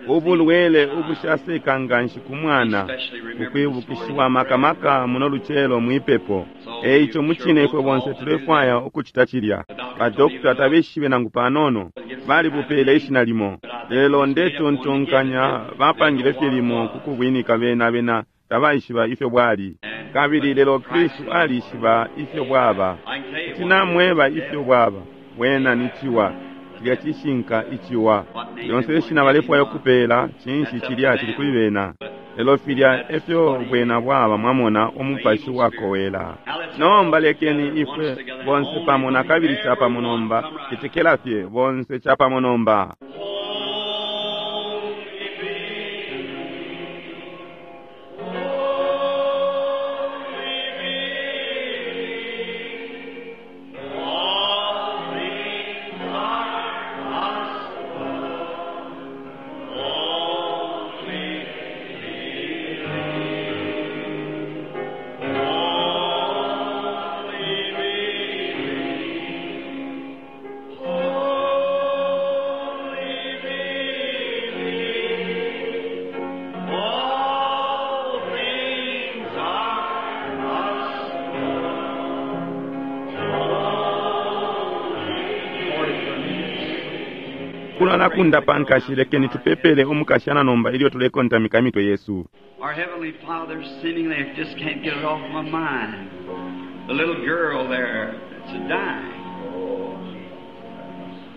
Ubulwele ubushaseka nganshi ku mwana ukwibukishiwa maka muno lucelo mwipepo. Eico mucine ifwe bonse tulefwaya ukucita cilya. Badokota tabeshibe nangu panono, balibupele ishina limo, lelo ndetontonkanya bapangile fye limo ku kubwinika bena bena tabaishiba ifyo bwali. Kabili lelo Kristu alishiba ifyo bwaba. Kuti namweba ifyo bwaba. Bwena ni ciwa. Cilya cishinka iciwa. Lyonse ishina balefwaya ukupela, cinshi cilya cili kuli bena. Lelo filya efyo bwena bwaba, mwamona, umupashi wakowela. Nomba lekeni ifwe bonse pamo nakabili capamo nomba, cetekela fye bonse capamo nomba. All things are possible. Only believe. Only believe. Only believe. All things are possible. Kulala kundapa nkashi, lekeni tupepele umukashana nomba ilyo tulekontamika imitwe yesu. Our Heavenly Father, seemingly I just can't get it off my mind. The little girl there that's dying.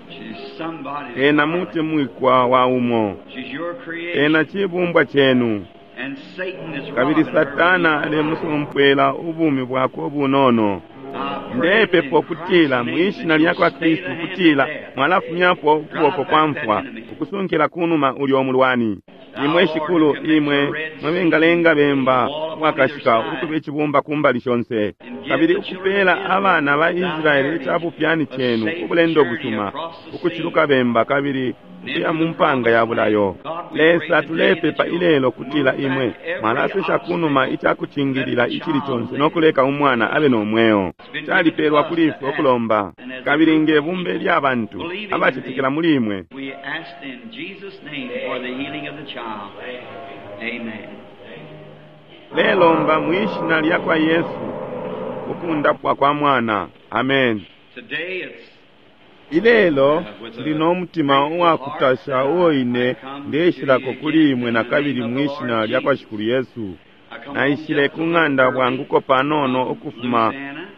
She's somebody's Ena darling. mutemwikwa wa umo, She's your creation. ena cibumbwa chenu. And Satan is Kabili robbing her. Satana alemusompwela ubumi bwakwe ubunono. I pray Ndepepa in ukutila Christ's name mwishina that lya you'll kwa stay Kristu the hand of ukutila death. mwalafumyapo ukuboko kwa mfwa ukusunkila kunuma ulyo mulwani. Imwe Shikulu, imwe mwebengalenga bemba wakashika ukuba icibumba kumbali shonse, kabili ukupela abana ba Israeli icabupyani chenu ubulendo busuma ukuciluka bemba kabili ukuya mu mpanga ya bulayo. Lesa, tulepepa ilelo kutila imwe mwalasesha kunuma icakucingilila icili conse no kuleka umwana abe no mweo. Calipelwa kuli ifwe ukulomba, kabili nge bumbe lya bantu abacetekela muli imwe. We ask in Jesus' name for the healing of the child. Amen. Lelomba mwishina lya kwa Yesu ukundapwa kwa mwana. Amen. Today it's Ilelo ndi no mutima uwakutasha uo ine ndeshilako kuli imwe na kabili mwishina lya kwa Shikulu Yesu. I come Naishile ku ng'anda bwanguko panono ukufuma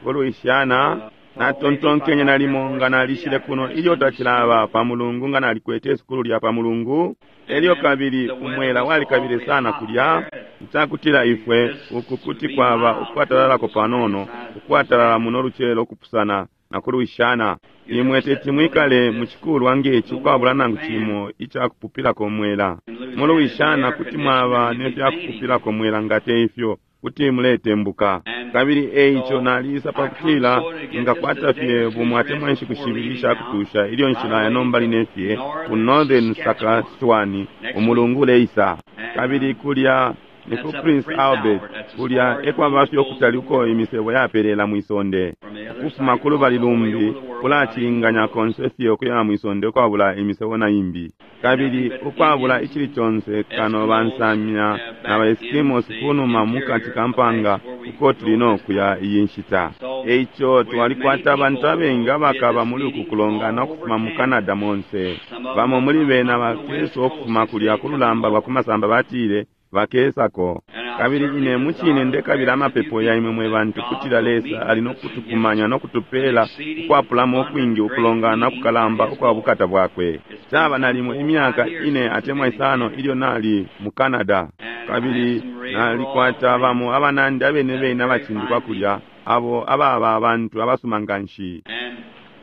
ku Louisiana. Natontonkenye nalimo nga nalishile kuno ilyo tacilaba pa Mulungu nga nalikwete isukulu lya pa Mulungu. Elyo kabili umwela walikabile sana kulya icakutila ifwe uku kuti kwaba ukwatalalako panono, ukwatalala muno lucelo ukupusana na ku Louisiana. Imwe teti mwikale mu cikulwa ngeci ukwabula nangu cimo icakupupilako umwela. Mu Louisiana kuti mwaba nefyakupupilako mwela nga te ifyo kuti muletembuka. Kabili eico nalisa pakutila ngakwata fye bumwe atemwa inshiku shibili ishakutusha ilyo nshilaya nomba line fye ku Northern Saskatchewan umulungu uleisa. Kabili kulya ni ku Prince Albert, kulya ekwaba fye ukutali uko imisebo yapelela mwisonde. Ukufuma ku lubali lumbi kulacilinganya konse fye ukuya mwisonde ukwabula imisebo na imbi. Kabili ukwabula icili conse kano bansamya na baeskimos kunuma mukati ka mpanga uko tuli no kuya iyi nshita. Eico twalikwata abantu abengi abakaba muli uku kulongana ukufuma mu Canada monse. Bamo muli bena bakesa ukufuma kulya ku lulamba lwa ku masamba batile bakesako. Kabili ine mucine ndekabila amapepo ya imwe mwe bantu kutila Lesa ali no kutukumanya no kutupela ukwapulamo ukwingi ukulongana kukalamba ukwa bukata bwakwe. Caba nalimo imyaka ine atemwa isano ilyo nali mu Canada. Kabili nalikwata bamo abanandi abene bene abacindikwa kulya abo ababa abantu abasuma nganshi. and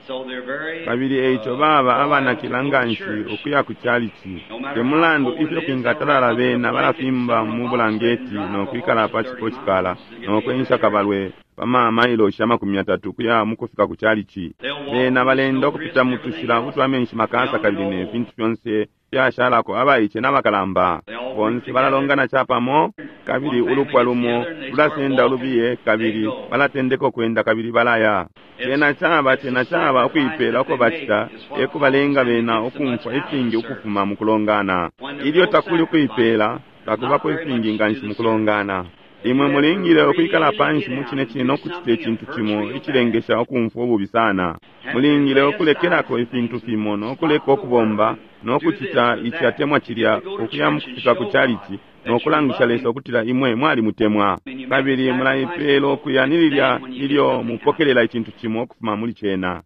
so they're very Kabili eico baba abanakila nganshi ukuya ku chalichi. Te mulandu ifyo kwingatalala bena balafimba mu bulangeti no kwikala pa cikocikala no kwensha kabalwe pa mamailoshi 30 ukuya mukufika ku chalichi. Bena balenda ukupita mu tushila utwa menshi makasa kabili ne fintu fyonse fyashalako abaice n'abakalamba. Bonse balalongana capamo, kabili ulupwa lumo lulasenda ulubiye, kabili balatendeka ukwenda kabili balaya. Cena caba, cena caba ukuipela uko bacita, ekubalenga bena ukumfwa ifingi ukufuma mukulongana. Ilyo takuli ukuipela, takubako ifingi nganshi mukulongana. Imwe mulingile ukwikala panshi mucine cine nokucita icintu cimo icilengesha ukumfwa ububi sana. Mulingile ukulekelako ifintu fimo nokuleka ukubomba nokucita ici atemwa cilya, ukuya mukufika ku chalichi nokulangisha Lesa ukutila imwe mwalimutemwa. Kabili mulaipela ukuya ni lilya ilyo mupokelela icintu cimo ukufuma muli cena.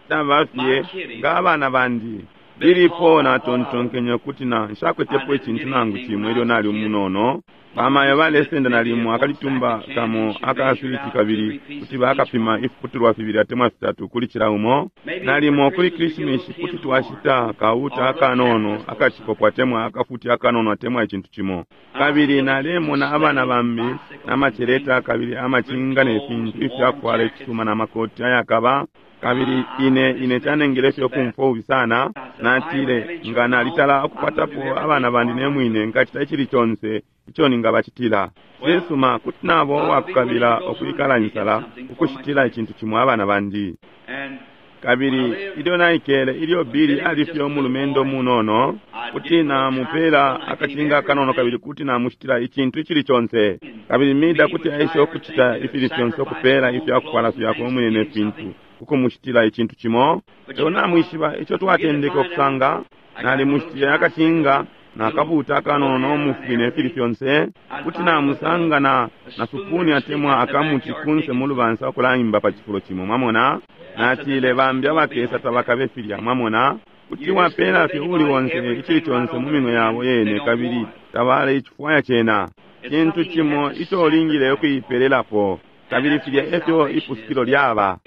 Caba fye nga abana bandi. Lilipo natontonkenye ukuti na nshakwetepo icintu nangu cimo ilyo nali umunono. Bamayo balesenda nalimo akalitumba kamo akaswiti kabili kuti bakapima ifiputulwa fibili atemwa fitatu kuli cila umo. Nalimo kuli Krisimesi kuti twashita kauta akanono akacikopo atemwa akafuti akanono atemwa icintu cimo. Kabili nalemona abana bambi namaceleta kabili amacinga ne fintu ifyakufwala ifisuma na makoti ayakaba. Kabili ine ine canengele fye ukumfwa ububi sana. Natile nga nalitala ukukwatapo abana bandi ne mwine nkacita icili conse ico ningabacitila. Cisuma kuti nabo uwakukabila ukwikala insala ukushitila icintu cimo abana bandi. Kabili ilyo naikele, ilyo Billy ali fye umulumendo munono, kuti namupela akacinga akanono kabili kuti namushitila icintu icili conse. Kabili Mida kuti aisha ukucita ifili fyonse ukupela ifyakufwala fyakwe umwine ne fintu, ukumushitila icintu cimo. Lelo namwishiba ico twatendeke ukusanga, nalimushitile akacinga nakabuta akanono nomufwi ne fili fyonse, kuti namusanga na supuni atemwa akamuti kunse mu lubansa ukulaimba pa cifulo cimo. Mwamona? Natile bambi abakesa tabakabe filya. Mwamona? Kuti wapela fye uli onse icili conse mu minwe yabo yene kabili tabalecifwaya cena. Cintu cimo ico ulingile ukuipelelapo. Kabili filya efyo ipusukilo lyaba.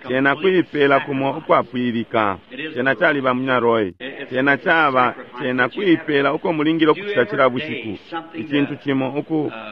Cena kuipela kumo ukwapwilika. Cena caliba munyina Roy. Cena caba, cena kuipela uko mulingile ukucita cila bushiku. Icintu cimo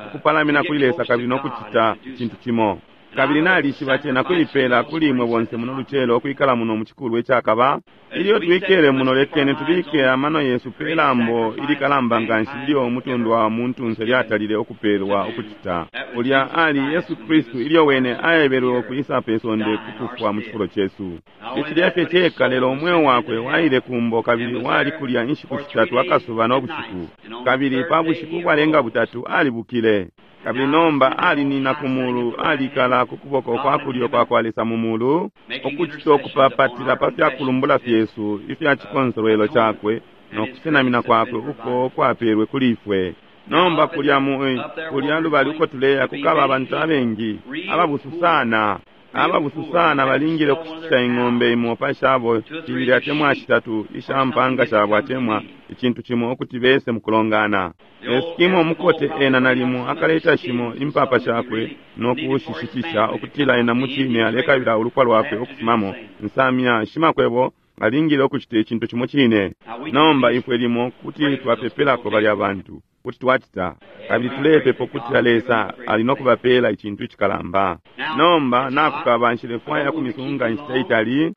ukupalamina kuli Lesa kabili nokucita icintu cimo. Kabili nalishiba cena kuipela kuli imwe bonse muno lucelo ukwikala muno mu cikulwa icakaba. Ilyo twikele muno, lekeni tubike amano yesu pe lambo ilikalamba nganshi ilyo umutundu wa muntunse lyatalile ukupelwa ukucita. Ulya ali Yesu Kristu ilyo wene aebelwe ukwisa pe sonde kukufwa mu cifulo cesu. Icilya fye ceka, lelo umweo wakwe waile kumbo kabili wali kulya inshiku shitatu akasuba no bushiku. Kabili pa bushiku ubwalenga butatu alibukile. Kabili nomba alinina ku mulu, alikala ku kuboko kwa kulyo kwa kwa Lesa mu mulu, ukucita ukupapatila pa fyakulumbula fyesu ifya cikonsolwelo cakwe no kusenamina kwakwe uko kwapelwe kuli ifwe. Nomba kulya mu kulya lubali uko tuleya kukaba abantu abengi ababusu sana. Ababusu sana balingile ukushitisha ing'ombe imo pa shabo shibili atemwa shitatu isha mpanga shabo atemwa icintu cimo ukuti bese mukulongana. Eskimo umukote ena nalimo akaleta shimo impapa shakwe no kushishitisha ukutila ena mucine alekabila ulupwa lwakwe ukufumamo. Nsamya shimakwebo alingile ukucita icintu cimo cine. Nomba ifwe limo kuti twapepelako balya bantu, kuti twacita, kabili tulepepa ukutila Lesa ali no kubapela icintu icikalamba. Nomba nakukaba nshilefwaya kumisunga inshita itali.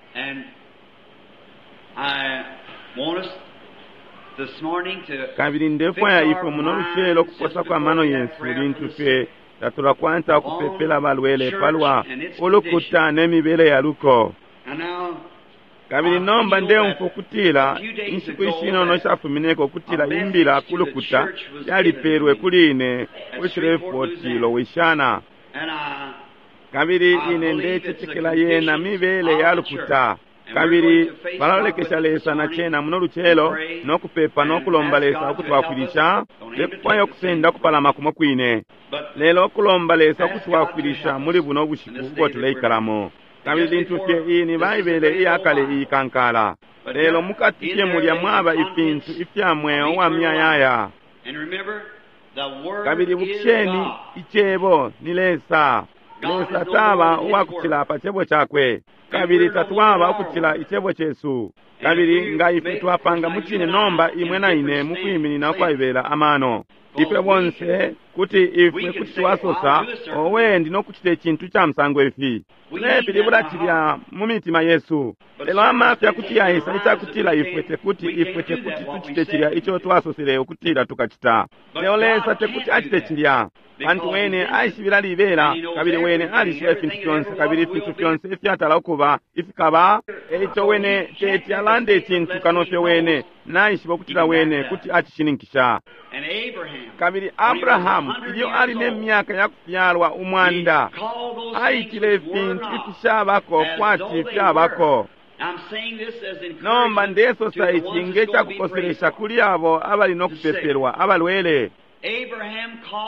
Kabili ndefwaya ifwe muno lucelo ukuposako amano yesu lintu fye tatulakwata ukupepela abalwele palwa ulukuta ne mibele ya luko. Kabili nomba ndeumfwa ukutila inshiku ishinono ishafumineko ukutila imbila ku lukuta yalipelwe kuli ine ku Shreveport, Louisiana. Kabili ine ndecetekela yena mibele ya lukuta. Kabili balalolekesha Lesa na cena muno lucelo no kupepa no kulomba Lesa ukutwafwilisha. Ndekufwaya ukusenda ukupalama kumo kwine, lelo ukulomba Lesa ukutwafwilisha muli buno bushiku ubo tuleikalamo. Kabili lintu fye iyi ni Baibele iyakale iyikankala, lelo mukati fye mulya mwaba ifintu ifya mweo wa miyayaya. Kabili bukisheni, icebo ni Lesa. Lesa taba uwakucila pa cebo cakwe, kabili tatwaba ukucila icebo cesu. Kabili nga ifwe twapanga mucine nomba imwe na ine mukwiminina ukwaibela amano. Ifwe bonse kuti ifwe kuti twasosa, owe, ndi nokucita icintu ca musango ifi. Tulepilibula cilya mu mitima yesu, lelo amafya kuti yaisa icakutila ifwe tekuti ifwe tekuti tucite cilya ico twasosele ukutila tukacita. Lelo Lesa tekuti acite cilya, pantu wene aishibila libela, kabili wene alishiba ifintu fyonse, kabili ifintu fyonse ifyatala ukuba ifikaba. Eico wene teti alande icintu kano fye wene naishiba ukutila wene kuti acishininkisha. Kabili Abrahamu, ilyo ali ne myaka ya kufyalwa 100, aitile ifintu ifishabako kwati fyabako. Nomba ndesosa ici nge cakukoselesha kuli abo abali no kupepelwa abalwele.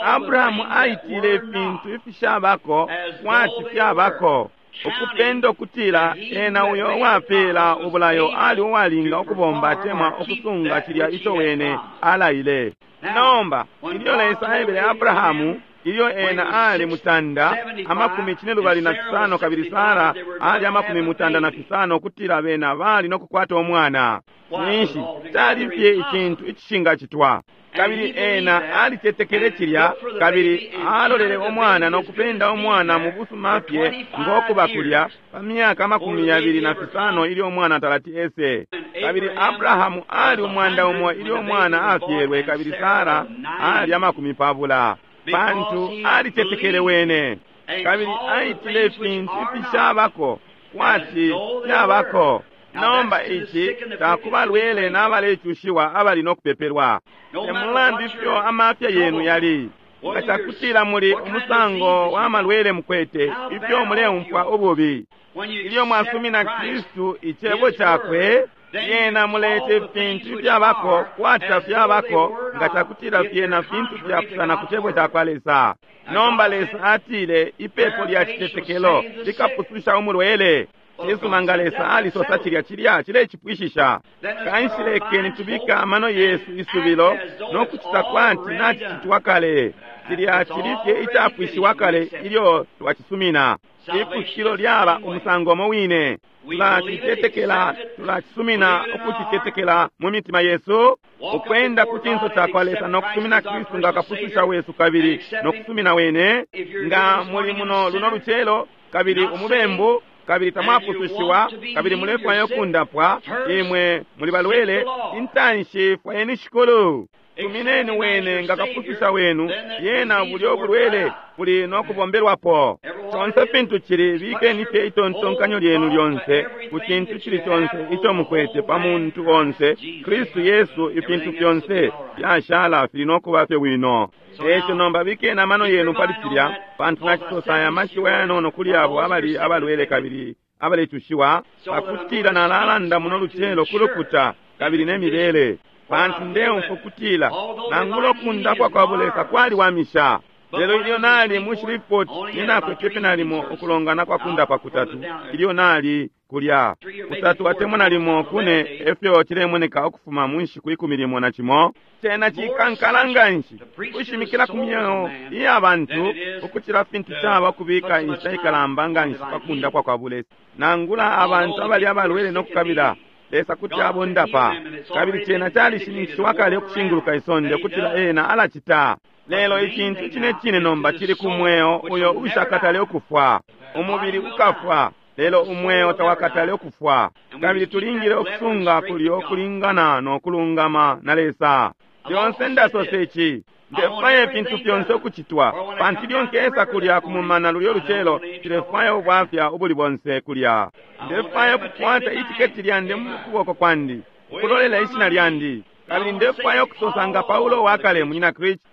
Abrahamu aitile ifintu ifishabako kwati fyabako, ukupenda ukutila ena uyo uwapela ubulayo ali uwalinga ukubomba atemwa ukusunga cilya ico wene alaile. Nomba ilyo Lesa aebele Abrahamu, ilyo ena ali 175 kabili Sara ali 95, ukutila bena bali nokukwata umwana, ninshi cali fye icintu icishingacitwa. Kabili ena alicetekele cilya, kabili alolele umwana nokupenda umwana mu busuma fye ngokuba kulya pa myaka 25 ilyo umwana talati ese. Kabili Abrahamu ali 100 ilyo umwana afyelwe, kabili Sara ali 20, pantu alicetekele wene. Kabili aitile ifintu ifishabako kwati fyabako. Nomba ici takubalwele n'abalecushiwa abali nokupepelwa. Temulandu ifyo amafya yenu yali, nga cakutila muli umusango wa malwele mukwete, ifyo muleumfwa ububi, ilyo mwasumina Kristu icebo cakwe, lyena mulete ifintu ifyabako kwati tafyabako, nga cakutila fyena fintu fyapusana ku cebo cakwa Lesa. Nomba Lesa atile ipepo lya citetekelo likapususha umulwele. Cisuma, nga Lesa alisosa cilya, cilya cilecipwishisha. Kanshi lekeni tubika amano yesu isubilo nokucita kwati nacicitwa kale. Cilya cili fye icapwishiwa kale ilyo twacisumina. Ipusukilo lyaba umusango umo wine. Tulacicetekela, tulacisumina ukucicetekela mu mitima yesu, ukwenda ku cinso cakwa Lesa nokusumina Kristu nga kapususha wesu, kabili nokusumina wene. Nga muli muno luno lucelo kabili umubembu, kabili tamwapusushiwa, kabili mulefwaya ukundapwa, imwe muli balwele, intanshi fwayeni Shikulu. Sumineni wene nga kapususha wenu, yena bulyo bulwele buli nokubombelwapo. Conse fintu cili, bikeni fye itontonkanyo lyenu lyonse ku cintu cili conse ico mukwete pa muntu onse, Kristu Yesu, ifintu fyonse fyashala fili nokuba fye bwino. Eco nomba bikeni amano yenu pali cilya, pantu nacisosa aya mashiwi ayanono kuli abo abali abalwele kabili abalecushiwa, pakutila nalalanda muno lucelo ku lukuta kabili ne mibele, pantu ndeumfwa ukutila nangula ukundapwa kwa Bulesa kwaliwamisha. Lelo ilyo nali mu Shreveport, ninakwete nalimo ukulongana kwa kundapa kutatu ilyo nali kulya, kutatu atemwa nalimo kune, efyo cilemoneka ukufuma mu nshiku 11. Cena cikankala nganshi kushimikila ku myeo iya bantu ukucila fintu caba kubika inshita ikalamba nganshi pa kundapwa kwa Bulesa. Nangula abantu abali abalwele nokukabila Lesa kuti abondapa, kabili cena calishininkishiwa kale ukushinguluka isonde ukutila ena alacita. Lelo icintu cine cine nomba cili ku mweo uyo ushakatale ukufwa. Umubili ukafwa, lelo umweo tawakatale ukufwa. Kabili tulingile ukusunga kulyo kulingana no kulungama na Lesa. Lyonse ndasosa ici, ndefwaya ifintu fyonse ukucitwa, pantu ilyo nkesa kulya kumumana lulyo lucelo, nshilefwaya ubwafya ubuli bonse kulya. Ndefwaya ukukwata itiketi lyandi mu kuboko kwandi, ukulolela ishina lyandi. Kabili ndefwaya ukusosa nga Paulo wakale, munyina Kristu,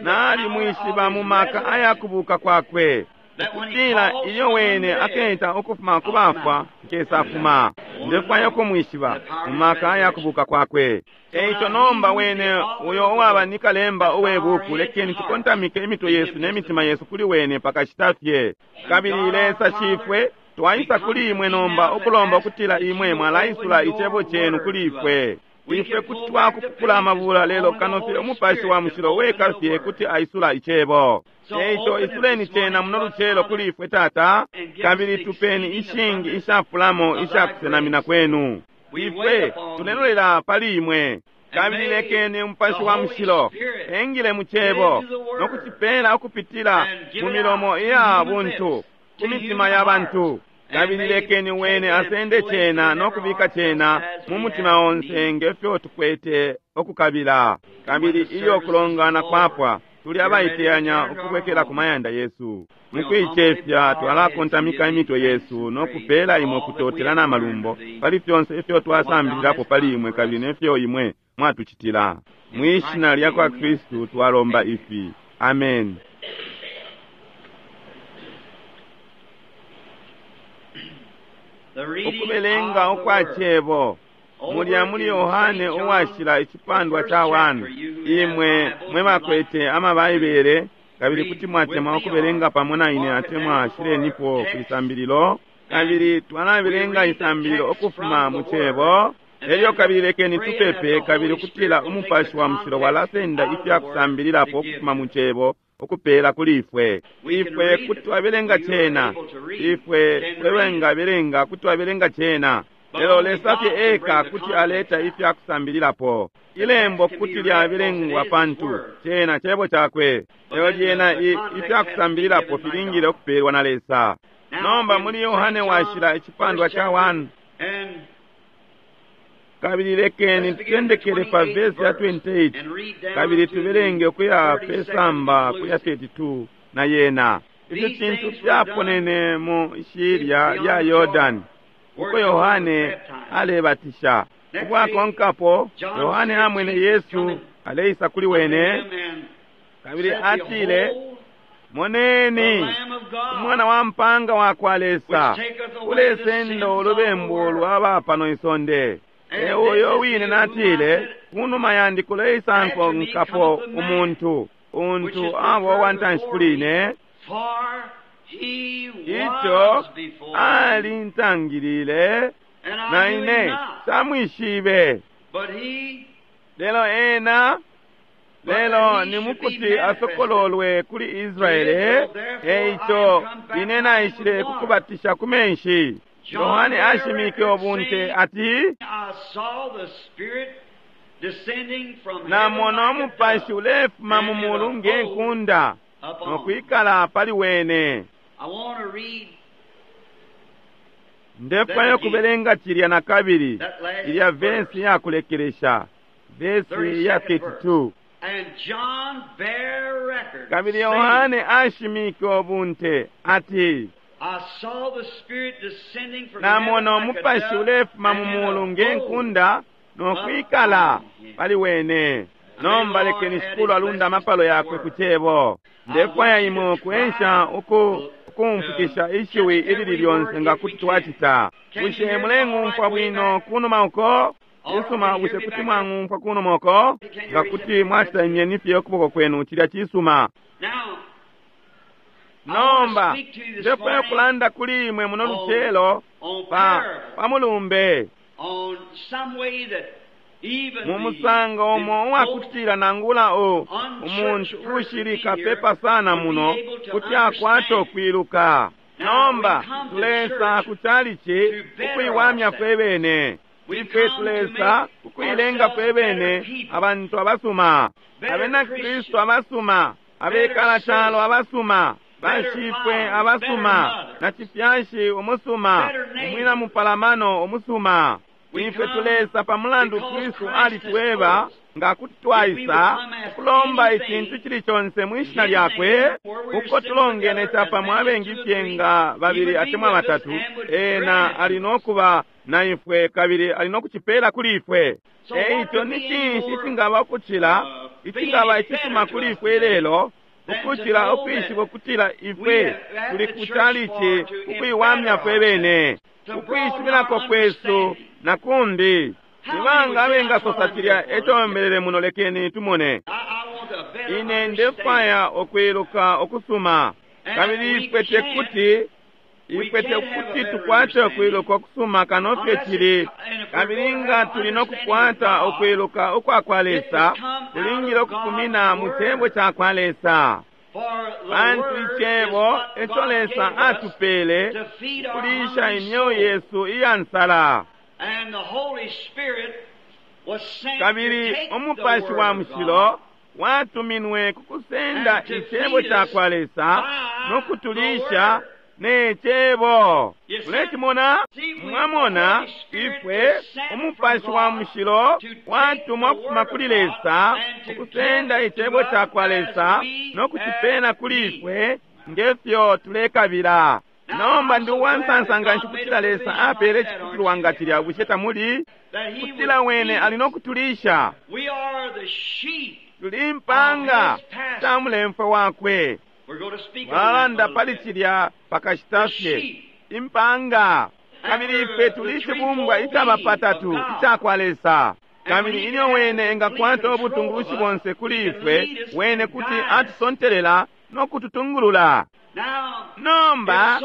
nalimwishiba mu maka ayakubuka kwakwe, ukutila ilyo wene aketa ukufuma ku bafwa, nkesafuma. Ndefwaya ukumwishiba mu maka ayakubuka kwakwe. Eico nomba wene uyo uwaba ni kalemba uwe buku, lekeni tukontamike imitwe yesu ne mitima yesu kuli wene pakashita fye. Kabili Lesa Shifwe, twaisa kuli imwe nomba ukulomba ukutila imwe mwalaisula icebo cenu kuli ifwe. Ifwe kuti twakupukula amabula, lelo kano fye Umupashi wa Mushilo weka fye kuti aisula icebo. Eico isuleni cena muno lucelo kuli ifwe, Tata, kabili tupeni ishingi ishafulamo ishakusenamina kwenu. Ifwe tulelolela pali imwe. Kabili lekeni Umupashi wa Mushilo engile mu Cebo no kucipela ukupitila mu milomo iya buntu ku mitima ya bantu. Kabili lekeni Wene asende cena no kubika cena mu mutima onse nge fyo tukwete ukukabila. Kabili ilyo kulongana kwapwa, tuli abaiteyanya ukubwekela ku mayanda yesu. Mukuicefya twalakontamika imitwe yesu no kupela imwe kutotela na malumbo pali fyonse ifyo twasambililapo pali imwe kabili nefyo imwe mwatucitila. Mwishina lya kwa Kristu twalomba ifi. Amen. Ukubelenga ukwa cebo mulya muli Yohane uwashila icipandwa ca 1. Imwe mwe bakwete amabaibele kabili kuti mwatemwa ukubelenga pamo na ine atemwa shilenipo kwisambililo, kabili twalabelenga isambililo ukufuma mu cebo. Elyo kabili lekeni tupepe kabili ukutila Umupashi wa Mushilo walasenda ifya kusambililapo ukufuma mu cebo ukupela kuli ifwe. Ifwe kuti twabelenga cena, ifwe twewengabelenga kuti twabelenga cena, lelo Lesa fye eka kuti aleta ifya kusambililapo. Ilembo kuti lyabelengwa pantu cena cebo cakwe, lelo lyena ifya kusambililapo filingile ukupelwa na Lesa. Nomba muli Yohane washila icipandwa ca 1, kabili lekeni tutendekele pa vesi ya 28 kabili tubelenge ukuya pesamba kuya 32 na yena. Ifi fintu fyaponene mu shilya lya Yordani uko Yohane alebatisha. Ubwakonkapo Yohane amwene Yesu aleisa kuli wene, kabili atile, Moneni umwana wa mpanga wa kwa Lesa ulesenda ulubembu lwa pano isonde. E uyo wine natile, kunuma yandi kuleisa nkonkapo umuntu untu abo wantanshi kuli ine, ico alintangilile na ine samwishibe, lelo ena lelo ni mukuti asokololwe kuli Israele. Eico ine naishile kukubatisha ku menshi. Yohane ashimike ubunte ati, namona umupashi ulefuma mu mulu nge nkunda no kwikala pali wene. Ndefwayo kubelenga cilya na kabili, ilya vesi ya kulekelesha, vesi ya 32. Kabili Yohane ashimike ubunte ati, namona umupashi ulefuma mu mulu nge nkunda no kwikala pali wene. Nomba lekeni Shikulu alunda amapalo yakwe ku cebo. Ndefwaya imwe kuensha ukumfukisha ishiwi ilili lyonse nga kuti twacita. Bushe muleng'umfwa bwino kunuma uko? Cisuma, bushe kuti mwang'umfwa kunuma uko? Nga kuti mwacita imyeni fye ukuboko kwenu, cilya cisuma. Nomba ndefwaya kulanda kuli imwe muno lucelo pa mulumbe mu musango umo uwakutila nangula umuntu ushili kapepa sana muno kuti akwata ukwiluka. Nomba tulesa ku chalichi ukuiwamya fwe bene. Ifwe tulesa ukuilenga fwe bene abantu abasuma, abena Kristu abasuma, abekala calo abasuma, bashifwe abasuma, na cifyashi umusuma, umwina mupalamano umusuma. Ifwe tulesa pa mulandu Kristu alitweba nga kuti twaisa kulomba icintu cili conse mwishina lyakwe, uko tulongene capamo abengi fye nga babili atemwa batatu, ena ali nokuba na ifwe kabili ali nokucipela kuli ifwe. Eico ni cinshi icingaba ukucila icingaba icisuma kuli ifwe lelo ukucila ukwishiba ukutila ifwe tuli ku chalichi ukuiwamya fwe bene, ukwishibilako kwesu na kumbi. Ibanga abengasosa cilya eco mbelele muno, lekeni tumone. Ine ndefwaya ukwiluka ukusuma, kabili ifwe tekuti tukwate ukwiluka ukusuma kano fye cili. Kabili nga tuli nokukwata ukwiluka ukwa kwa Lesa, tulingile ukufumina mu cebo ca kwa Lesa. Pantu icebo eco Lesa atupele kulisha imyeo yesu iya nsala. Kabili Umupashi wa Mushilo watuminwe ku kusenda Icebo cakwa Lesa no kutulisha ne Cebo. Mulecimona? Mwamona, ifwe Umupashi wa Mushilo watumwa kufuma kuli Lesa ukusenda Icebo cakwa Lesa no kucipena kuli ifwe ngefyo tulekabila. Nomba ndi uwansansa nganshi kutila Lesa apele iciputulwa nga cilya. Bushe tamuli? Kutila wene ali no kutulisha. Tuli impanga sha mulemfwe wakwe. Twalanda pali cilya pakashita fye. Impanga. Kabili ifwe tuli icibumbwa icaba patatu icakwa Lesa. Kabili ilyo wene engakwata ubutungulushi bonse kuli ifwe, wene kuti atusontelela no kututungulula. Nomba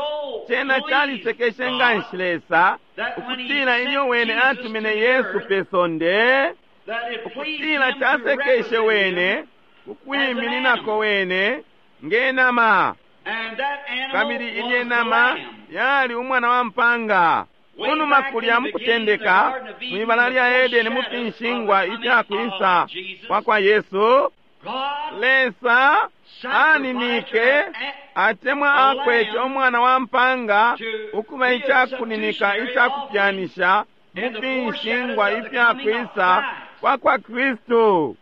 cena calisekeshe nganshi Lesa ukutila ilyo wene atumine Yesu pe sonde, ukutila casekeshe wene kukwimininako wene nge nama. Kabili ilye nama yali umwana wa mpanga. Kunuma kulya mukutendeka mwibala lya Edeni mu finshingwa ifyakwisa kwa kwa Yesu, Lesa aninike atemwa akwete umwana wa mpanga ukuba icakuninika icakupyanisha mu finshingwa ifyakwisa kwa kwa Kristu.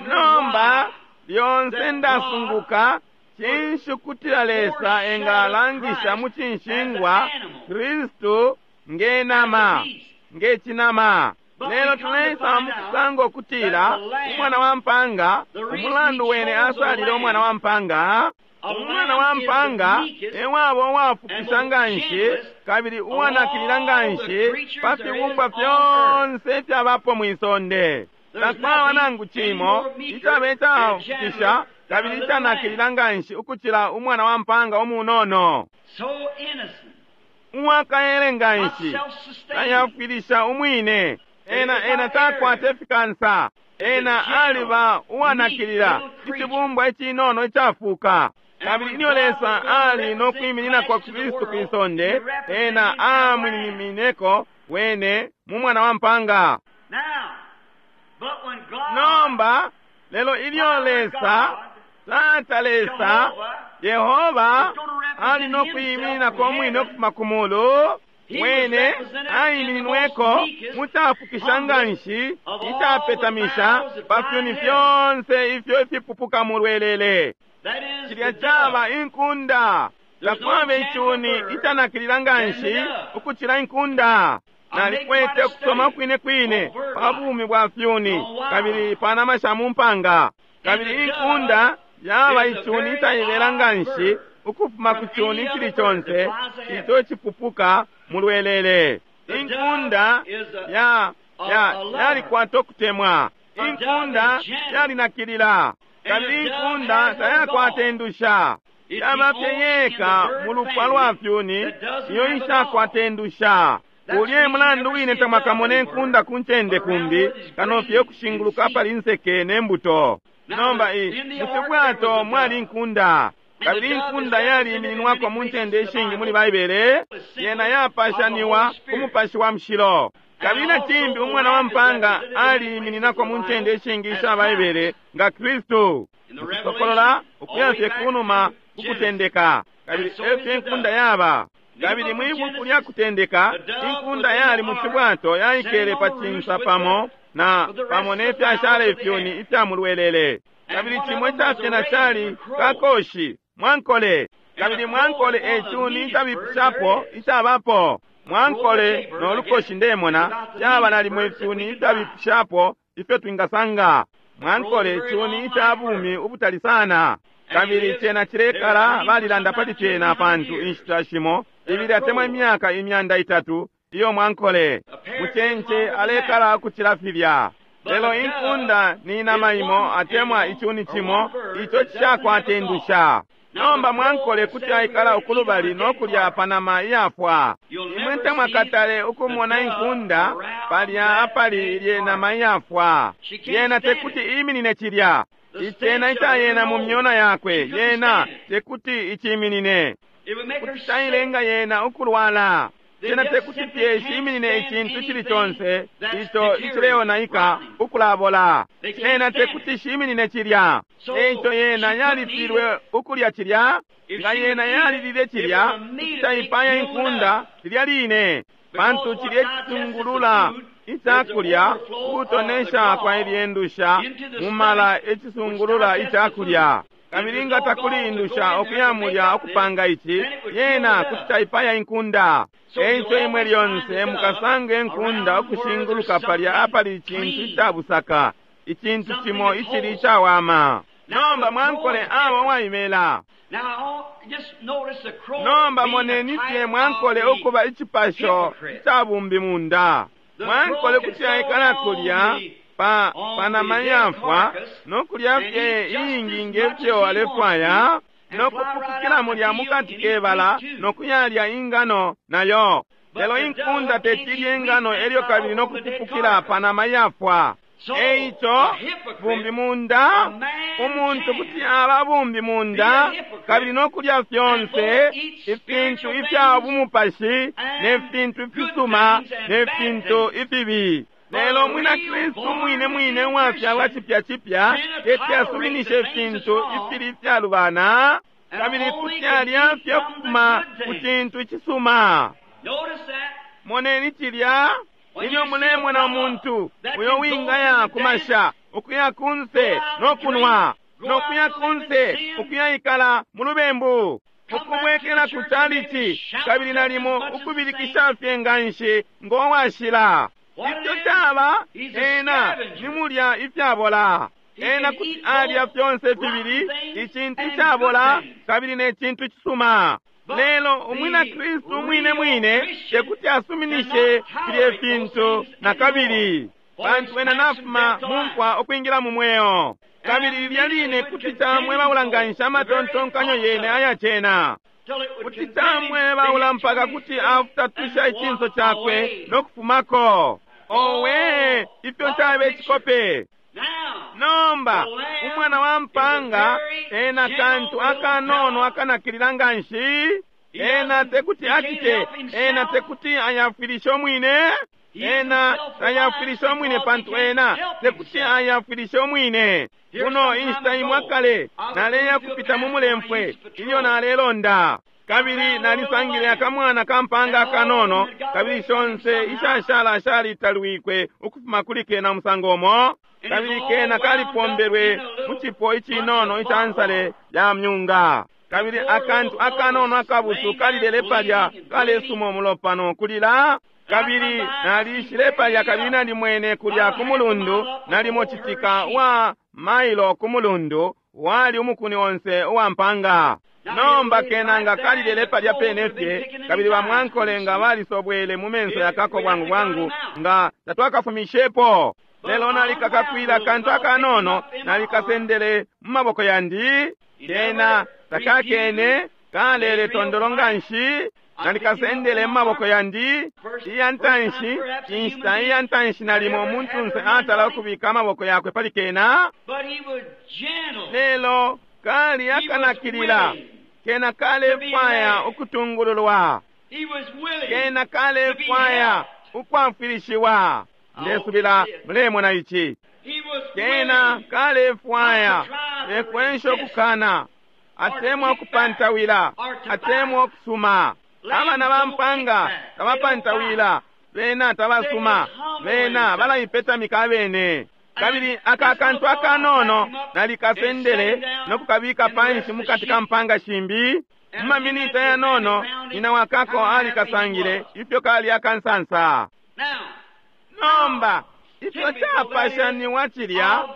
Nomba lyonse ndasunguka cinshi kutila Lesa engalangisha mu cinshingwa Kristu nge nama, nge cinama. Lelo tuleisa mukusanga ukutila umwana wa mpanga, umulandu wene asalile umwana wa mpanga, umwana wa mpanga ewaba uwafukisha nganshi kabili uwanakilila nganshi pa fibumbwa fyonse ifyabapo mwisonde. Takwaba nangu cimo icaba icafukisha kabili icanakilila nganshi ukucila umwana wa mpanga umunono. Uwakaele nganshi tayafwilisha umwine. Ena ena takwata ifikansa. Ena aliba uwanakilila, icibumbwa icinono icafuka. Kabili ilyo Lesa ali no kwiminina kwa Kristu kwisonde, ena amwiminineko wene mu mwana wa mpanga. Nomba lelo ilyo Lesa, Tata Lesa, Yehova ali no kwiminina umwine ukufuma ku mulu, wene aimininweko mucafukisha nganshi icapetamisha pa fyuni fyonse ifyo ifipupuka mu lwelele. Cilya caba inkunda. Takwaba icuni icanakilila nganshi ukucila inkunda. Nalikwete ukusoma kwine kwine pa bumi bwa fyuni kabili pa nama sha mu mpanga. Kabili inkunda yaba icuni icaibela nganshi ukufuma ku cuni icili conse ico cipupuka mu lwelele. Inkunda ya yalikwata ukutemwa. Inkunda yalinakilila. Kabili inkunda tayakwata indusha. Yaba fye yeka mu lupwa lwa fyuni iyo ishakwata indusha. Ulye mulandu wine tamwakamone inkunda ku ncende kumbi kano fye kushinguluka pali nseke ne mbuto. Nomba mu mwali inkunda. Kabili inkunda yaliimininwako mu ncende ishingi muli Baibele, yena yapashaniwa ku Mupashi wa Mushilo. Kabili na cimbi umwana wa mpanga aliimininako mu ncende ishingi isha Baibele nga Kristu. Ukusokolola ukuya fye kunuma kukutendeka. Kabili efyo inkunda yaba. Kabili mwi buku lya kutendeka, inkunda yali mu cibwato yaikele pa cinsa pamo na pamo ne fyashala ifyuni ifya mulwelele. Kabili cimwe icafyena cali kakoshi mwankole. Kabili mwankole ecuni icabipishapo icabapo. Mwankole no lukoshi ndemona caba nalimo ifyuni icabipishapo ifyo twingasanga. Mwankole cuni ica bumi ubutali sana. Kabili cena cilekala balilanda pali cena pantu inshita shimo ibili atemwa imyaka 300 iyo mwankole mucenje alekala ukucila filya. Lelo inkunda ni nama imo atemwa icuni cimo ico cishakwata indusha. Nomba mwankole kuti aikala ukulubali no kulya panama iyafwa. Imwe tamwakatale ukumona inkunda palya apali ilye nama iyafwa. Yena tekuti iminine cilya. Icena icayena mu myona yakwe yena tekuti iciminine. Kuti cailenga yena ukulwala. Cena tekuti fye shiminine icintu cili conse ico icileonaika ukulabola. Cena tekuti shiminine cilya. Eico yena yalifilwe ukulya cilya. Nga yena yalilile cilya, taipaya inkunda lilya line, pantu cilye cisungulula icakulya ukutonesha kwa ilyendusha mumala ecisungulula icakulya. Kabili nga takuli indusha okuya mulya okupanga ici, yena kuti taipaya inkunda. Eico imwe lyonse mukasanga inkunda ukushinguluka palya apali icintu icabusaka, icintu cimo icili icawama. Nomba mwankole aba uwaibela. Nomba moneni fye mwankole ukuba icipasho icabumbi munda. Mwankole kuti aikala kulya pa panama yafwa no kulya fye iingi ngefyo alefwaya, no kupukukila mulya mukati kebala no kuyalya ingano nayo. Lelo inkunda tetilye ingano elyo kabili no kupupukila panama yafwa. Eico bumbi munda, umuntu kuti aba bumbi munda kabili no kulya fyonse ifintu ifya bumupashi ne fintu ifisuma ne fintu ifibi. Lelo mwina Kristu mwine mwine uwafyalwa cipya cipya teti asuminishe ifintu ifili ifyalubana, kabili kuti alya fye ukufuma ku cintu icisuma. Moneni cilya. Ilyo mulemona umuntu uyo wingaya kumasha ukuya kunse no kunwa, no kuya kunse ukuya ikala mu lubembu, ukubwekela ku chalichi kabili nalimo ukubilikisha fye nganshi ngo washila. Ifyo caba, ena ni mulya ifyabola. Ena kuti alya fyonse fibili, icintu icabola kabili ne cintu cisuma. Lelo umwina Kristu mwine mwine tekuti asuminishe filye fintu na kabili, pantu ena nafuma mumfwa ukwingila mu mweo. Kabili lilya line kuti camwebaula nganshi amatontonkanyo yene ayacena. Kuti camwebaula mpaka kuti afutatusha icinso cakwe no kufumako. Owe, ifyo cabe icikope. Nomba umwana wa mpanga ena kantu akanono akanakilila nganshi. Ena tekuti acite, ena tekuti ayafwilishe umwine, ena tayafwilishe umwine pantu ena tekuti ayafwilishe umwine. Kuno inshita imwe akale naleya kupita mu mulemfwe ilyo nalelonda, kabili nalisangile akamwana kampanga akanono, kabili shonse ishashala shalitalwikwe ukufuma kuli kena musango umo, kabili kena kalipombelwe mu cipo icinono ica nsale ya myunga. Kabili akantu akanono akabusu kalilele palya kalesuma umulopa no kulila. Kabili nalishile palya kabili nalimwene kulya ku mulundu, nalimo citika wa mailo ku mulundu, wali umukuni onse uwa mpanga. Nomba kena nga kalilele palya pene fye, kabili bamwankole nga balisobwele mu menso yakako bwangu bwangu, nga tatwakafumishepo. Lelo nalikakakwila kantu akanono, nalikasendele mu maboko yandi. Kena takakene kalele tondolo nganshi, nalikasendele mu maboko yandi. Iya ntanshi, inshita iya ntanshi nalimo umuntunse atala ukubika amaboko yakwe pali kena. Lelo kali akanakilila, kena kalefwaya ukutungululwa, kena kalefwaya ukwafwilishiwa. Ndesubila mulemona ici. Kena kalefwaya tekwensha ukukana, atemwa ukupantawila, atemwa ukusuma. Abana ba mpanga tabapantawila, bena tabasuma, bena balaipetamika abene. Kabili aka kantu akanono nalikasendele no kukabika panshi mukati ka mpanga shimbi. Mu maminita yanono nyina wakako alikasangile ifyo kali akansansa. Nomba ifyo capashaniwa cilya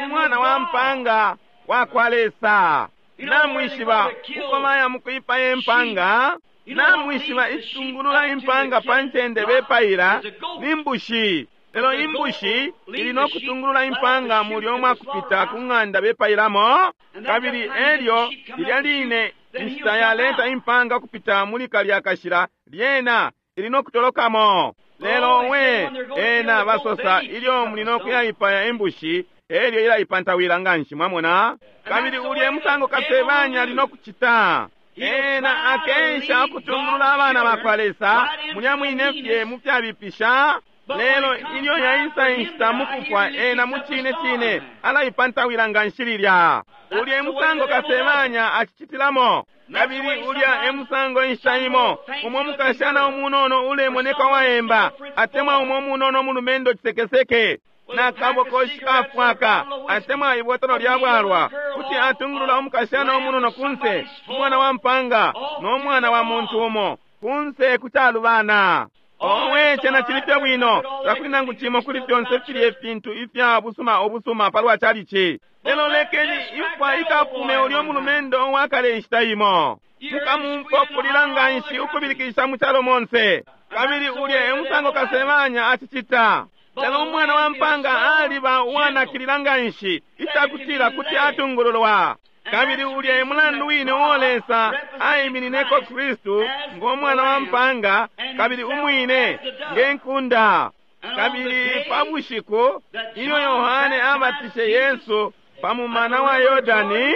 umwana wa mpanga wa kwa Lesa. Namwishiba uko baya mukuipaya impanga, namwishiba icitungulula impanga pa ncende bepaila ni mbushi. Lelo imbushi ili no kutungulula impanga mulyo mwakupita ku ng'anda bepailamo. Kabili elyo lilya line inshita yaleta impanga kupita muli kalya kashila, lyena ili no kutolokamo. Lelo we ena basosa ilyo muli no kuyaipaya imbushi, elyo ilaipantawila nganshi, mwamona. Kabili ulye musango kasebanya ali no kucita. Ena akensha ukutungulula abana bakwa Lesa mulya mwine fye mu fyabipisha. Lelo ilyo yaisa inshita mukufwa, ena mucine cine alaipantawila nga nshi lilya. Ulya emusango kasebanya acicitilamo, kabili ulya emusango inshita imo umo mukashana umunono ulemoneka waemba, atemwa umo munono mulumendo cisekeseke na kabokoshi kafwaka, atemwa ibotolo lya bwalwa, kuti atungulula umukashana umunono kunse, umwana wa mpanga no mwana wa muntu umo kunse kucalubana. Owe, cena cili fye bwino, takuli nangu cimo kuli fyonse filye fintu ifya busuma ubusuma palwa chalichi. Lelo lekeni imfwa ikafume ulyo mulumendo uwakale inshita imo. Mukamumfwa kulila nganshi ukubilikisha mu calo monse, kabili ulya emusango kasebanya acicita. Lelo umwana wa mpanga aliba uwanakilila nganshi icakutila kuti atungululwa. Kabili ulya emulandu wine uo Lesa aiminineko Kristu ngo mwana wa mpanga, kabili umwine nge nkunda. Kabili pa bushiku ilyo Yohane abatishe Yesu pa mumana wa Yordani,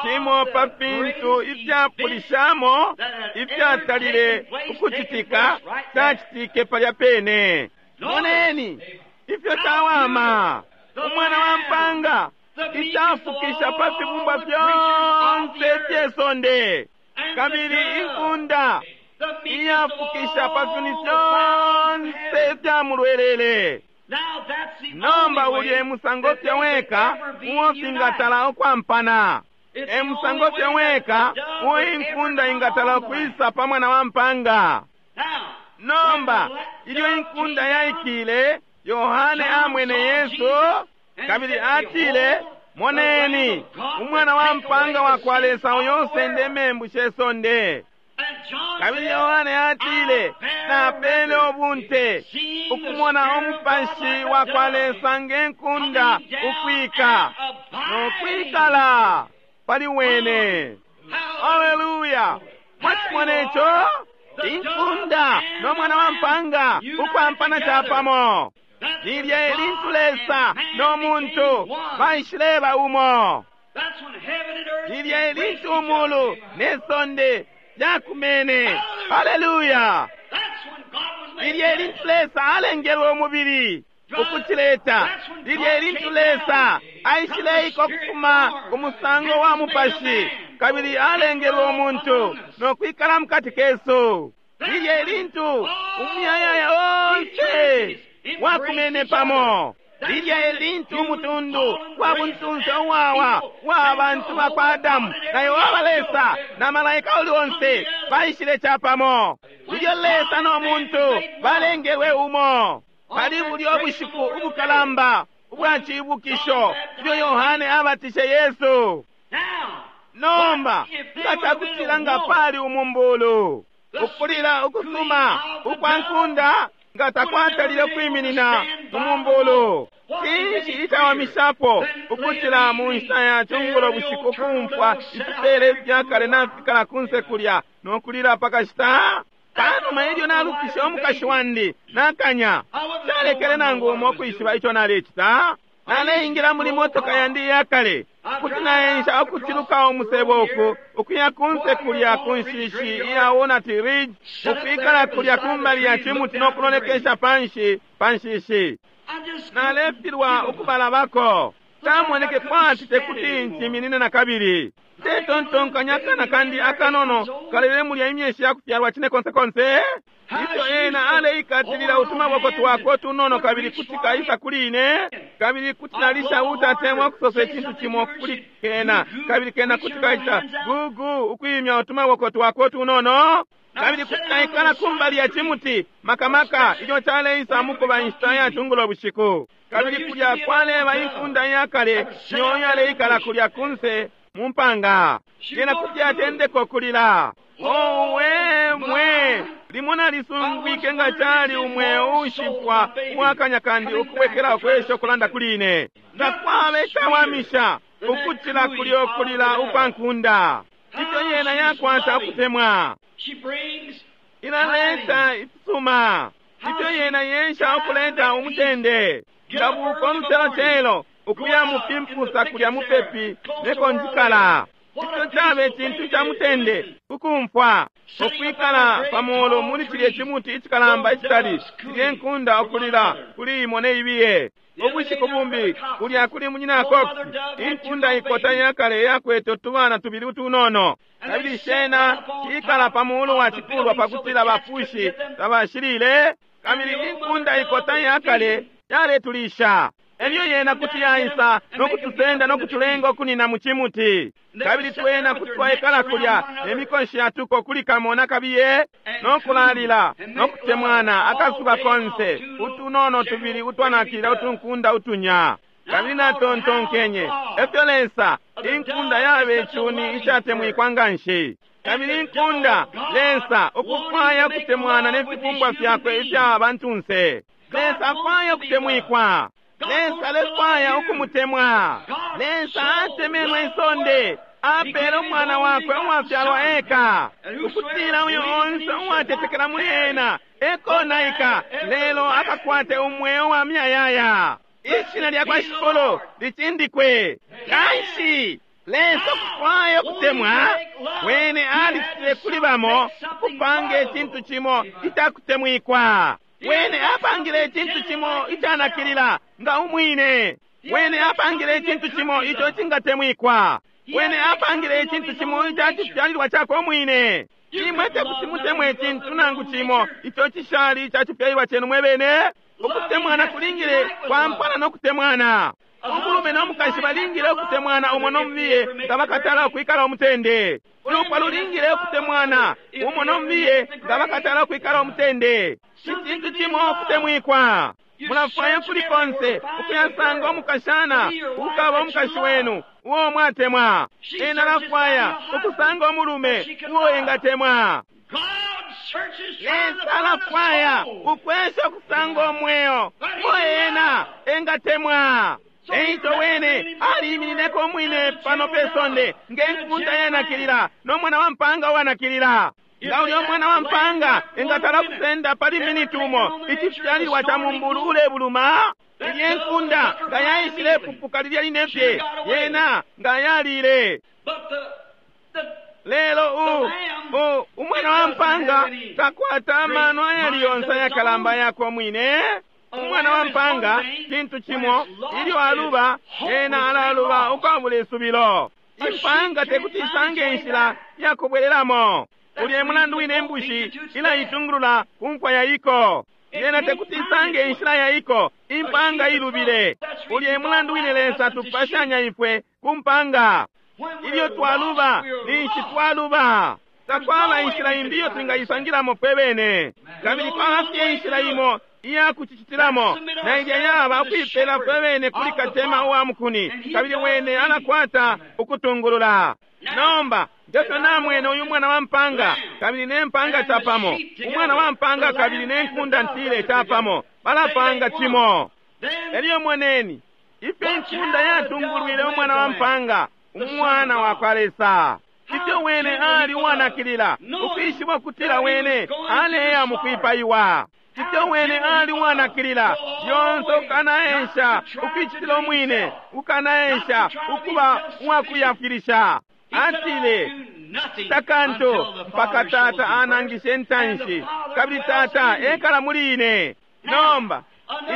cimo pa fintu ifyapulishamo ifyatalile ukucitika cacitike palya pene. Moneni ifyo cawama, umwana wa mpanga icafukisha pa fibumbwa fyonse fye sonde, kabili inkunda iyafukisha pa fyuni fyonse fya mulwelele. Nomba ulya emusango fye weka uo fingatala ukwampana, emusango fye weka uo inkunda ingatala ukwisa pa mwana wa mpanga. Nomba ilyo inkunda yaikile, Yohane amwene Yesu, kabili atile, Moneni, umwana wa mpanga wa kwa Lesa uyo usende membu she sonde. Kabili Yohane atile, Napele ubunte ukumona umupashi wa kwa Lesa nge nkunda ukwika no kwikala pali wene. Haleluya! Mwachimona ico? Inkunda no mwana wa mpanga ukwampana capamo. Lilya elintu Lesa no muntu baishileba umo. Lilya elintu umulu ne sonde lyakumene. Haleluya! Lilya elintu Lesa alengelwe umubili ukucileta. Lilya elintu Lesa aishileiko kufuma ku musango wa mupashi, kabili alengelwe umuntu no kwikala mukati kesu. Lilya elintu umuyayaya onse wakumene pamo. Lilya elintu umutundu wa buntunse uwawa wa bantu bakwa Adamu na Yehova Lesa na malaika uli onse baishile capamo. Ilyo Lesa no muntu balengelwe umo. Pali bulyo bushiku ubukalamba ubwa cibukisho ilyo Yohane abatishe Yesu. Nomba nga cakutila nga pali umumbulu ukulila ukusuma ukwa nkunda nga takwatalile ukwiminina umumbulu, cinshi icawamishapo ukutila mu nshita ya cungulo bushiku kumfwa ifipele ifyakale nafikala kunse kulya no kulila pakashita? Panuma ilyo nalufishe umukashi wandi nakanya, calekele nangu umo ukwishiba ico nalecita. Naleingila muli motoka yandi iyakale kuti naensha ukuciluka umusebo uku ukuya kunse kulya ku nshishi iya Walnut Ridge, ukwikala kulya kumbali ya cimuti no kulolekesha panshi pa nshishi. Nalefilwa ukubalabako. Camoneke kwati tekuti nchiminine na kabili. Ndetontonkanya akana kandi akanono kalele mulya imyeshi ya kufyalwa cine konse konse. Ifyo ena aleikatilila utumaboko twakwe tunono, kabili kuti kaisa kuli ine, kabili kuti nalisha utatemwa ukusosa icintu cimo kuli kena, kabili kena kuti kaita gugu ukwimya utumaboko twakwe tunono, kabili kuti naikala kumbali ya cimuti makamaka ilyo caleisa mukuba inshita ya cungulo bushiku. Kabili kulya kwaleba inkunda iyakale niyo yaleikala kulya kunse mu mpanga, yena kuti atendeka kulila. Owe mwe, limo nalisungwike nga cali umweo ushipwa uwakanya kandi ukubwekela ukwesha ukulanda kuli ine. Nga kwaba icawamisha ukucila kulyo kulila ukwa nkunda. Ifyo yena yakwata ukutemwa, inaleta ifisuma. Ifyo yena yensha ukuleta umutende. Ngabuka olucelocelo ukuya mupimpusa kulya mupepi neko njikala. Ico cabe cintu ca mutende ukumfwa ukwikala pamulu muli cilye cimuti icikalamba icitali, cilye nkunda ukulila kuli imo ne ibiye. Ubushiku bumbi kulya kuli munyina Cox, inkunda ikota yakale yakwete utubana tubili utunono, kabili shena ikala pamulu wa cikulwa pakutila bapushi tabashilile, kabili inkunda ikota yakale yaletulisha. Elyo yena kuti yaisa nokutusenda nokutulenga ukunina mu cimuti, kabili twena kuti twaikala kulya nemikonshi yatuko kuli kamo nakabiye nokulalila nokutemwana akasuba konse, utunono tubili utwanakilila utunkunda utunya. Kabili natontonkenye efyo Lesa inkunda yabe cuni icatemwikwa nganshi, kabili inkunda Lesa ukufwaya kutemwana nefibumbwa fyakwe ifya bantunse. Lesa afwaya kutemwikwa, Lesa alefwaya ukumutemwa. Lesa atemenwe isonde, apele umwana wakwe uwafyalwa eka, ukutila uyo onse uwatetekela muli ena ekonaika, lelo akakwate umweo wa myayaya. Ishina lya kwa Shikolo licindikwe. Kanshi Lesa ukufwaya ukutemwa wene alicitile kuli bamo kupanga icintu cimo icakutemwikwa. Wene apangile icintu cimo icanakilila nga umwine. Wene apangile icintu cimo ico cingatemwikwa. Wene apangile icintu cimo icacifyalilwa cakwe umwine. Imwe tekuti mutemwe icintu nangu cimo ico cishali icacifyalilwa cenu mwe bene. Ukutemwana kulingile kwampana nokutemwana. Umulume nomukashi balingile ukutemwana umo nomubiye nga bakatala ukwikala umutende. Ulupwa lulingile ukutemwana umo nomubiye nga bakatala ukwikala umutende. Icintu cimo ukutemwikwa. Mulafwaya kuli konse ukuyasanga umukashana ukaba umukashi wenu uwo mwatemwa. Ena alafwaya ukusanga umulume uwo engatemwa. Lesa alafwaya ukwesha ukusanga umweo uwo ena engatemwa. Eico wene aliiminineko umwine pano pe sonde ngenkunda yanakilila nomwana wa mpanga uwanakilila. Nga ulya umwana wa mpanga engatala kusenda pali miniti umo icifyalilwa ca mumbulu ulebuluma, ilye nkunda nga yaishile pupuka lilya line fye, yena nga yalile. Lelo umwana wa mpanga takwata amano ayali yonse ayakalamba yakwe umwine. Umwana wa mpanga cintu cimo, ilyo aluba ena alaluba ukwabula isubilo. Impanga tekuti isange inshila yakubwelelamo. Ulye mulandu wine imbushi ilaitungulula ku mfwa yaiko. Yena tekuti isange inshila yaiko, impanga ilubile. Ulye mulandu wine Lesa tupashanya ifwe ku mpanga. Ilyo twaluba ninshi twaluba. Takwaba inshila imbi iyo twingaisangilamo fwe bene, kabili kwaba fye inshila imo iya kucicitilamo, na ilya yaba ukuipela fwe bene kuli katema uwa mukuni, kabili wene alakwata ukutungulula. Nomba ngefyo namwene uyu mwana wa mpanga kabili ne mpanga capamo, umwana wa mpanga kabili ne nkunda ntile capamo, balapanga cimo. Elyo moneni ifyo inkunda yatungulwile umwana wa mpanga, umwana wa kwa Lesa. Ifyo wene ali uwanakilila ukwishiba ukutila wene aleya mukwipaiwa. Ifyo wene ali uwanakilila lyonse ukanaensha ukwicitila umwine, ukanaensha ukuba uwakuyafwilisha. Atile takanto mpaka Tata anangishe ntanshi, kabili Tata ekala muli ine. Nomba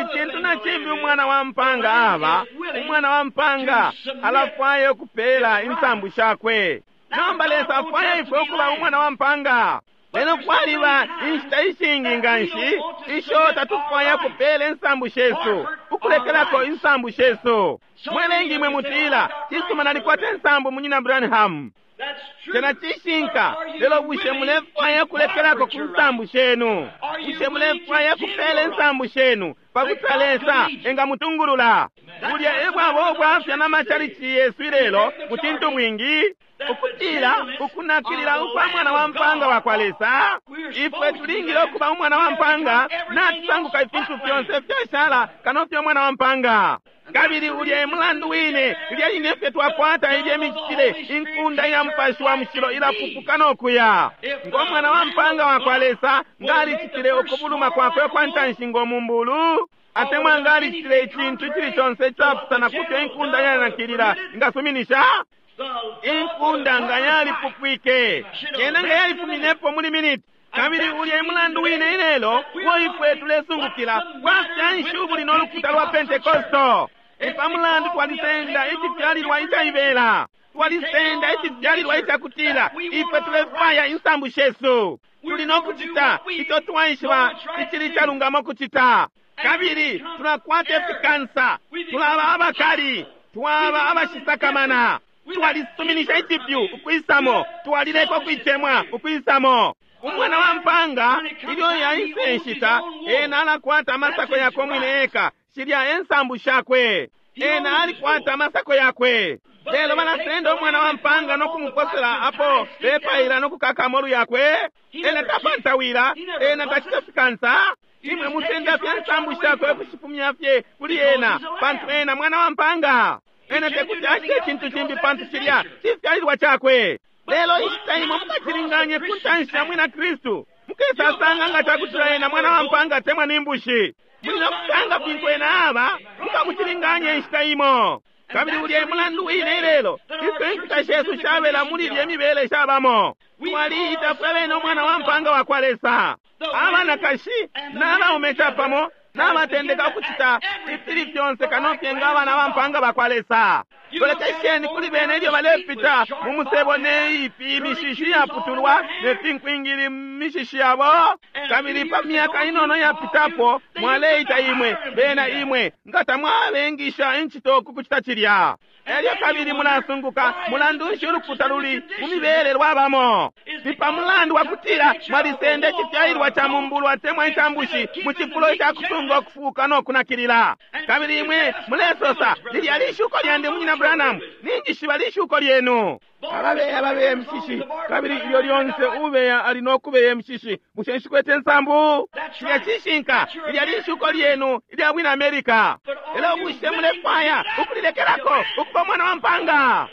icintu na cimbi umwana wa mpanga aba, umwana wa mpanga alafwaya ukupela insambu shakwe. Nomba Lesa afwaya ifwe ukuba umwana wa mpanga. Lelo kwaliba inshita ishingi nganshi isho tatufwaya kupela insambu shesu, ukulekelako insambu shesu. Mwelengi imwe mutila, cisuma nalikwata insambu munyina Branham. Cena cishinka, lelo bushe mulefwaya kulekelako ku nsambu shenu? Bushe mulefwaya kupela insambu shenu pakuti Lesa engamutungulula? Bulya ebwabo ubwafya n'amachalichi yesu ilelo mu cintu bwingi, ukutila ukunakilila ukwa mwana wa mpanga wa kwa Lesa. Ifwe tulingile ukuba umwana wa mpanga, natusanguka ifintu fyonse fyashala kano fye umwana wa mpanga. Kabili ulya mulandu wine lilya line fye twakwata ilye micitile, inkunda ya mupashi wa mushilo ilapupuka nokuya. Ngo mwana wa mpanga wa kwa Lesa ngalicitile ukubuluma kwakwe kwa ntanshi ngo mumbulu, atemwa ngalicitile icintu icili conse icapusana kufyo inkunda yanakilila ingasuminisha. Inkunda nga yalipupwike, yena nga yalifuminepo muli miniti. Kabili ulya e mulandu wine ilelo uo ifwe tulesungukila bwafya nshi ubuli no lukuta lwa Pentekosto. Ni pa mulandu twalisenda icifyalilwa icaibela, twalisenda icifyalilwa icakutila ifwe tulefwaya insambu shesu, tuli no kucita ico twaishiba icili calungama kucita. Kabili tulakwata ifikansa, tulaba abakali, twaba abashisakamana, twalisuminisha icipyu ukwisamo, twalileka ukuitemwa ukwisamo. Umwana wa mpanga ilyo yaise nshita, ena alakwata amasako yakwe umwine eka, shilya ensambu shakwe, ena alikwata amasako yakwe. Lelo balasenda umwana wa mpanga no kumuposela apo bepaila no kukaka amolu yakwe. Ena tapantawila, ena tacita fikansa. Imwe musenda fye nsambu shakwe kushifumya fye kuli ena, pantu ena mwana wa mpanga. Ena tekuti acite icintu cimbi pantu cilya cifyalilwa cakwe. Lelo inshita imwe mukacilinganye ku ntanshi ya mwina Kristu, mukesasanga nga cakutila ena mwana wa mpanga temwa ni mbushi. Muli no kusanga fintu ena aba, mukamucilinganye inshita imo. Kabili ulya e mulandu wine ilelo ifyo inkuta shesu shabela muli ilye mibele shabamo. Twaliita fwe bene umwana wa mpanga wa kwa Lesa. Abanakashi n'abaume capamo n'abatendeka ukucita ifili fyonse kano fye nga abana ba mpanga ba kwa Lesa. Lolekesheni kuli bene ilyo balepita mu musebo ne ipi imishishi yaputulwa ne finkwingili mishishi yabo. Kabili pa myaka inono yapitapo mwaleita imwe bena imwe nga tamwabengisha incito ku kucita cilya. Elyo kabili mulasunguka mulandu nshi ulukuta luli mu mibele lwabamo. Ni pa mulandu wa kutila mwalisenda icifyalilwa ca mumbulu atemwa icambushi mu cifulo ica kusunga ukufuuka no kunakilila. Kabili imwe mulesosa, lilya lishuko lyandi munyina Branham, ninjishiba lishuko lyenu. Ababeya babeya emishishi, kabili ilyo lyonse ubeya ali no kubeya emishishi. Bushe nshikwete nsambu? Cilya cishinka, lilya lishuko lyenu ilya bwina America. Lelo bushe mulefwaya ukulilekelako ukuba umwana wa mpanga?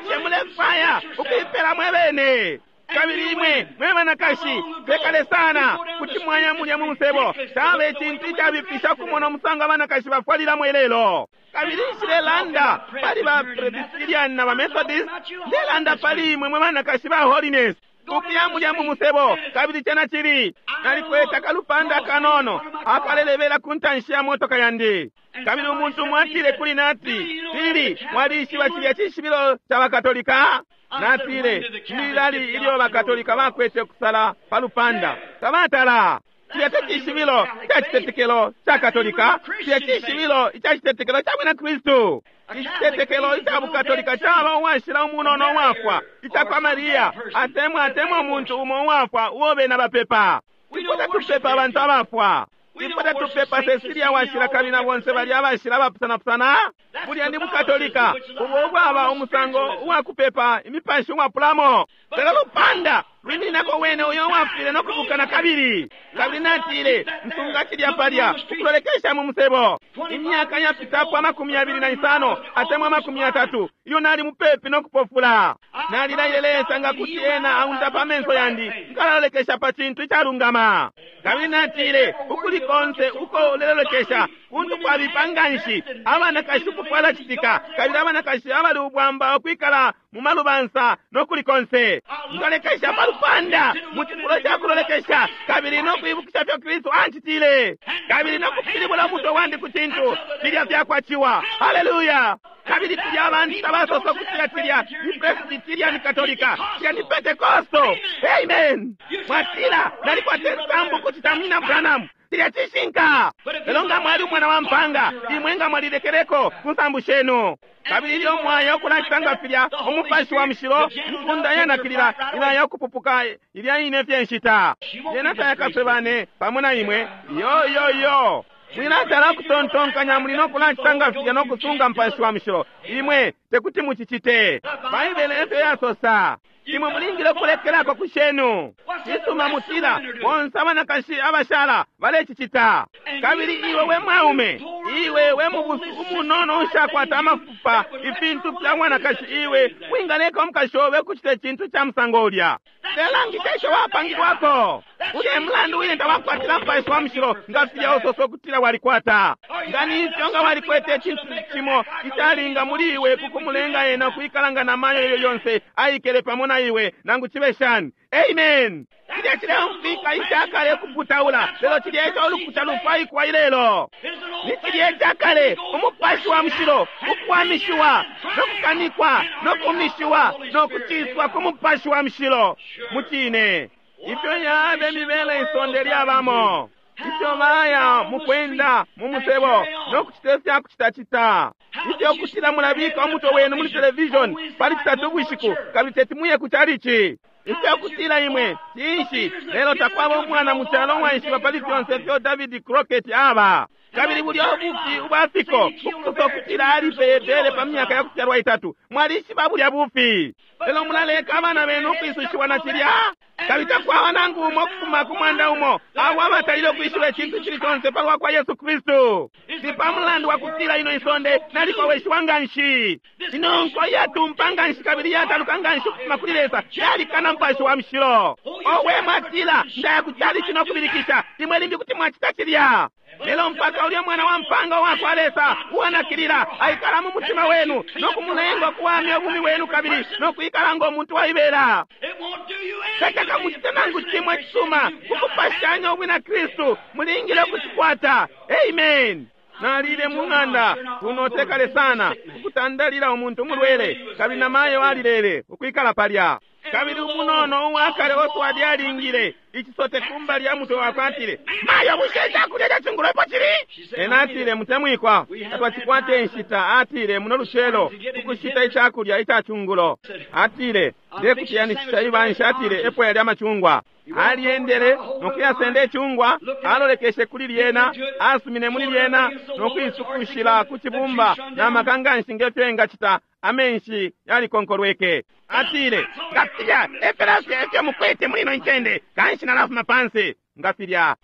Bushe mulefwaya ukuipela mwe bene? Kabili imwe mwe banakashi tekale sana kuti mwaya mulya mu musebo. Caba icintu icabipisha kumona umusango abanakashi bafwalilamo ilelo. Kabili nshilelanda pali ba Presbyterian na ba Methodist, ndelanda pali imwe mwe banakashi ba Holiness. Ukuya mulya mu musebo, kabili cena cili nalikwete akalupanda akanono akalelebela ku ntanshi ya motoka yandi. Kabili umuntu mwatile kuli nati, Pili, mwalishiba cilya cishibilo ca bakatolika? Natile, lilali ilyo bakatolika bakwete kusala pa lupanda tabatala. Cilya te cishibilo ca citetekelo ca katolika, cilya cishibilo ica citetekelo ca bwina Kristu. Icitetekelo ica bukatolika caba uwashila umunono uwafwa, ica kwa Maria, atemwa atemwa umuntu umo uwafwa uo bena bapepa. Ifwe tatupepa abantu abafwa. Ifwe tatupepa Cecilia washila kabili na bonse balya abashila abapusanapusana. Bulya ni bukatolika ubo ubwaba umusango uwakupepa imipashi uwapulamo. Lelo lupanda lwimininako wene uyo uwafwile no kubuka na kabili. Kabili natile, nsunga cilya palya ukulolekesha mu musebo. Imyaka yapitapo 25 atemwa 30 iyo nali mupepi no kupofula. Nalilaile Lesa nga kuti ena aundapa amenso yandi, nkalalolekesha pa cintu icalungama. Kabili natile, ukuli konse uko ulelolekesha kuntu kwabipa nganshi, abanakashi ukufwala citika, kabili abanakashi abali ubwamba ukwikala mu malubansa no kuli konse. Nkalolekesha pa lupanda mu cifulo ca kulolekesha, kabili no kwibukisha fyo Kristu ancitile, kabili no kupilibula umutwe wandi ku cintu filya fyakwaciwa. Haleluya! Kabili tulya abantu tabasosa ukutila cilya ni Presbyterian Katolika, cilya ni Pentecostal. Amen. Mwatila, nalikwata insambu kucita munyina Branham. Cilya cishinka. Lelo nga mwali umwana wa mpanga, imwe nga mwalilekeleko ku nsambu shenu. Kabili ilyo mwaya ukulacita nga filya, umupashi wa mushilo nkunda yanakilila ilaya ukupupuka ilya ine fye nshita. Yena tayakasebane pamo na imwe. Yo yo yo. Mwilatala kutontonkanya muli no kulacita nga filya no kusunga mupashi wa mushilo. Imwe tekuti mucicite. Baibele efyo yasosa. Imwe mulingile ukulekelako ku shenu. Cisuma mutila, bonse abanakashi abashala balecicita. Kabili iwe we mwaume, iwe we mubusu umunono ushakwata amafupa, ifintu fya mwanakashi iwe wingaleka umukashi obe kucita icintu ca musango ulya. Lelangisha isho wapangilwako. Ulya mulandu wine tawakwatila Mupashi wa Mushilo nga filya usosa ukutila walikwata. Nga ni ifyo nga walikwete icintu cimo icalinga muli iwe ku kumulenga ena ukwikala nga namayo ilyo lyonse aikele pamo na iwe, nangu cibe shani. Amen. Cilya cileumfwika icakale kuputaula, lelo cilya eco ulukuta lufwaikwa ilelo. Ni cilya icakale, Umupashi wa Mushilo, ukuwamishiwa, no kukanikwa, no kumishiwa, no kuciswa ku Mupashi wa Mushilo. Mucine. Ifyo yabe mibele isonde lyabamo. Ifyo baya mukwenda mu musebo no kucita ifya kucitacita. Ifyo kutila mulabika umutwe wenu muli television pali Citatu ubushiku kabili teti muye ku chalichi. Ifyo kutila imwe cinshi, lelo takwaba umwana mu calo uwaishiba pali fyonse ifyo David Crockett aba. Kabili bulya ubufi ubwafiko ukusosa ukutila alipeye bere pa myaka ya kufyalwa itatu. Mwalishiba bulya bufi. Lelo mulaleka abana benu ukwisushiwa na cilya. Kabili takwaba nangu umo ukufuma ku mwanda umo abo abatalile ukwishiba icintu icili conse palwa kwa Yesu Kristu. Ni pa mulandu wa kutila ino isonde nalikoweshiwa nganshi. Ino nko iyatumpa nganshi kabili iyataluka nganshi ukufuma kuli Lesa yalikana Mupashi wa Mushilo. Owe, mwatila, ndaya ku chalichi no kubilikisha. Imwe limbi kuti mwacita cilya. Lelo mpaka ulya mwana wa mpanga uwa kwa Lesa uwanakilila aikala mu mutima wenu no kumulenga ukuwamya ubumi wenu kabili no kwikala ngo muntu waibela. Tacakamucite nangu cimo icisuma kukupashanya ubwina Kristu. Mulingile ukucikwata. Amen. Nalile mu ng'anda kuno tekale sana ukutandalila umuntu umulwele, kabili na mayo alilele ukwikala palya. Kabili umunono uwakale Oswald alingile icisote kumba lya mutwe wakwe, atile, Mayo, bushe icakulya ca cungulo epo cili? Ena atile, Mutemwikwa, tatwacikwate inshita, atile, muno lucelo ukushita icakulya ica cungulo. Atile, Ndekutiyanishisha ibanshi, atile, epo yalya amacungwa. Aliendele no kuyasenda icungwa, alolekeshe kuli lyena, asumine muli lyena no kuisukushila ku cibumba na maka nganshi ngefyo engacita. Amenshi yalikonkolweke. Atile, nga filya efela fye efyo mukwete muli ino ncende, kanshi nalafuma pansi nga filya.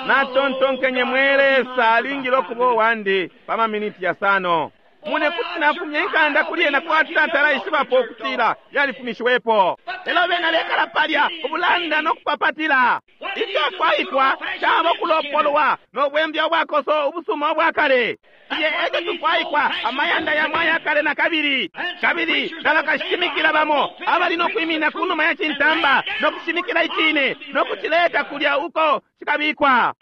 Natontonkenye, mwe Lesa, alingile ukuba uwandi pa maminiti yasano. Mune kuti nafumya inkanda kuli ena kwati tatala ishibapo ukutila yalifumishiwepo. Lelo bena bekala palya ubulanda no kupapatila. Icafwaikwa caba ukulopolwa no bwembya ubwakoso ubusuma ubwakale. Iye eco tufwaikwa, amayanda yamo ayakale na kabili. Kabili na bakashimikila bamo abali no kwimina ku numa ya cintamba no kushimikila icine no kucileta kulya uko cikabikwa.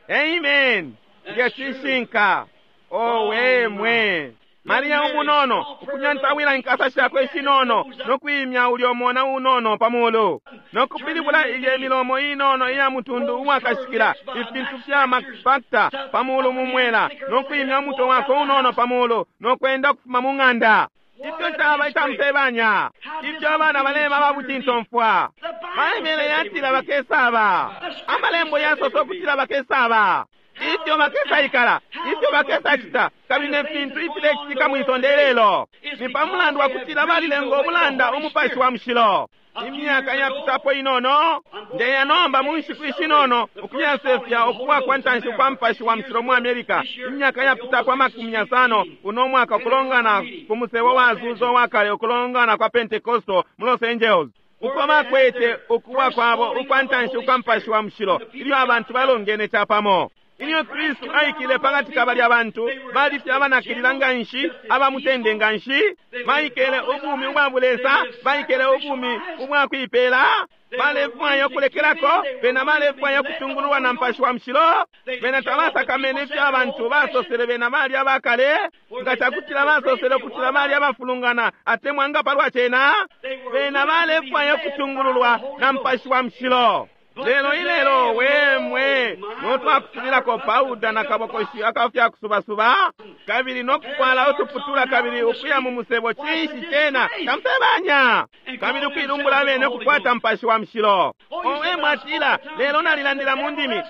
Amen. Nge cishinka. Owe mwe. Maria umunono ukunyantawila inkasa shakwe ishinono no kwimya ulyo mona unono pa mulu no kupilibula ilye milomo inono iya mutundu uwakashikila ifintu fya mapakta pa mulu mu mwela no kwimya umutwe wakwe unono pa mulu no kwenda ukufuma mu ng'anda. Ifyo caba icamusebanya, ifyo abana baleba ababucintomfwa. Baibele yatila bakesaba, amalembo yasosa ukutila bakesaba, ifyo bakesaikala, ifyo bakesacita, kabili ne fintu ifilecitika mwisonde ilelo. Ni pa mulandu wa kutila balilenga ubulanda Umupashi wa Mushilo. Imyaka yapitapo inono, ndeya nomba mu nshiku ishinono ukuyasefya ukuwa kwa ntanshi kwa Mupashi wa Mushilo mu America. Imyaka yapitapo amakumi yasano uno mwaka ukulongana ku musebo wa Azusa uwa kale ukulongana kwa Pentecostal mu Los Angeles. Uko bakwete ukuwa kwabo ukwa ntanshi ukwa Mupashi wa Mushilo ilyo abantu balongene capamo. Ilyo Kristu aikile pakati ka balya bantu, bali fye abanakilila nganshi, abamutende nganshi, baikele ubumi ubwa bulesa, baikele ubumi ubwa kuipela, balefwaya ukulekelako, bena balefwaya ukutungululwa na Mupashi wa Mushilo, bena tabasakamene ifyo abantu basosele bena bali abakale, nga cakutila basosele ukutila bali abafulungana atemwa nga palwa cena, bena balefwaya ukutungululwa na Mupashi wa Mushilo. Lelo ilelo wemwe notwakusulilako pauda na kabokoshi akafya kusubasuba kabili nokufwala utuputula kabili ukuya mu musebo, cinshi cena tamusebanya kabili ukuilumbula abene ukukwata Mupashi wa Mushilo. Owe mwatila, lelo nalilandila mu ndimi,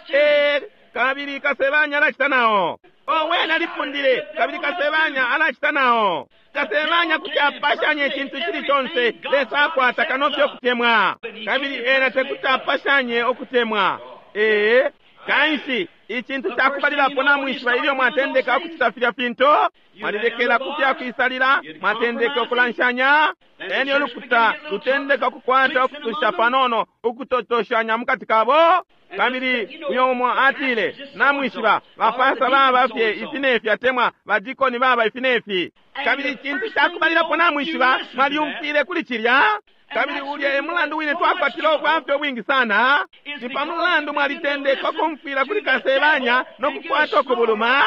kabili kasebanya alacita nao. Owe nalipundile, kabili kasebanya alacita nao. Kasebanya kuti apashanye icintu cili conse Lesa akwata kano fye ukutemwa, kabili ena tekuti apashanye ukutemwa. Kanshi icintu cakubalilapo namwishiba ilyo mwatendeka ukucita filya fintu, mwalilekela ku fyakwisalila, mwatendeka ukulanshanya, elyo ulukuta lutendeka ukukwata ukutusha panono, ukutotoshanya mukati kabo. Kabili uyo umo atile, namwishiba bapasa baba fye ifi nefi, atemwa badikoni baba ifi nefi. Kabili icintu cakubalilapo namwishiba, mwalyumfwile kuli cilya. Kabili ulya e mulandu wine twakwatile ubwafya ubwingi sana, ni pa mulandu mwalitendeka ukumfwila kuli kasebanya no kukwata ukubuluma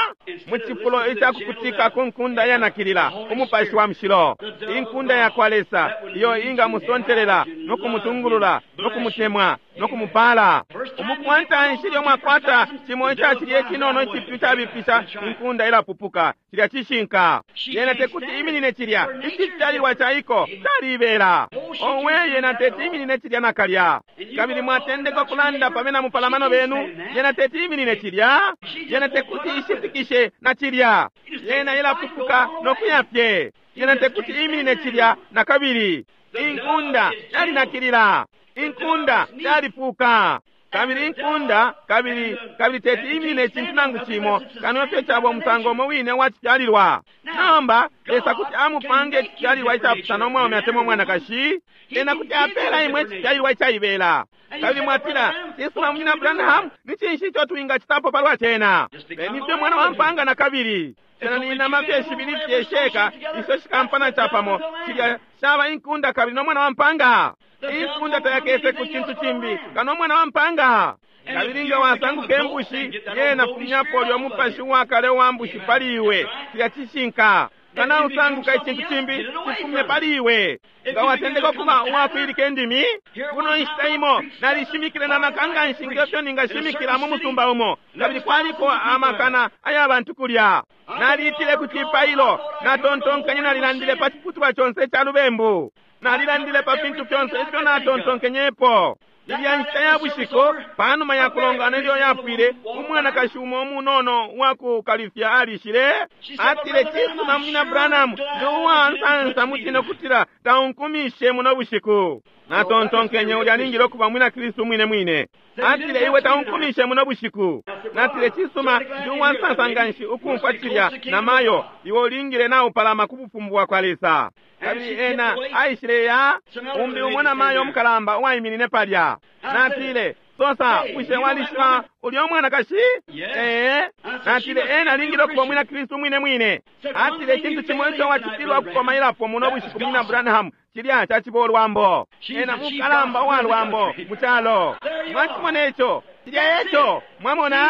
mu cifulo icakukutika ku nkunda iyanakilila, umupashi wa mushilo, inkunda ya kwa Lesa iyo ingamusontelela no kumutungulula no kumutemwa no kumupala. Umuku wa ntanshi ilyo mwakwata cimo ica cilya icinono icipyu cabipisha, inkunda ilapupuka. Cilya cishinka. Yena tekuti iminine cilya. Icifyalilwa ca iko caliibela. Owe, yena teti iminine cilya nakalya. Kabili mwatendeka ukulanda pa bena mupalamano benu, yena teti iminine cilya. Yena tekuti ishipikishe na cilya. Yena ilapupuka no kuya fye. Yena tekuti iminine cilya nakabili. Inkunda yalinakilila. Inkunda yalipuka. Kabili inkunda, kabili, kabili teti iminine icintu nangu cimo, kano fye caba umusango umo wine wa cifyalilwa. Nomba, Lesa kuti amupange icifyalilwa icapusana umwaume atemwa umwanakashi, ena kuti apela imwe icifyalilwa icaibela. Kabili mwatila, cisuma Munyina Branham, ni cinshi ico twingacitapo palwa cena? Beni fye mwana wa mpanga na kabili. Cena ni inama fye shibili fye sheka, isho shikampana capamo, cilya shaba inkunda kabili no mwana wa mpanga. Inkunda tayakese ku cintu cimbi kano mwana wa mpanga. Kabili nga wasanguka imbushi, yena fumyapo ulyo mupashi uwakale uwa mbushi pali iwe. Cilya cishinka. Nga nausanguka icintu cimbi, cifumye pali iwe. Nga watendeka ukuba uwakwilika indimi, kuno inshita imo nalishimikile na maka nganshi ngefyo ningashimikila mu musumba umo, kabili kwaliko amakana aya bantu kulya. Naliitile ku cipailo, natontonkanye nalilandile pa ciputulwa conse ica lubembu. Nalilandile pa fintu fyonse ifyo natontonkenyepo. Ilya nshita ya bushiku, panuma ya kulongana ilyo yapwile, umwanakashi umo umunono uwa ku kalifya alishile. Atile, cisuma Munyina Branham, ndi uwansansa mucine ukutila taunkumishe muno bushiku. Natontonkenye ulya alingile ukuba mwina Kristu mwine mwine. Atile, iwe taunkumishe muno bushiku. Natile, cisuma, ndi uwansansa nganshi ukumfwa cilya na mayo, iwe ulingile naupalama ku bufumu bwa kwa Lesa. Kabili ena aishile ya umbi umo na mayo umukalamba uwaiminine palya. Natile, sosa, bushe walishiba ulya umwanakashi? Ee. Natile, ena alingile ukuba mwina Kristu mwine mwine. Atile, icintu cimo ico wacifilwa ukukomailapo muno bushiku, Munyina Branham, cilya caciba ulwambo. Ena mukalamba uwa lwambo mu calo. Mwacimona ico? Cilya eco. Mwamona?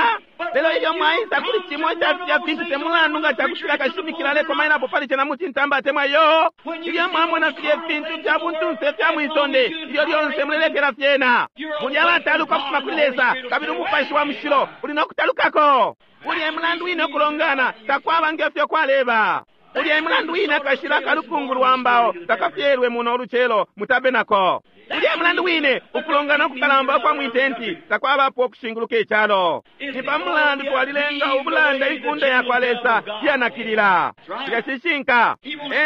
Lelo ilyo mwaisa kuli cimo ica filya fintu, te mulandu nga cakutila kashimikila alekomailapo pali cena mucintamba atemwa iyo. Ilyo mwamona filya fintu fya buntunse fya mwisonde, ilyo lyonse mulelekela fyena. Muli abataluka ukufuma kuli Lesa, kabili umupashi wa mushilo uli no kutalukako. Ulya e mulandu wine ukulongana takwaba ngefyo kwaleba. Ulya e mulandu wine akashila kalukungu lwa mbao takafyelwe muno ulucelo mu tabenako. Ulya e mulandu wine ukulongana ukukalamba ukwa mwitenti takwabapo ukushinguluka icalo. Ni pa mulandu twalilenga ubulanda inkunda ya kwa Lesa iyanakilila. Cilya cishinka.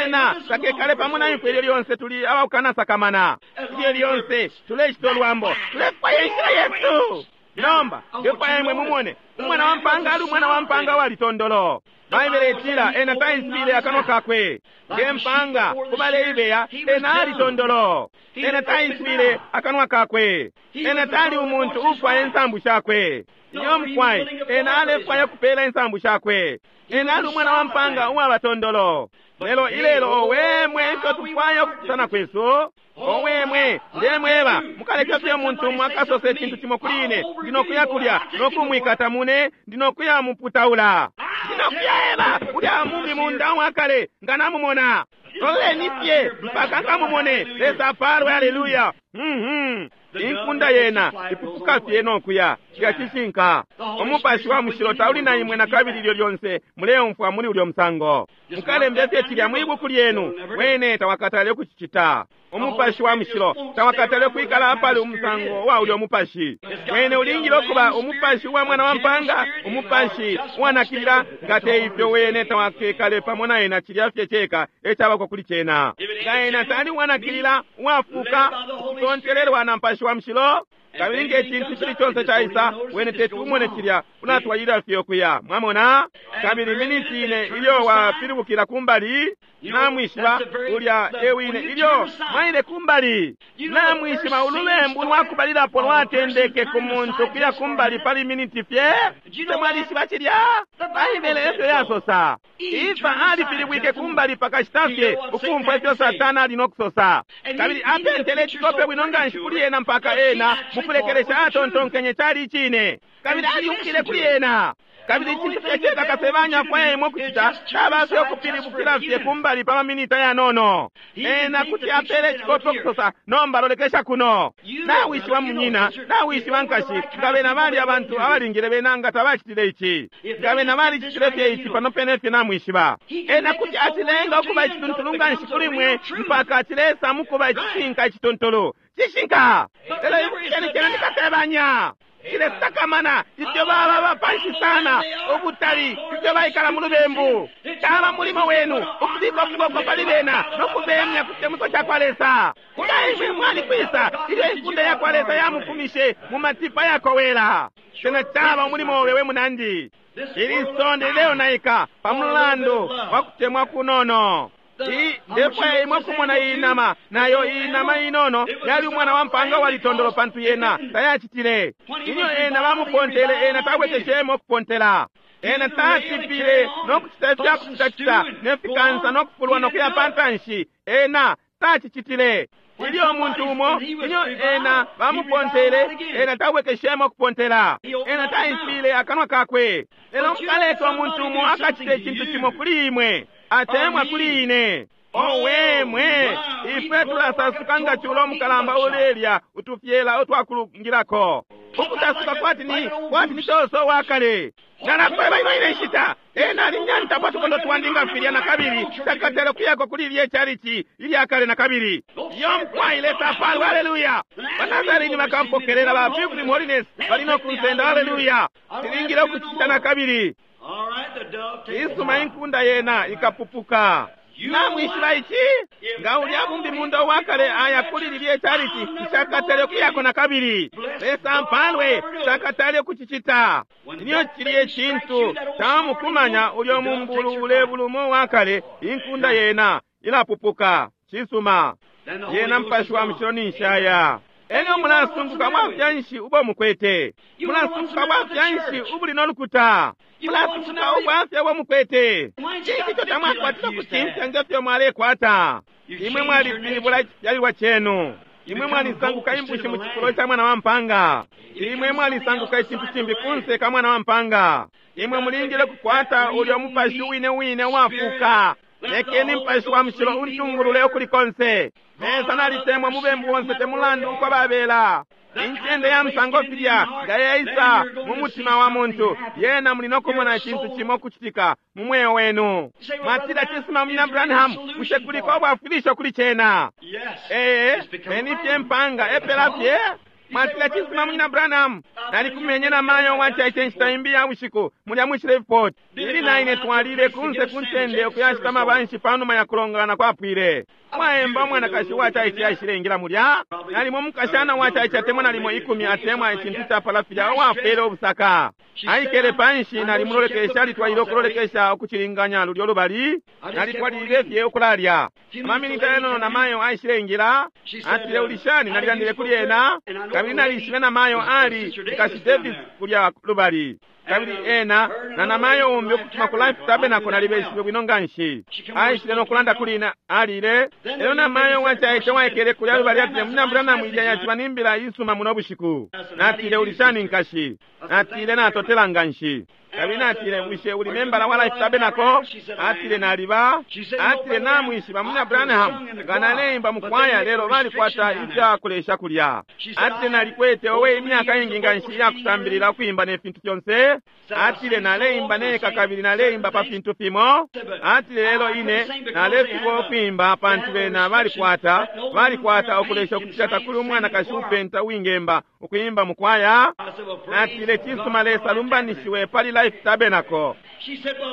Ena takekale pamo na ifwe ilyo lyonse tuli abakukanasakamana. Ilyo lyonse tulecita ulwambo, tulefwaya inshila yesu. Nomba, ndefwaya imwe mumone, umwana wa mpanga ali umwana wa mpanga walitondolo. Baibele itila ena taiswile akanwa kakwe. Nge mpanga kubaleibeya, ena alitondolo. Ena taiswile akanwa kakwe. Ena tali umuntu ufwaya insambu shakwe. Iyo mukwai, ena alefwaya kupela insambu shakwe. Ena ali umwana wa mpanga uwabatondolo. Lelo ilelo owe mwe ifyo tufwaya ukupusana kwesu. Owe mwe, ndemweba, mukaleke fye umuntu umwe akasose icintu cimo kuli ine, ndi no kuya kulya, no kumwikata mune, ndi no kuya muputaula. Ndi no kuya eba, ulya mubi munda wakale, nga namumona. Loleni fye, mpaka nkamumone, Lesa apalwe, haleluya. Inkunda yena, ipupuka fye no kuya, cilya cishinka. Umupashi wa mushilo tauli na imwe na kabili ilyo lyonse muleumfwa muli ulyo musango. Mukalembe fye cilya mwi buku lyenu, wene tawakatale ukucicita. Umupashi wa mushilo tawakatale kwikala apali umusango wa ulyo mupashi. Wene ulingile ukuba umupashi wa mwana wa mpanga, umupashi uwanakilila, nga te ifyo wene tawakekale pamo na ena cilya fye ceka ecabako kuli cena. Nga ena tali uwanakilila, uwafuka, ukutontelelwa na mupashi wa mushilo, Kabili nge cintu cili conse caisa, wene teti umone cilya, ulatwalilila fye ukuya. Mwamona? Kabili miniti ine ilyo wapilibukila kumbali, namwishiba ulya ewine ilyo mwaile kumbali. Namwishiba ulubembu lwakubalilapo lwatendeke ku muntu kuya kumbali pali miniti fye. Mwalishiba cilya? Baibele efyo yasosa. Ifa alipilibwike kumbali pakashita fye ukumfwa ifyo Satana ali no kusosa. Kabili apentele icikope bwino nganshi kuli ena mpaka ena mukulekelesha atontonkenye cali icine. Kabili aliukile kuli ena. Kabili icintu fye ceka kasebanya afwaya ukucita caba fye ukupilibukila fye kumbali pa maminita yanono. Ena kuti apele icikope ukusosa, nomba lolekesha kuno. Nawishiba munyina, nawishiba nkashi, nga bena bali abantu abalingile bena nga tabacitile ici. Nga bena balicitile fye ici pano pene fye namwishiba. Ena kuti acilenga ukuba icituntulu nganshi kuli mwe mpaka acilesa mukuba icishinka icituntulu. Cishinka! Lelo ibukisheni cena ni kasebanya. Cilesakamana ifyo baba bapanshi sana ubutali ifyo baikala mu lubembu. Caba mulimo wenu ukubika ukuboko pali bena no kubemya ku citemwiko ca kwa Lesa. Nga imwe mwalikwisa ilyo inkunda ya kwa Lesa yamufumishe mu matipa yakowela. Cena caba umulimo obe we munandi. Ili sonde lileonaika pa mulandu wa kutemwa kunono. Ndefwaya imwe kumona iyi nama, nayo iyi nama inono yali umwana wa mpanga walitondolo pantu yena tayacitile. Ilyo ena bamupontele, ena tabwekeshemo kupontela. Ena tatipile no kucita ifya kucitacita ne fikansa no kufulwa no kuya pantanshi. Ena tacicitile. Ilyo umuntu umo, ilyo ena bamupontele, ena tabwekeshemo kupontela. Ena taiswile akanwa kakwe. Lelo mukaleka umuntu umo akacite icintu cimo kuli imwe, atemwa kuli ine. Owe mwe, ifwe tulasasuka nga chulo mukalamba ulelya utufyela utwakulungilako. Ukutasuka kwati ni toso wakale. Nalakweba ino ine nshita, ena alinyanta pa tukondo twandi nga filya na kabili, takatele kuyako kuli ilye chalichi ilya kale na kabili. Iyo mkwai Lesa apalwe, haleluya. Banazarini bakampokelela ba Pilgrim Holiness bali no kunsenda, haleluya. Tilingile ukucita na kabili. Isuma inkunda yena ikapupuka. Namwishiba ici? Nga ulya bumbi munda wakale aya kuli lilye chalichi nshakatale kuyako na kabili. Lesa mpalwe nshakatale kucicita. Niyo chiliye chintu tamukumanya ulyo mumbulu ulebulumo wakale inkunda yena ilapupuka. Cisuma yena mpashi wa mushilo ni nshaya. Elyo mulasunguka bwafya ubo mukwete. Mulasunguka bwafya ubuli nolukuta. Mulasunguka ubwafya ubo mukwete. Cinshi ico tamwakwatila kucimfya ngefyo mwalekwata. Imwe mwalipilibula icifyalilwa cenu. Imwe mwalisanguka imbushi mu cifulo ca mwana wa mpanga. Imwe mwalisanguka icintu cimbi kunse ka mwana wa mpanga. Imwe mulingile kukwata ulyo mupashi wine wine wafuka. Lekeni mpashi wa mushilo untungulule ukuli konse. Lesa nalitemwa mubembu wonse temulandu uko babela. Incende ya musango filya nga yaisa mu mutima wa muntu, yena muli nokumona icintu cimo kucitika mu mweo wenu. Mwatila cisuma munyina Branham, bushe kuliko ubwafwilisho kuli cena? Ee, beni fye mpanga epela fye. Mwatila cisuma munyina Branham, nalikumenye na mayo wachaiche nshita imbi ya bushiku mulya mu Shreveport. Ili naine twalile kunse kuncende ukuyashita mabanshi panuma ya kulongana kwapwile. Mwaemba mwanakashi wachaiche aishile mulya. Nalimo mukashana wachaiche atemwa nalimo 10 atemwa icintu chapala filya uwafwele ubusaka. Aikele panshi nalimulolekesha alitwalile ukulolekesha ukucilinganya lulyo lubali. Nalitwalile fye ukulalya. Amaminita yanono na mayo aishile ingila. Atile ulishani nalilandile kuli ena. Kabili nalishibe na mayo ali Nkashi Davis kulya lubali. Kabili ena na namayo umbi ukufuma ku Life Tabernacle nalibeshibe bwino nganshi. Aishile no kulanda kuli ina alile. Elyo namayo wachaiche waikele kulya lubali atile munyina Branham ilya yaciba nimbila isuma muno bushiku. Natile ulishani nkashi. Natile natotela nganshi. Kabili natile bushe uli membala wa Life Tabernacle? Atile naliba. Atile namwishiba munyina Branham nga naleimba mukwaya lelo balikwata ifya kulesha kulya. Atile nalikwete owe imyaka ingi nganshi ya kusambilila ukuimba ne fintu fyonse. Atile naleimba neka kabili naleimba pa fintu fimo. Atile lelo ine nalefika ukuimba pantu bena balikwata ukulesha ukucita takuli umwanakashi upenta uwingemba ukuimba mukwaya. Atile cisuma Lesa lumbanishiwe pali Life Tabernacle.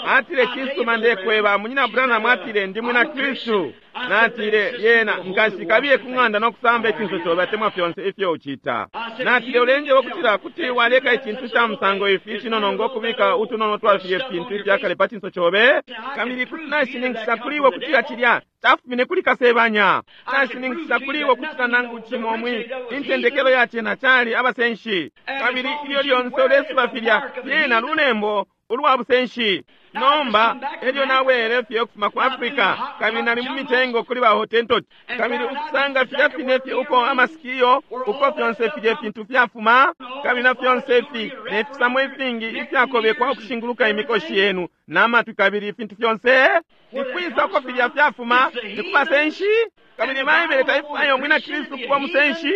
Atile cisuma ndekweba munyina Branham atile ndi mwina Kristu. Natile, Lyena, nkashi, kabiye ku ng'anda no kusamba icinso cobe atemwa fyonse ifyo ucita. Natile, Ulenjeba ukutila kuti waleka icintu ca musango ifi icinono ngo kubika utunono twa filye fintu ifyakale pa cinso cobe? Kabili kuti nashininkisha kuli iwe ukutila cilya cafumine kuli kasebanya. Nashininkisha kuli iwe ukutila nangu cimo mwi intendekelo ya cena cali abasenshi. Kabili ilyo lyonse ulesuba filya, lyena lulembo ulwa busenshi. Nomba, elyo nabwele fye ukufuma ku Africa, kabili nali mu mitengo kuli ba Hottentot, kabili ukusanga filya fine fye uko amasikiyo, uko fyonse filye fintu fyafuma, kabili na fyonse ifi, ne fisamo ifingi ifyakobekwa ukushinguluka imikoshi yenu, na matwi kabili ifintu fyonse, ni kwisa uko filya fyafuma? Ni ku basenshi? Kabili Baibele taifwaya umwina Kristu kuba musenshi,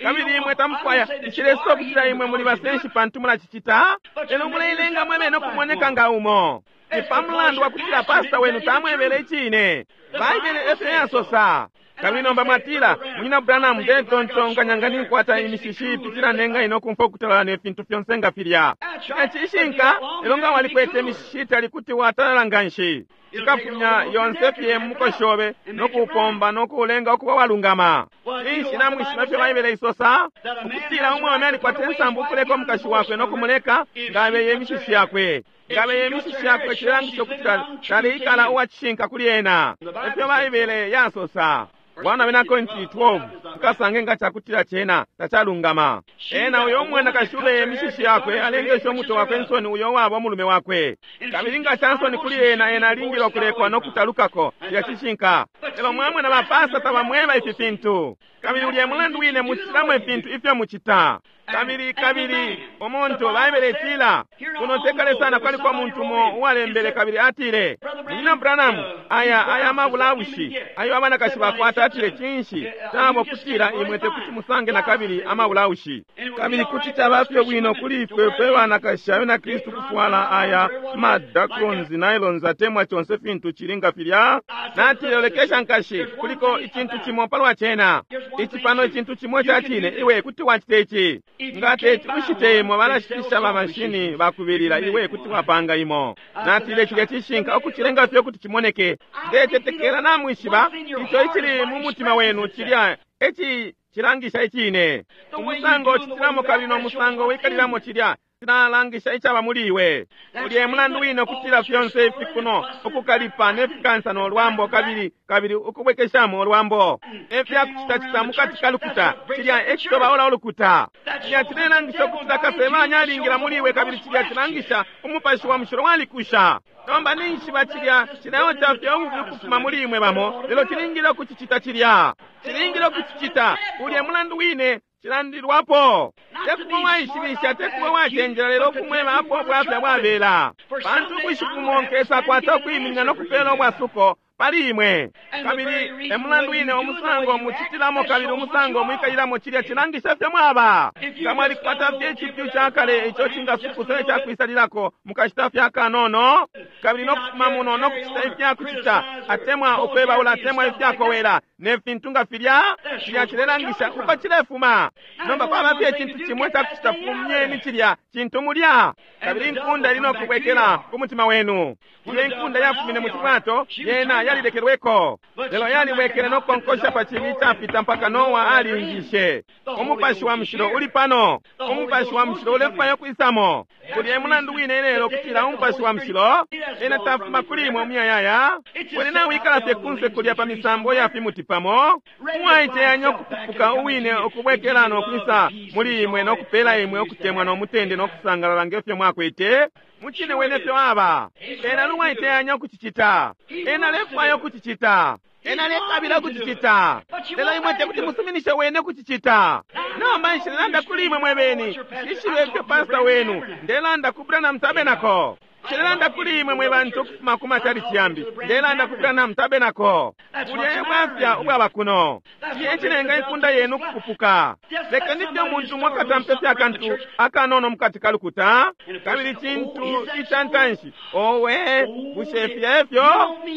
kabili imwe tamufwaya. Nshilesosa ukutila imwe muli basenshi pantu mulacicita, lelo muleilenga mwe bene ukumoneka nga umo. Ni pa mulandu wa kutila pastor wenu tamwebele icine. Baibele efyo yasosa. Kabili nomba mwatila, Munyina Branham, ndetontonkanya nga ninkwata imishishi ipitila nenga ino kumfwa ukutalala ne fintu fyonse nga filya. Cilya cishinka, lelo nga walikwete imishishi itali kuti watalala nganshi. Cikafumya yonse fye mu mukoshi obe no kuupomba no kuulenga ukuba walungama. Cinshi namwishiba ifyo Baibele isosa? Ukutila umwaume alikwata insambu ukuleka umukashi wakwe no kumuleka nga abeye imishishi yakwe. Nga abeye imishishi yakwe cilelangisha ukutila taleikala uwa cishinka kuli ena. Efyo Baibele yasosa. 1 Abena Korinti 12, tukasange nga cakutila cena tacalungama. Ena uyo umwanakashi ubeye imishishi yakwe alengesha umutwe wakwe insoni uyo uwaba umulume wakwe. Kabili nga ca nsoni kuli ena, ena alingile ukulekwa no kutalukako. Cilya cishinka. Lelo mwamona ba pasta tabamweba ifi fintu. Kabili ulya e mulandu wine mucitilamo ifintu ifyo mucita. Kabili, kabili, umuntu, Baibele itila, kuno te kale sana kwaliko umuntu umo uwalembele kabili atile, Munyina Branham, aya, aya amabulaushi ayo abanakashi bakwata, atile, cinshi cabo kutila imwe tekuti musange nakabili amabulaushi. Kabili kuti caba fye bwino kuli ifwe fwe banakashi abena Kristu kufwala aya ma dacrons, nylons, atemwa conse fintu cili nga filya. Natile, Lolekesha, nkashi, kuliko icintu cimo palwa cena. Ici pano icintu cimo ica cine, iwe kuti wacita ici. Nga teti ushite imo, balashitisha ba mashini bakubilila, iwe kuti wapanga imo. Natile, Cilya cishinka, ukucilenga fye ukuti cimoneke. Ndecetekela namwishiba ico icili mu mutima wenu, cilya e cilangisha icine. Umusango ucitilamo kabili no musango wikalilamo cilya cilalangisha icaba muli iwe. Ulya e mulandu wine ukutila fyonse ifi kuno, ukukalipa ne fikansa no lwambo, kabili, kabili ukubwekeshamo ulwambo, ne fya kucitacita mukati ka lukuta, cilya e citobaula ulukuta. Cilya cilelangisha ukutila Kasebanya alingila muli iwe, kabili cilya cilangisha Umupashi wa Mushilo walikusha. Nomba ninjishiba cilya cileoca fye ububi ukufuma muli imwe bamo, lelo cilingile ukucicita cilya. Cilingile ukucicita. Ulya e mulandu wine cilandilwapo. Te kuba uwaishibisha, te kuba uwacenjela, lelo ukumweba apo ubwafya bwabela. Pantu ubushiku bumo nkesakwata ukwiminina no kupela ubwasuko pali imwe. Kabili e mulandu wine umusango mucitilamo kabili umusango mwikalilamo cilya cilangisha ifyo mwaba. Nga mwalikwata fye icipyu ca kale ico cingasukusa icakwisalilako mukashita fye akanono, kabili no kufuma muno no kucita ifyakucita, atemwa ukwebaula atemwa ifyakowela, ne fintu nga filya, cilya cilelangisha uko cilefuma. Nomba kwaba fye icintu cimo icakucita, fumyeni cilya cintu mulya, kabili inkunda ili no kubwekela ku mutima wenu. Ilyo inkunda yafumine mu cibwato, yena yalilekelweko, lelo yalibwekele no kukonkosha pa cibi icafita mpaka Noa aliingishe. Umupashi wa Mushilo uli pano. Umupashi wa Mushilo ulefwaya ukwisamo. Ulya e mulandu wine ilelo ukutila Umupashi wa Mushilo ena tafuma kuli imwe umuyayaya. Wene nawikala fye kunse kulya pa misambo ya fimuti pamo, uwaiteyanya ukupupuka uwine ukubwekela no kwisa muli imwe no kupela imwe ukutemwa no mutende no kusangalala nge fyo mwakwete. Mucine wene fyo aba. Ena ali uwaiteyanya ukucicita. Ena alefwaya ukucicita. Ena alekabila ukucicita. Lelo imwe tekuti musuminishe wene ukucicita. Nomba nshilelanda kuli imwe mwebeni. Nshishibe ifyo pastor wenu. Ndelanda ku Branham Tabernacle. Nshilelanda kuli imwe mwe bantu ukufuma ku machalichi yambi. Ndelanda ku Branham Tabernacle. Bulya e bwafya ubwaba kuno. Cilya e cilenga inkunda yenu ukupupuka. Lekeni fye umuntu umo akatampe fye akantu akanono mukati ka lukuta, kabili cintu ica ntanshi, Owe, bushe filya efyo?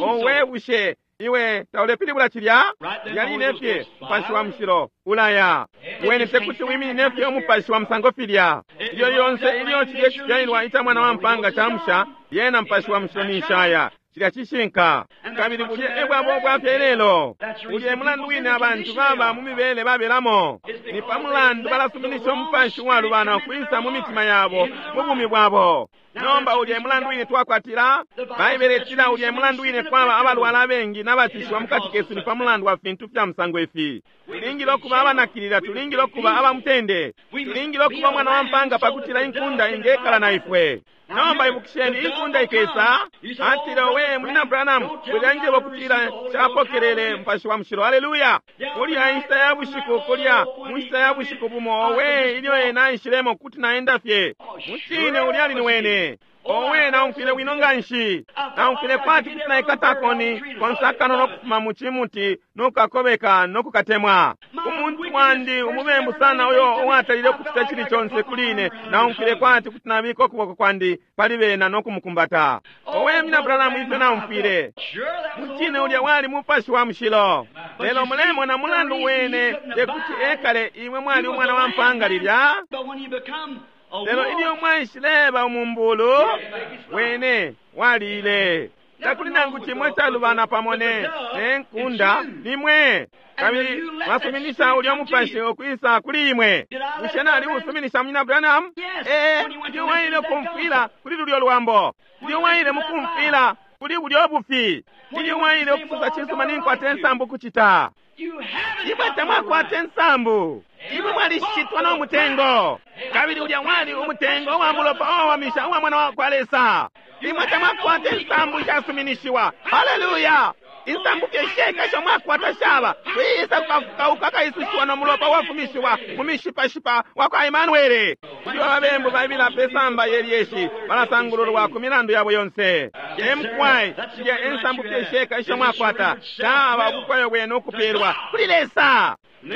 Owe, bushe iwe taulepilibula cilya? Lilya line fye Mupashi wa Mushilo ulaya. Wene tekuti wiminine fye umupashi wa musango filya. Ilyo lyonse ilyo cilye cifyalilwa ica Mwana wa mpaanga camusha, lyena Mupashi wa Mushilo ninshi aya. Cilya cishinka. Kabili bulya e bwabo bwafya ilelo. Ulya e mulandu wine abantu baba mu mibele babelamo. Ni pa mulandu balasuminisha umupashi uwalubana ukwisa mu mitima yabo, mu bumi bwabo. Nomba ulya e mulandu wine twakwatila Baibele itila ulya e mulandu wine kwaba abalwala abengi n'abacushiwa mukati kesu ni pa mulandu wa fintu fya musango ifi. Tulingile ukuba abanakilila, tulingile ukuba aba mutende, tulingile ukuba umwana wa mpanga pakutila inkunda ingekala na ifwe. Nomba ibukisheni, inkunda ikesa. Atile, owe, Munyina Branham, wilanjeba ukutila nshapokelele Mupashi wa Mushilo. Aleluya! Kulya inshita ya bushiku, kulya mu nshita ya bushiku bumo, owe, ilyo ena aishilemo, kuti naenda fye. Mucine, ulya ali ni wene. Owe, naumfwile bwino nganshi. Naumfwile kwati kuti naikata akoni konse akanono ukufuma mu cimuti no kukakobeka no kukatemwa. Umuntu wandi umubembu sana uyo uwatalile ukucita icili conse kuli ine, naumfwile kwati kuti nabika ukuboko kwandi pali bena no kumukumbata. Owe, Munyina Branham, ifyo naumfwile! Mucine ulya wali Mupashi wa Mushilo. Lelo mulemona mulandu wene tekuti ekale imwe mwali umwana wa mpanga lilya. Lelo ilyo mwaishileba umumbulu, wene waliile. Takuli nangu cimo icalubana pamo ne, ne nkunda, nimwe. Kabili mwasuminisha ulya mupashi ukwisa kuli imwe. Bushe nali usuminisha, Munyina Branham? Ee, ilyo waile kumfwila kuli lulyo lwambo, ilyo waile mukumfwila kuli bulyo bufi, ilyo waile ukusosa cisuma ninkwata insambu kucita. Imwe tamwakwata insambu. Imwe mwalishitwa no mutengo. Kabili ulya wali umutengo uwa mulopa uwawamisha uwa Mwana wa kwa Lesa. Imwe tamwakwata insambu ishasuminishiwa. Haleluya! Insambu fye sheka isho mwakwata shaba kwisa kukafukauka kaisushiwa no mulopa uwafumishiwa mu mishipashipa wa kwa Emanuele. Ilyo ababembu baibila pe samba ye lyeshi, balasangululwa ku milandu yabo yonse. Emkwai, shilya ensambu fye sheka isho mwakwata shaba ubufwayo bwenu ukupelwa kuli Lesa.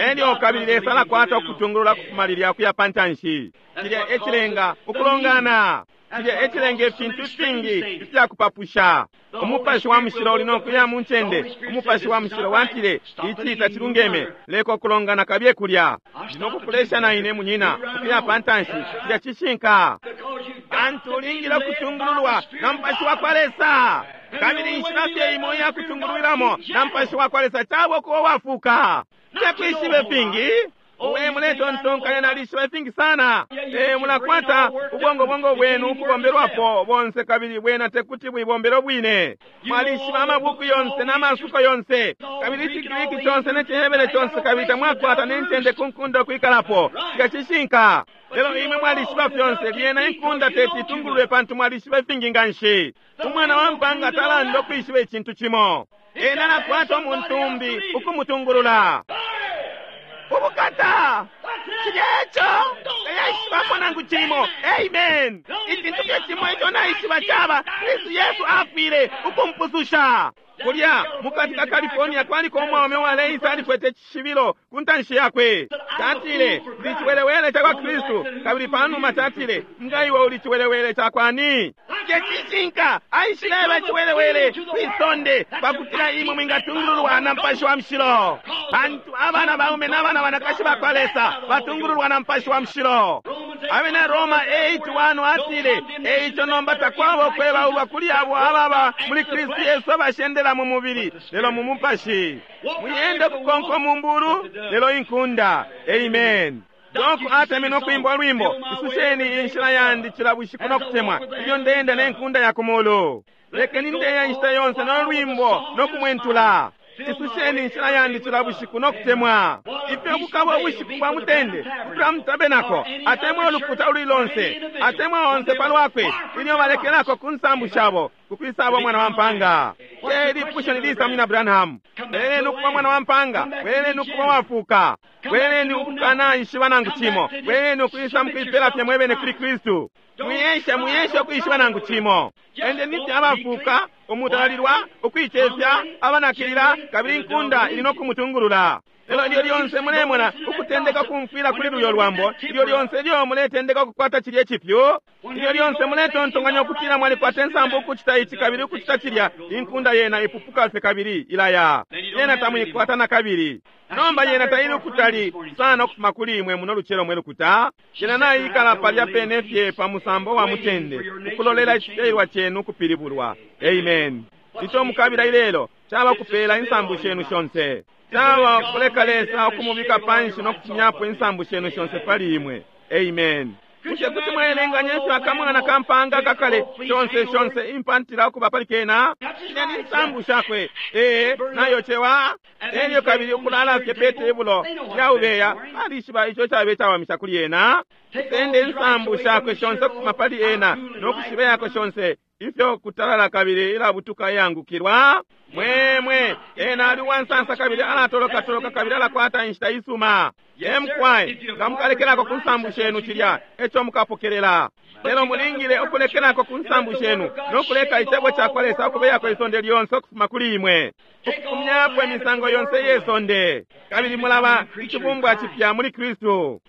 Elyo kabili Lesa alakwata ukutungulula kufuma lilya kuya pa ntanshi. Cilya e cilenga ukulongana. Cilya e cilenga ifintu ifingi ifya kupapusha. Umupashi wa Mushilo uli no kuya mu ncende. Umupashi wa Mushilo watile, Ici tacilungeme, leka ukulongana kabiye kulya. Ndi no kukulesha na ine, munyina, ukuya pa ntanshi. Cilya cishinka. Pantu ulingile ukutungululwa na Mupashi wa kwa Lesa. Kabili inshila fye imo iya kutungulwilamo na Mupashi wa kwa Lesa caba ukuba uwafuuka. Tekwishiba ifingi. Owe, muletontonkanya nalishiba ifingi sana. Ee, mulakwata ubwongobwongo bwenu ukubombelwapo bonse kabili bwena tekuti buibombele ubwine. Mwalishiba amabuku yonse na masuko yonse, kabili iciGriki conse ne ciHebere conse, kabili tamwakwata ne ncende ku nkunda ukwikalapo. Cilya cishinka. Lelo imwe mwalishiba fyonse, lyena inkunda teti itungululwe pantu mwalishiba ifingi nganshi. Umwana wa mpanga talanda ukwishiba icintu cimo. Ena alakwata umuntu umbi ukumutungulula. Ubukata! Cilya eco! Tayaishibapo nangu cimo. Amen! Icintu fye cimo ico naishiba caba, Kristu Yesu afwile ukumpususha. Kulya mukati ka California kwaliko umwaume uwaleisa alikwete icishibilo ku ntanshi yakwe. Catile, Ndi ciwelewele ca kwa Kristu. Kabili panuma catile, Nga iwe uli ciwelewele ca kwani? Te cishinka, aishileba iciwelewele kwi sonde pakutila imwe mwingatungululwa na Mupashi wa Mushilo. Pantu abana baume na bana banakashi ba kwa Lesa batungululwa na Mupashi wa Mushilo. Abena Roma 8:1 atile, E ico nomba takwaba ukwebaulwa kuli abo ababa muli Kristu Yesu abashendela mu mubili, lelo mu mupashi. Mwienda ukukonka umumbulu, lelo inkunda. Amen. Doko atemenwe ukwimba ulwimbo, Isusheni inshila yandi cila bushiku no kutemwa, ilyo ndeenda ne nkunda ya ku mulu. Lekeni ndeya inshita yonse no lwimbo no kumwentula. Isusheni inshila yandi cila bushiku no kutemwa. Ifyo bukaba ubushiku bwa mutende ukutula mu tabenako, atemwa ulukuta ululi lonse, atemwa onse pa lwakwe, ilyo balekelako ku nsambu shabo, ku kwisaba Umwana wa mpaanga. Te lipusho ni lisa, Munyina Branham? Bweleleni ukuba mwana wa mpaanga. Bweleleni ukuba uwafuuka. Bweleleni ukukanaishiba nangu cimo. Bweleleni ukwisa mukuipela fye mwebene kuli Kristu. Mwiesha, mwiesha ukwishiba nangu cimo. Endeni fye abafuuka, umutalalilwa, ukuicefya, abanakilila, kabili inkunda ili no kumutungulula. Lelo ilyo lyonse mulemona ukutendeka ukumfwila kuli lulyo lwambo, ilyo lyonse ilyo muletendeka ukukwata cilye cipyu, ilyo lyonse muletontonkanya ukutila mwalikwata insambu ukucita ici kabili ukucita cilya, inkunda yena ipupuka fye kabili ilaya. Yena tamuikwata nakabili. Nomba yena taili ukutali sana ukufuma kuli imwe muno lucelo, mwe lukuta. Yena naikala palya pene fye pa musambo wa mutende, ukulolela icifyalilwa cenu ukupilibulwa. Amen. Ico mukabila ilelo caba kupela insambu shenu shonse. Caba kuleka Lesa ukumubika panshi no kufumyapo insambu shenu shonse pali imwe. Amen. Bushe kuti mwaelenganya ifyo akamwana kampanga kakale shonse shonse impantila ukuba pali kena? Shilya ni nsambu shakwe. Ee, nayocewa. Elyo kabili ukulala fye pe tebulo lyaubeya, alishiba ico cabe cawamisha kuli ena. Sende insambu shakwe shonse ukufuma pali ena no kushiba yako shonse ifyo kutalala kabili ilabutuka iyangukilwa. Mwemwe ena ali uwansansa kabili alatolokatoloka kabili alakwata inshita isuma. Emkwai nga mukalekelako ku nsambu shenu cilya eco mukapokelela. Lelo mulingile ukulekelako ku nsambu shenu no kuleka icebo ca kwa Lesa ukubeyako isonde lyonse ukufuma kuli imwe, ukufumyapo imisango yonse iye sonde, kabili mulaba icibumbwa cipya muli Kristu.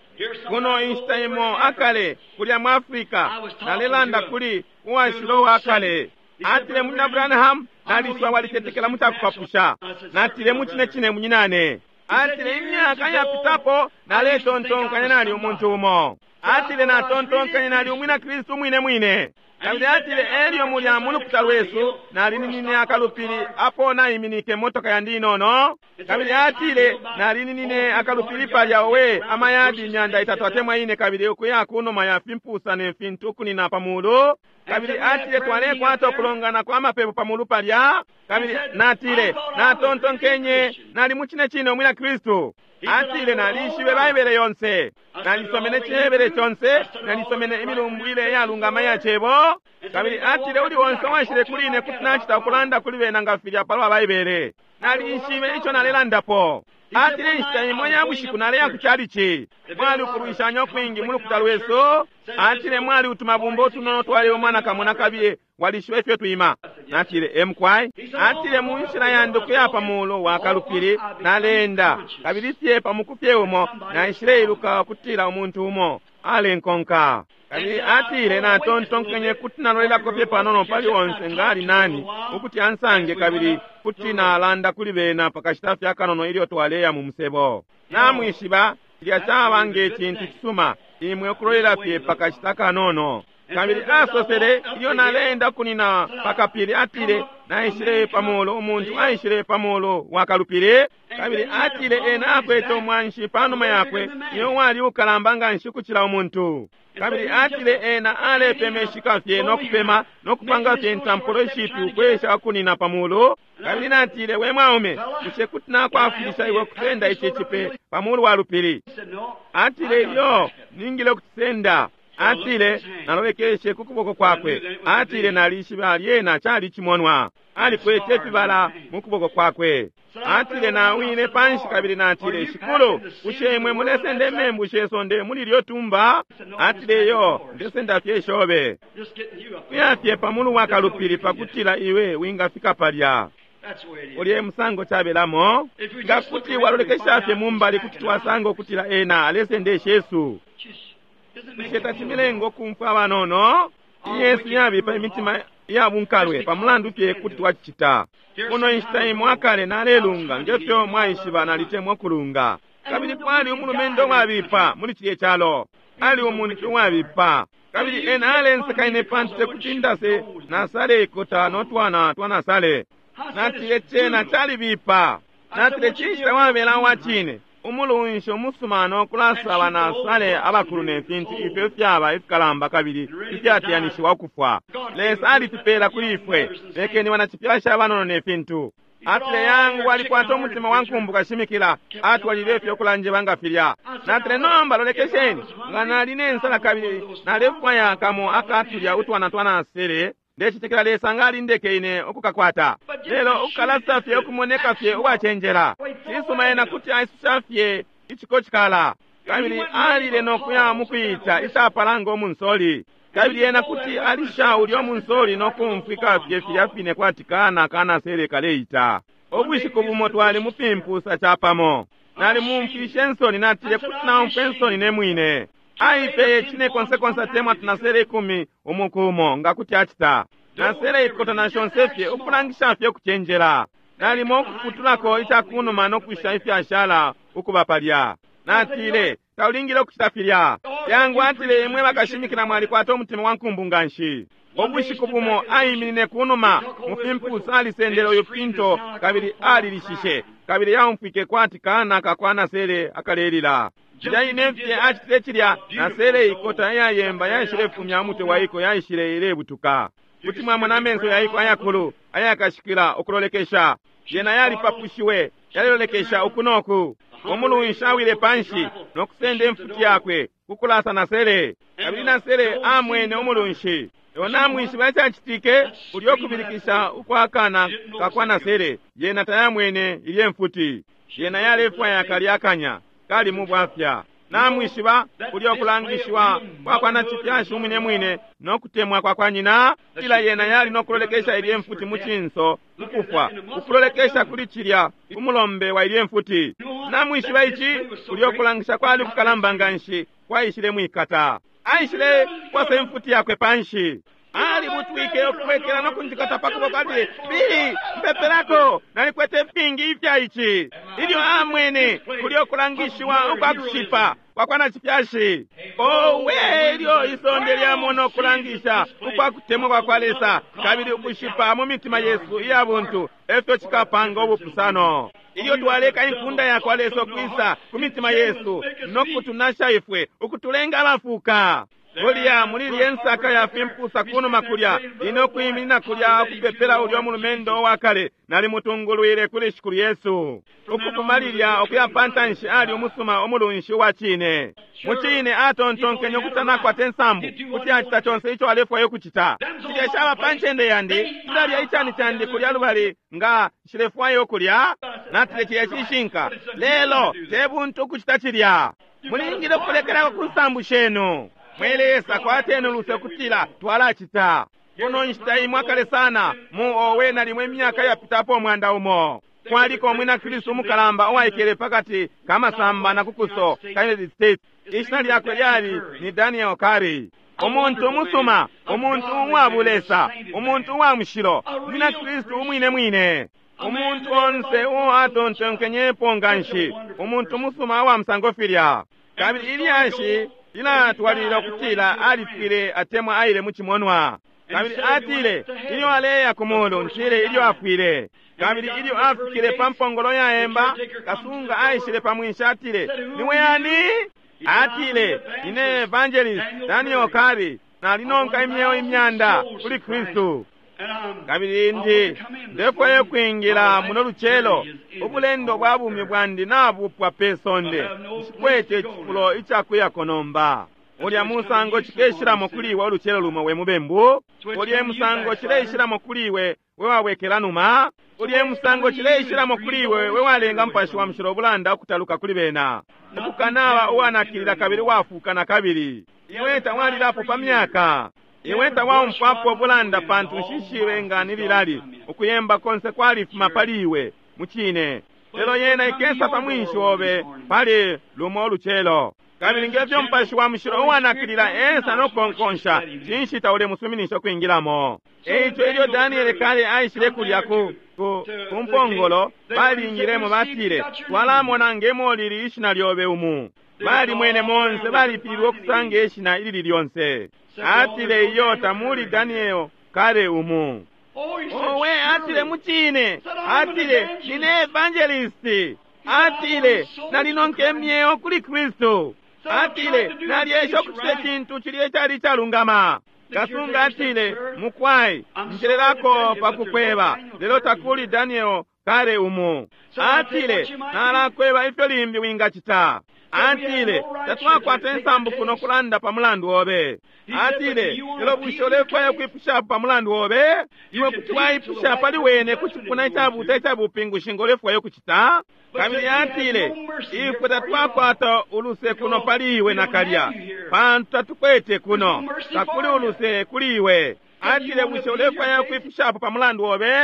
Kuno inshita imo akale kulya mu Africa, nalelanda kuli uwashila uwakale. Atile, Munyina Branham, nalishiba walitetekela mu cakupapusha. Natile, mucine cine, munyinane. Atile, imyaka yapitapo naletontonkanya nali umuntu umo. Atile, natontonkanya nali umwina Kristu mwine mwine. Kabili atile, elyo mulya mu lukuta lwesu nalininine akalupili apo naiminike motoka yandi inono. Kabili atile, nalininine akalupili palya, owe, amayadi 300 atemwa 4, kabili ukuya kunuma ya fimpusa ne fintu ukunina pa mulu. Kabili atile, twalekwata ukulongana kwa mapepo pa mulu palya. Kabili natile, natontonkenye nali mucine cine umwina Kristu. Atile, nalishibe Baibele yonse, nalisomene Cihebere conse, nalisomene imilumbwile iyalungama iya cebo. Kabili atile, uli onse uwaishile kuli ine kuti nacita ukulanda kuli bena nga filya palwa Baibele. Nalishibe ico nalelandapo. Atile, inshita imo ya bushiku naleya ku chalichi. Mwali ukulwishanya ukwingi mu lukuta lwesu. Atile, mwali utumabumba utunono twali umwana kamo na kabiye, walishiba ifyo twima. Natile, emkwai. Atile, mu nshila yandi ukuya pa mulu wa kalupili naleenda, kabili fye pa muku fye umo naishileiluka ukutila umuntu umo alenkonka. Kabili atile, natontonkenye kuti nalolelako fye panono pali onse nga ali nani ukuti ansange, kabili kuti nalanda kuli bena pakashita fye akanono ilyo twaleya mu musebo. Namwishiba, cilya caba nge cintu cisuma imwe ukulolela fye pakashita kanono. Kabili asosele, ilyo naleenda kunina pakapili, atile, naishile pa mulu, umuntu aishile pa mulu wa kalupili. Kabili atile, ena akwete umwanshi panuma yakwe, iyo wali ukalamba nganshi kucila umuntu. Kabili atile, ena alepemeshika fye no kupema no kupanga fye intampulo ishipi ukwesha kunina pa mulu. Kabili natile, we mwaume, bushe kuti nakwafwilisha iwe kusenda ici cipe pa mulu wa lupili? Atile, iyo, ningile ukucisenda. Atile, nalolekeshe ku kuboko kwakwe. Atile, nalishiba lyena cali cimonwa. Alikwete ifibala mu kuboko kwakwe. Atile, nawine panshi kabili natile, Shikulu, bushe imwe mulesenda imembu she sonde muli lyo tumba? Atile, yo, ndesenda fye shobe. Kuya fye pa mulu wa kalupili pakutila iwe wingafika palya. Ulye musango cabelamo. Nga kuti walolekesha fye mumbali kuti twasanga ukutila ena alesenda ishesu. Bushe tacimilengo kumfwa abanono? Yesu yabipa imitima ya bunkalwe pamulandu fye kuti twacicita. Kuno inshita imo akale nalelunga ngefyo mwaishiba nalitemwa kulunga. Kabili kwali umulumendo wabipa muli cilye calo. Ali umuntu wabipa. Kabili ena alenseka ine pantu tekuti ndase nasale ikota no twana twanasale. Natile cena calibipa. Natile cinshi tawabela wa cine. Umulunshi umusuma no kulasaba nasale abakulu ne fintu ifyo fyaba ifikalamba kabili ifyateyanishiwa ukufwa. Lesa alitupela kuli ifwe. Lekeni banacifyasha abanono ne fintu. Atile, yangu alikwata umutima wa nkumbu kashimikila. Atwalile ifyo kulanjeba nga filya. Natile, nomba lolekesheni, nga nali ne nsala kabili nalefwaya kamo akatulya utwana twanasele, ndecitekela Lesa nga alindeke ine ukukakwata. Lelo ukukalasa fye ukumoneka fye uwacenjela. Cisuma ena kuti aisusha fye icikocikala. Kabili alile no kuya mukwita icapala ngo munsoli. Kabili ena kuti alisha ulyo munsoli no kumfwika fye filya fine kwati kana kanasele kaleita. Ubushiku bumo twali mupimpusa capamo. Nali mumfishe nsoni, natile kuti naumfwe nsoni ne mwine. Aipeye cine konse konse atemwa tunasele 10 umukumo nga kuti acita. Nasele ikota na shonse fye ukulangisha fye ukucenjela. Nalimo ukuputulako icakunuma no kusha ifyashala ukuba palya. Natile, taulingile ukucita filya. Yangu atile, imwe bakashimikila mwalikwata umutima wa nkumbu nganshi. Ubushiku bumo aiminine kunuma mu fimpusa, alisendele uyu pinto kabili alilishishe, kabili yaumfwike kwati kana kakwa nasele akalelila. Cilya ine fye acitile cilya, nasele ikota iyayemba yaishile fumya umutwe waiko, yaishile ilebutuka. Kuti mwamona amenso yaiko ayakulu ayakashikila ukulolekesha. Yena yalipapushiwe, yalilolekesha uku noku. Umulunshi awile panshi no kusenda imfuti yakwe kukulasa nasele, kabili nasele amwene umulunshi. Lelo namwishiba icacitike, ulyo kubilikisha ukwakana kakwa nasele, yena tayamwene ilye mfuti. Yena yalefwaya kalya kanya kali mu bwafya. Namwishiba ulyo kulangishiwa kwakwa nacifyashi umwine mwine no kutemwa kwakwa nyina, ila yena yali no kulolekesha ilye mfuti mu cinso ukufwa, ukulolekesha kuli cilya umulombe wa ilye mfuti. Namwishiba ici, ulyo kulangisha kwali kukalamba nganshi kwaishile mwikata. Aishile kwasa imfuti yakwe panshi, alibutwike ukubwekela no kunjikata pa kuboko, atile, Bili, mpepelako, nalikwete fingi ifya ici. Ilyo amwene kulyo kulangishiwa ukwa kushipa kwakwa nacifyashi, owe, ilyo isonde lyamona ukulangisha ukwa kutemwa kwakwa Lesa kabili ukushipa mu mitima yesu iya buntu, efyo cikapanga ubupusano. Ilyo twaleka inkunda yakwa Lesa ukwisa ku mitima yesu no kutunasha ifwe, ukutulenga abafuka. Kulya muli lye nsaka ya fimpusa kunuma kulya, ine ukwiminina kulya ukupepela ulyo mulumendo wa kale, nalimutungulwile kuli Shikulu Yesu. Ukufuma lilya ukuya pantanshi ali umusuma umulunshi wa cine. Mu cine atontonkenye ukuti anakwata insambu kuti acita conse ico alefwaya ukucita. Cilya shaba pa ncende yandi, tulalya icani candi kulya lubali nga nshilefwaya ukulya. Natile cilya cishinka, lelo te buntu ukucita cilya. Mulingile ukulekelako ku nsambu shenu. Mwe Lesa, kwateni uluse kutila twalacita. Kuno nshita imwe akale sana, mu owe nalimwe imyaka yapitapo 100, kwaliko umwina Kristu umukalamba uwaikele pakati ka masamba na kukuso ka United States. Ishina lyakwe lyali ni Daniel Curry. Umuntu umusuma, umuntu uwa bulesa, umuntu uwa mushilo, umwina Kristu umwine mwine. Umuntu onse uo atontonkenyepo nganshi, umuntu umusuma uwa musango filya. Kabili ilyashi lilatwalilila ukutila alifwile atemwa aile mu cimonwa. Kabili atile ilyo aleya ku mulu, ntile ilyo afwile. Kabili ilyo afikile pa mpongolo yaemba, kasunga aishile pa mwinshi, atile, niwe yani? Atile, ine evangelist Daniel Curry, nalinonka imyeo imyanda kuli Kristu. Kabili ndi ndefwaye kwingila muno lucelo, ubulendo bwa bumi bwandi nabupwa pe sonde, nshikwete icifulo icakuyako nomba. Ulya musango cikeshilamo kuli iwe ulucelo lumo we mubembu, ulya musango cileishilamo kuli iwe we wabwekela numa, ulya musango cileishilamo kuli iwe we walenga Mupashi wa Mushilo ubulanda ukutaluka kuli bena, ukukanaba uwanakilila kabili wafuka na kabili. Iwe tawalilapo pa myaka, iwe tawaumfwapo ubulanda, pantu nshishibe nga ni lilali ukuyemba konse kwalifuma pali iwe mucine. Lelo yena ikesa pa mwinshi obe pali lumo ulucelo. Kabili ngefyo Mupashi wa Mushilo uwanakilila esa no kukonkonsha, cinshi taulemusuminisha ukwingilamo? Eico ilyo Daniel kale aishile kulya ku mpongolo, balingilemo batile, twalamona ngemo lili ishina lyobe umu. Balimwene monse, balipilwe ukusanga ishina ilili lyonse. Atile, iyo tamuli Daniel kale umu. Owe, atile mucine, atile nine evangelist, atile nalinonke myeo kuli Kristu, atile nalyesha ukucita icintu cilya icali icalungama. Kasunga atile, mukwai njelelako pakukweba, lelo takuli Daniel kale umu. Atile nalakweba ifyo limbi wingacita. Atile tatwakwata insambu kuno kulanda pa mulandu obe. Atile lelo bushe ulefwaya kwipushapo pa mulandu obe? Iwe kuti waipusha pali wene ku cipuna icabuta icabupingushi ngo ulefwaya ukucita. Kabili atile ifwe tatwakwata uluse kuno pali iwe nakalya, pantu tatukwete kuno, takuli uluse kuli iwe. Atile bushe ulefwaya kwipushapo pa mulandu obe?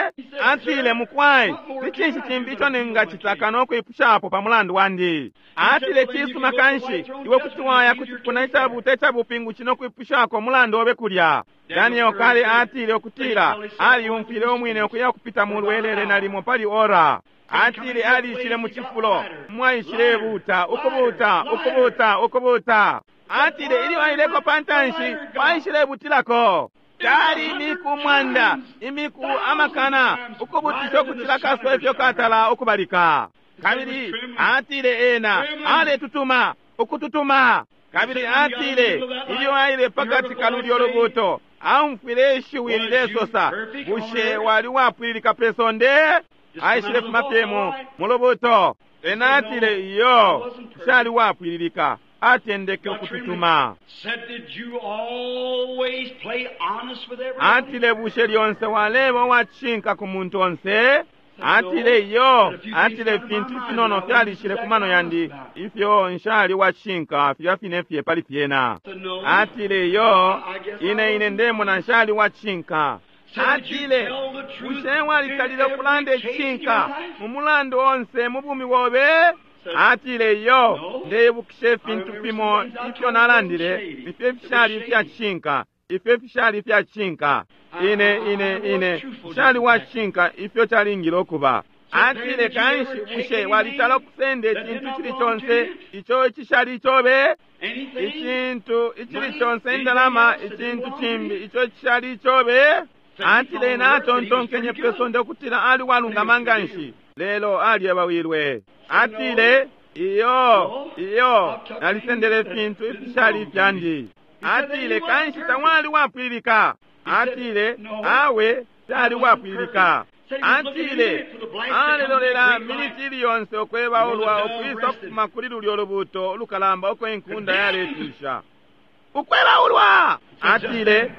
Atile mukwai, ni cinshi cimbi ico ningacita kano kwipushapo pa mulandu wandi? Atile cisuma kanshi iwe kuti waya ku cipuna icabuta icabupingushi no kwipushako mulandu obe kulya. Daniel kale atile ukutila aliyumfwile umwine ukuya kupita mu lwelele nalimo pali ora. Atile alishile mu cifulo mwaishile buta ukubuta ukubuta ukubuta. Atile ilyo aileko pa ntanshi paishile butilako. Cali imiku 100, imiku amakana, ukubutisha ukucila kasuba ifyo katala ukubalika. Kabili atile ena aletutuma, ukututuma. Kabili atile ilyo aile pakati ka lulyo lubuto, aumfwile ishiwi lilesosa, bushe wali wapwililika pe sonde? Aishile fuma fyemo mu lubuto. Ena atile iyo, nshali wapwililika. Atendeke ukututuma. Atile bushe lyonse waleba uwacishinka ku muntu onse? Atile iyo. Atile ifintu finono fyalishile ku mano yandi ifyo nshali uwacishinka filya fine fye pali fyena. Atile iyo, ine ndemona nshali uwacishinka. Atile bushe walitalile ukulanda icishinka mu mulandu onse mu bumi bobe? Atile iyo, ndeibukisha ifintu fimo ifyo nalandile ifyo ifishali ifyacishinka, ifyo ifishali ifyacishinka. Ine nshali wacishinka ifyo calingile ukuba. Atile kanshi bushe walitala ukusenda icintu cili conse ico icishali icobe? Icintu icili conse, indalama, icintu cimbi ico icishali icobe? Atile natontonkenye pe sonde ukutila ali walungama nganshi, lelo alyebawilwe. Atile iyo, iyo, nalisendele ifintu ifishali ifyandi. Atile kanshi tawali wapwililika. Atile awe tali wapwililika. Atile alilolela miniti ili yonse ukwebaulwa ukwisa ukufuma kuli lulyo lubuto ulukalamba uko inkunda yaletusha. Ukwebaulwa! Atile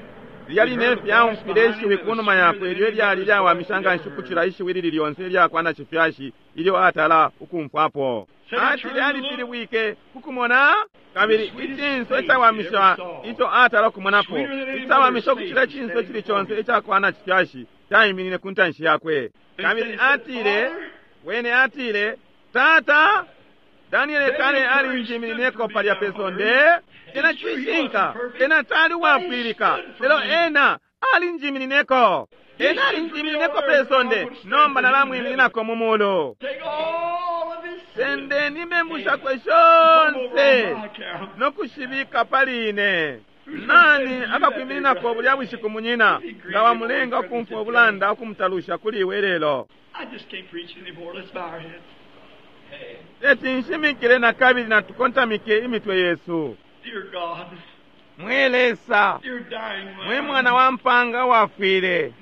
lilya line fyaumfwile ishiwi kunuma yakwe ilyo ilyali lyawamisha nganshi ukucila ishiwi lili lyonse ilyakwa na cifyashi ilyo atala ukumfwapo. Atile alipilibwike kukumona, kabili icinso icawamisha ico atala ukumonapo, icawamisha ukucila icinso cili conse icakwa na cifyashi caiminine ku ntanshi yakwe. Kabili atile, wene atile, Tata, Daniele kale alinjiminineko palya pe sonde. Ena cishinka, ena tali wapwilika, lelo ena alinjiminineko. Ena alinjiminineko pe sonde, nomba nalamwimininako mu mulu. Sendeni imembu shakwe shonse nokushibika pali ine. Nani akakwimininako bulya bushiku munyina, nga wamulenga ukumfwa ubulanda ukumutalusha kuli iwe lelo? Teti nshimikile na kabili natukontamike imitwe yesu. Mwe Lesa, mwe mwana wa mpanga wafwile,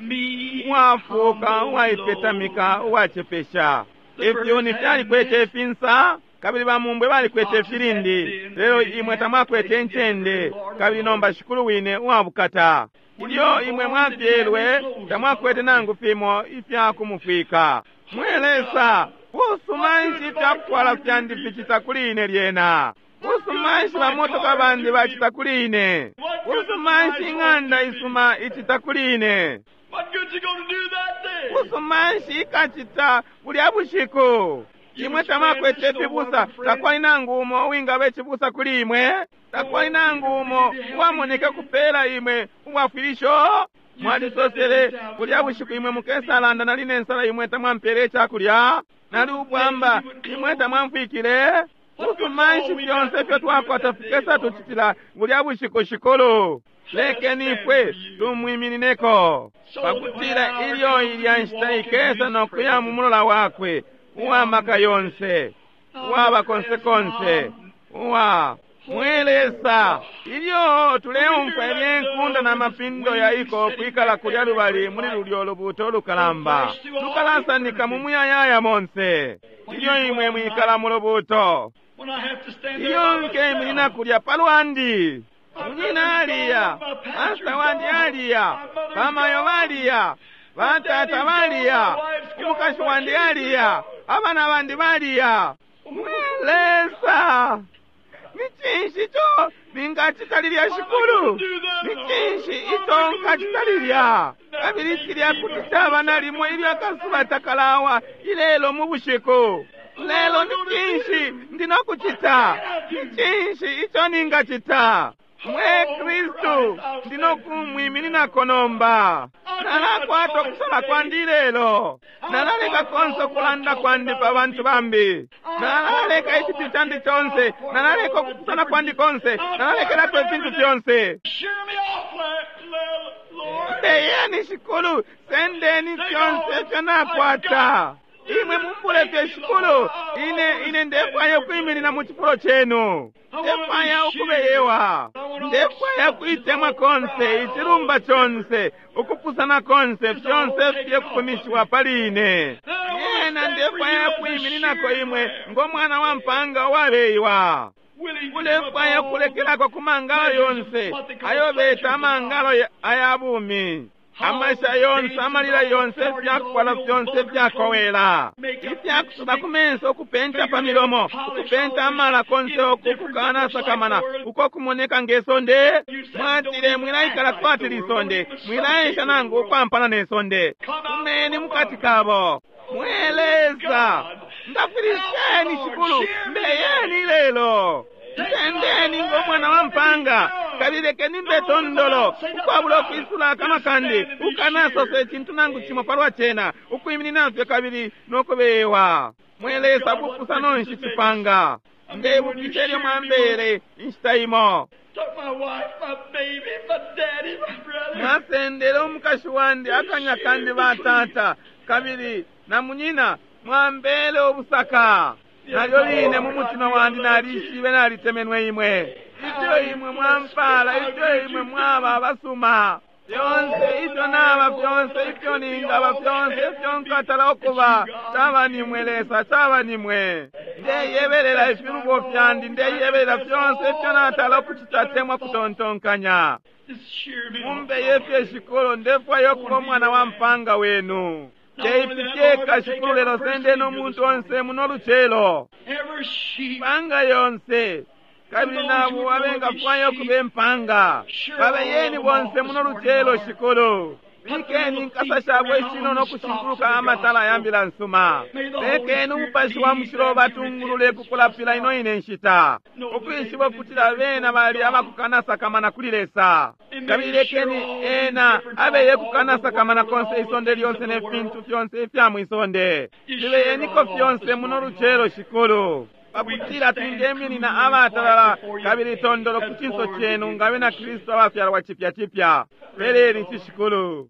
uwafuuka, uwaipetamika, uwacepesha. Ifyuni fyalikwete ifinsa, kabili bamumbwe balikwete ifilindi, lelo imwe tamwakwete incende, kabili nomba Shikulu wine uwabukata. Ilyo imwe mwafyelwe, tamwakwete nangu fimo ifya kumufwika. Mwe Lesa, busuma nshi ifyakutwala fyandi ficita kuli ine lyena? Busuma nshi bamotoka bandi bacita kuli ine? Busuma nshi ing'anda isuma icita kuli ine? Busuma nshi ikacita bulya bushiku? Imwe tamwakwete ifibusa, takwali nangu umo uwingaba icibusa kuli imwe, takwali nangu umo uwamoneka kupela imwe ubwafwilisho. Mwalisosele bulya bushiku imwe mukesalanda, nali nensala imwe tamwampele icakulya, nali ubwamba imwe tamwamfwikile. Busuma nshi fyonse ifyo twakwata fikesa tucitila bulya bushiku Shikulu? Lekeni ifwe tumwiminineko, pakutila ilyo ilya nshita ikesa nokuya mu mulola wakwe uwa maka yonse, uwaba konse konse, uwa mwe Lesa. Ilyo tuleumfwa ilye nkunda na mapindo ya iko kwikala kulya lubali muli lulyo lubuto lukalamba, lukalasanika mu muyayaya monse. Ilyo imwe mwikala mu lubuto, ilyo nkeminina kulya palwandi, munyina aliya, pasita wandi aliya, bamayo baliya, batata baliya, umukashi wandi aliya, abana bandi baliya. Mwe Lesa, ni cinshi ico ningacita lilya Shikulu? Ni cinshi ico nkacita lilya? Kabili cilya kuti caba nalimo ilyo akasuba takalawa ilelo mu bushiku. Lelo ni cinshi ndi nokucita? Ni cinshi ico ningacita? Mwe Kristu, ndi nokumwimininako nomba. Nalakwata ukusala kwandi lelo. Nalaleka konse ukulanda kwandi pa bantu bambi. Nalaleka icipyu candi conse. Nalaleka ukupusana kwandi konse. Nalalekelapo ifintu fyonse. Mbeyeni Shikulu, sendeni fyonse ifyo nakwata. Imwe mumbule fye Shikulu, ine ndefwaya ukwiminina mu cifulo cenu. Ndefwaya ukubeyewa, ndefwaya kuitemwa konse, icilumba conse, ukupusana konse, fyonse fye kufumishiwa pali ine. Yena ndefwaya kwimininako imwe ngo mwana wa mpanga uwabeyiwa. Ulefwaya kulekelako ku mangalo yonse ayo beta amangalo aya bumi. Amasha yonse, amalila yonse, ifyakukwala fyonse fyakowela, ifyakusuba ku menso, ukupenta pa milomo, ukupenta amala konse uku kukanasakamana uko kumoneka ngesonde. Mwatile mwilaikala kwati lisonde, mwilaesha nangu ukwampana nesonde. Kumeni mukati kabo. Mweleza, ndafwilisheni Shikulu, mbeyeni lelo. Nsendeni ngo mwana wa mpanga, kabili lekeni mbe tondolo, ukwabula ukwisula akanwa kandi, ukanasosa icintu nangu cimo palwa cena, ukwiminina fye kabili nokubewa. Mwelesa bupusano nshi cipanga. Ndebukisha ilyo mwambele inshita imo. Mwasendele umukashi wandi, akanya kandi batata, kabili na munyina, mwambele ubusaka. Nalyo line mu mutima wandi nalishibe nalitemenwe imwe. Ifyo imwe mwampala, ifyo imwe mwaba abasuma. Fyonse ifyo naba, fyonse ifyo ningaba, fyonse ifyo nkatala ukuba, caba nimwe Lesa, caba nimwe. Ndeyebelela ifilubo fyandi, ndeyebelela fyonse ifyo natala ukucita temwa kutontonkanya. Mumbeye fye Shikulu, ndefwaya ukuba umwana wa mpanga wenu. Teifyeka Shikulu lelo sendeni umuntu onse muno lucelo. Mpanga yonse kabili nabo abengafwaya ukuba impanga babeyeni bonse muno lucelo Shikulu. Bikeni inkasa shabo ishinono kushinguluka amatala ya mbila nsuma. Lekeni umupashi wa mushilo batungulule kukulapila ino ine nshita, ukwishiba ukutila bena bali abakukanasakamana kuli Lesa. Kabili lekeni ena abeye kukanasakamana konse isonde lyonse ne fintu fyonse ifya mwisonde. Fibeyeniko fyonse muno lucelo Shikulu, pakutila twingeminina abatalala kabili tondolo ku cinso cenu nga bena Kristu abafyalwa cipya cipya. Peleni ici Shikulu.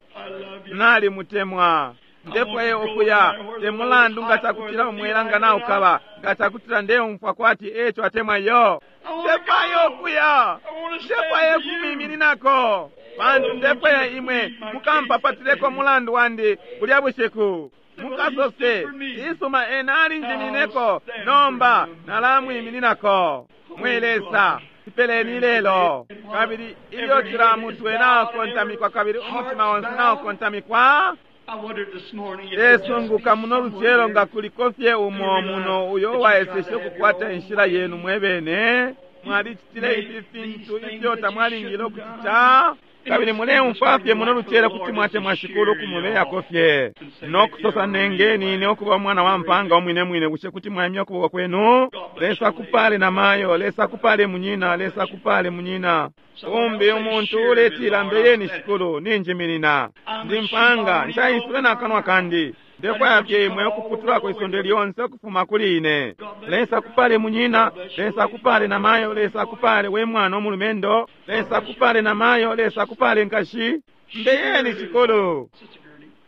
Nalimutemwa. Ndefwaye ukuya te mulandu nga cakutila umwela nga naukaba, nga cakutila ndeumfwa kwati eco atemwa yo. Ndefwaye ukuya, ndefwaye kumwimininako, pantu ndefwaya imwe mukampapatileko mulandu wandi bulya bushiku. Mukasose isuma ena alinjimineko, nomba nalamwimininako. Mwe Lesa, ipeleni lelo. Kabili ilyo cila mutwe naokontamikwa kabili umutima onse naokontamikwa, lesunguka muno lucelo nga kuliko fye umo muno uyo uwaeseshe ukukwata inshila yenu mwebene. Mwalicitile ifi fintu ifyo tamwalingile ukucita, kabili muleumfwa fye muno lucelo kuti mwatemwa Shikulu kumubeyako fye nokusosa nengeni ine ukuba umwana wa mpanga umwine mwine. Bushe kuti mwaimya ukuboko kwenu? Lesa kupale na mayo, Lesa kupale munyina, Lesa kupale munyina. Umbi umuntu uletila mbeyeni Shikulu, ninjiminina ndi mpanga, nshaisule na kanwa kandi, ndefwaya fye imwe ukuputulako isonde lyonse ukufuma kuli ine. Lesa kupale munyina, Lesa kupale na mayo, Lesa kupale we mwana omulumendo, Lesa kupale na mayo, Lesa kupale nkashi. Mbeyeni Shikulu.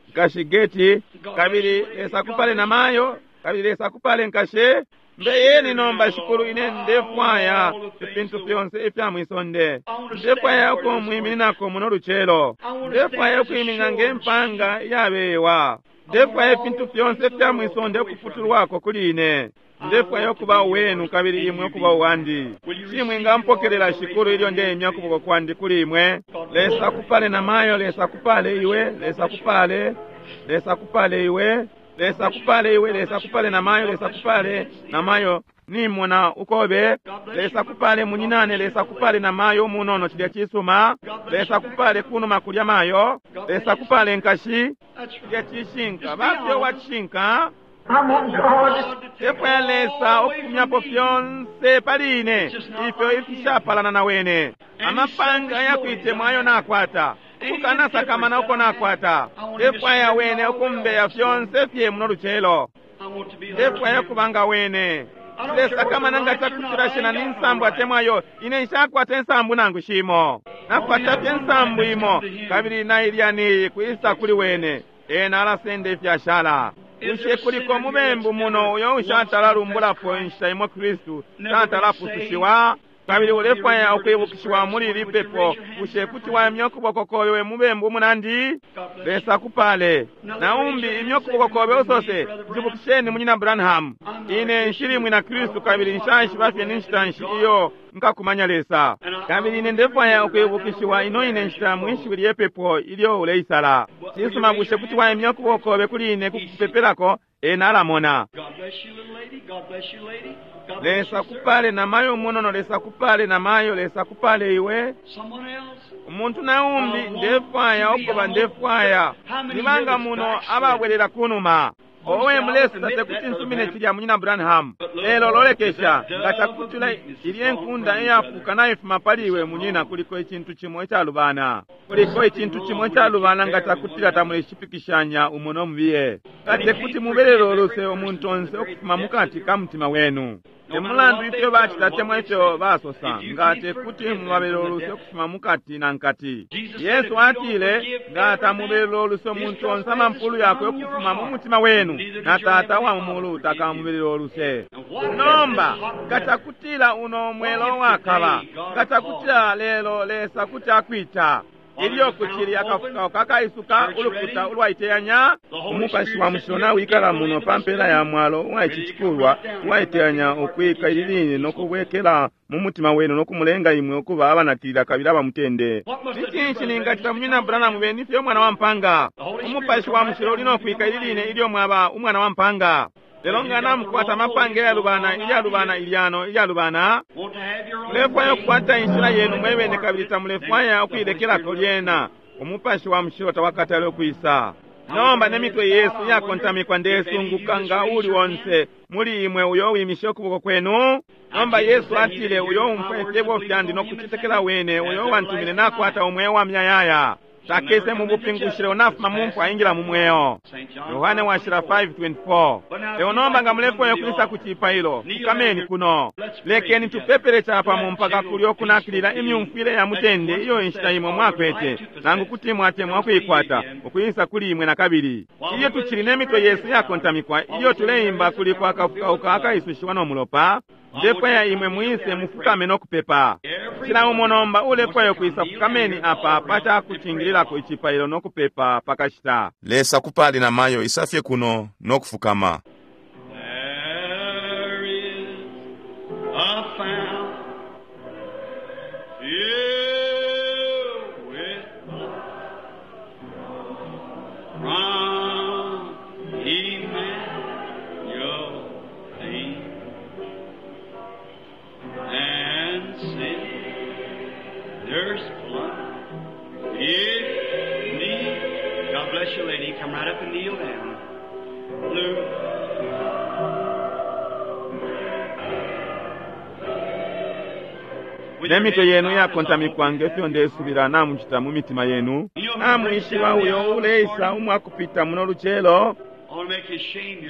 Nkashi Geti, kabili Lesa kupale na mayo, kabili Lesa kupale nkashi. Mbeyeni nomba Shikulu, ine ndefwaya ifintu fyonse ifya mwisonde. Ndefwaya ukumwimininako muno lucelo. Ndefwaya ukwiminina ngempanga iyabewa. Ndefwaya ifintu fyonse ifya mwisonde ukuputulwako kuli ine. Ndefwaya ukuba uwenu kabili imwe ukuba uwandi. Shimwe ngampokelela Shikulu ilyo ndeimya ukuboko kwandi kuli imwe. Lesa kupale na mayo, Lesa kupale iwe, Lesa kupale, Lesa kupale iwe, Lesa kupale iwe, Lesa kupale na mayo, Lesa kupale na mayo. Nimona ukobe. Lesa kupale munyinane, Lesa kupale na mayo munono cilya cisuma. Lesa kupale kunuma kulya mayo. Lesa kupale nkashi cilya cishinka. Bafye wacishinka. Tefwaya Lesa ukufumyapo fyonse pali ine ifyo ifishapalana na wene. Amapanga ayakuitemwa ayo nakwata, ukukanasakamana uko nakwata. Tefwaya wene ukumbeya fyonse fye muno lucelo. Tefwaya kubanga wene. Lesakamana nga cakutila shena ni nsambu atemwayo, ine nshakwata insambu nangu shimo. Nakwata fye nsambu imo, kabili nailya niyi kwisa kuli wene. Ena alasenda ifyashala. Bushe kuliko mubembu muno uyo ushatala lumbulapo inshita imo Kristu tatalapusushiwa? Kabili ulefwaya ukwibukishiwa muli ili pepo, bushe kuti waimya ukuboko kobe we mubembu munandi? Lesa kupale. Naumbi imya ukuboko kobe usose, njibukisheni munyina Branham. Ine nshili mwina Kristu kabili nshaishiba fye ni nshita nshi iyo nkakumanya Lesa. Kabili ine ndefwaya ukwibukishiwa ino ine nshita mwishiwi lye pepo ilyo uleisala. Cisuma, bushe kuti waimya ukuboko kobe kuli ine kukupepelako? Ena alamona. God bless you, little lady. God bless you, lady. God bless Lesa you, sir. kupale na mayo munono, Lesa kupale na mayo, Lesa kupale iwe. Someone else. Umuntu naumbi ndefwaya ukuba ndefwaya. Nibanga muno ababwelela kunuma. Owe mulesa tekuti nsumine cilya munyina Branham. Lelo lolekesha nga cakutula ilye nkunda iyafuka naifuma pali iwe munyina, kuliko icintu cimo icalubana. Kuliko icintu cimo icalubana nga cakutila tamuleshipikishanya umo no mubiye. Nga tekuti mubelele uluse umuntu onse ukufuma mukati ka mutima wenu. Temulandu ifyo bacita temwa ifyo basosa, nga tekuti mubabelele uluse ukufuma mukati na nkati. Yesu atile, nga tamubelele uluse umuntu onse amampulu yakwe ukufuma mu mutima wenu, na Tata wa mu mulu takamubelele uluse. Nomba, nga cakutila uno mwelo wakaba, nga cakutila lelo Lesa kuti akwita, ilyo kucili akafukauka kakaisuka ulukuta ulwaiteyanya, umupashi wa mushilo nawikala muno pa mpela ya mwalo uwa ici cikulwa uwaiteyanya ukwika ili line nokubwekela mu mutima wenu nokumulenga imwe ukuba abanakilila kabili abamutende. Ni cinshi ningacita munyina Branham beni fye umwana wa mpanga? Umupashi wa mushilo uli nokwika ili line ilyo mwaba umwana wa mpanga. Lelo nga namukwata amapange yalubana, ilyalubana, ilyano ilyalubana, Want to have your own mulefwaya way. ukukwata inshila yenu mwebene kabili tamulefwaya ukuilekelako lyena. Umupashi wa mushilo tawakatale ukwisa. Nomba nemitwe yesu iyakontamikwa, ndesunguka nga uli onse muli imwe uyo wimishe ukuboko kwenu. Nomba Yesu atile, uyo umfwa ifyebo fyandi nokucetekela wene uyo wantumine nakwata umweo wa muyayaya, takese mu bupingushi lelo nafuma mu mfwa aingila mu mweo. St. John Yohane washila 5:24. Lelo nomba nga mulefwaya ukwisa ku cipailo, fukameni kuno. Lekeni tupepele capamo mpaka kulyo kunakilila imyumfwile ya mutende iyo inshita imwe mwakwete, nangu kuti mwatemwa ukuikwata, ukwisa kuli imwe na kabili. Ilyo tucili ne mitwe yesu iyakontamikwa, ilyo tuleimba kuliko akafukauka akaisushiwa no mulopa, ndefwaya imwe mwise mufukame no kupepa. Cila umo nomba ulefwaya ukwisa, fukameni apa pacakucingililako icipailo no kupepa pakashita. Lesa kupale na mayo isafye kuno nokufukama. There is a fountain filled with blood from Emmanuel and sinners plunge it me. God bless you, lady. Come right up and kneel down. Blue. Nemitwe yenu iyakontamikwa ngefyo ndesubila namucita mu mitima yenu. Namwishiba uyo uleisa umwakupita muno lucelo,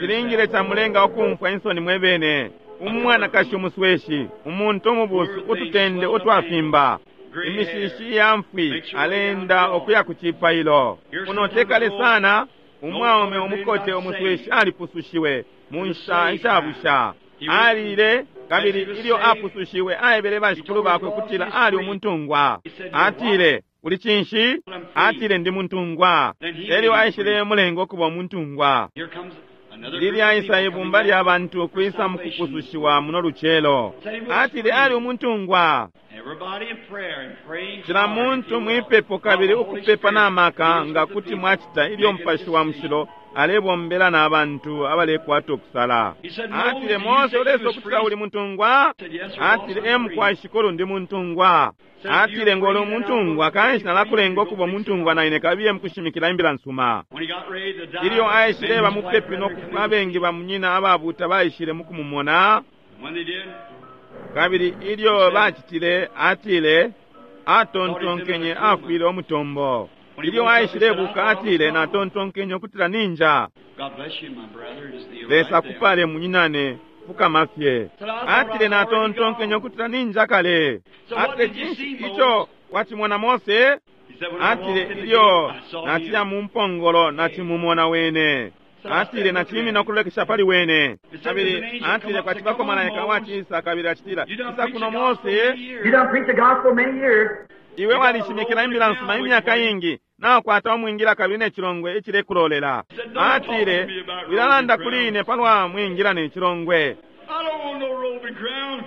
cilingile camulenga ukumfwa insoni mwebene. Umwanakashi umusweshi, umuntu umubusu, ututende utwafimba, imishishi ya mfwi, alenda ukuya ku cipailo. Kuno tekale sana, umwaume umukote umusweshi alipusushiwe mu nshita ishabusha. Alile kabili ilyo apusushiwe aebele bashikulu bakwe ukutila ali umuntungwa. Atile, uli cinshi? Atile, ndi muntungwa. Elyo aishile mulenga ukuba umuntungwa. Here comes another Lilya group of isa people ibumba coming lya bantu ukwisa mu kupusushiwa muno lucelo. Atile ali umuntungwa. Everybody in prayer and praying Cila hard, if muntu you will. mwipepo kabili While the Holy ukupepa Spirit n'amaka deals nga with the kuti people, mwacita ilyo make a mupashi wa decision. mushilo alebombela n'abantu abalekwata okusala. He said, Atile, Moses, Mose you say ulesa you was okutila free. uli muntungwa? Said, yes, sir, Atile, boss, e I'm free. mukwai shikulu ndi muntungwa. Atile, ng'oli umuntungwa kanshi nalakulenga okuba umuntungwa na ine kabiye mukushimikila imbila nsuma. When he got ready to die, Ilyo aishile many of his white bamupepi brethren nokufa come in. abengi bamunyina ababuuta baishile mukumumona. When they did, Kabili ilyo bacitile, atile, atontonkenye afwile umutombo. Ilyo aishile buka atile, natontonkenye ukutila ninja. God bless you, my brother. Just kneel Lesa right there. kupale munyinane fukama fye. Atile natontonkenye ukutila ninja kale. Atile cinshi ico Wacimona Mose? Atile, ilyo naciya mu mpongolo nacimumona wene. Atile, nacimina ukulolekesha pali wene. Kabili atile, kwacibako malaika wacisa, kabili acitila, isa kuno Mose. You done preached the gospel many years. Iwe walishimikila imbila nsuma imyaka ingi, nakwata umwingila kabili ne chilongwe icilekulolela. Atile, wilalanda kuli ine palwa mwingila ne chilongwe. I don't want no robe and crown.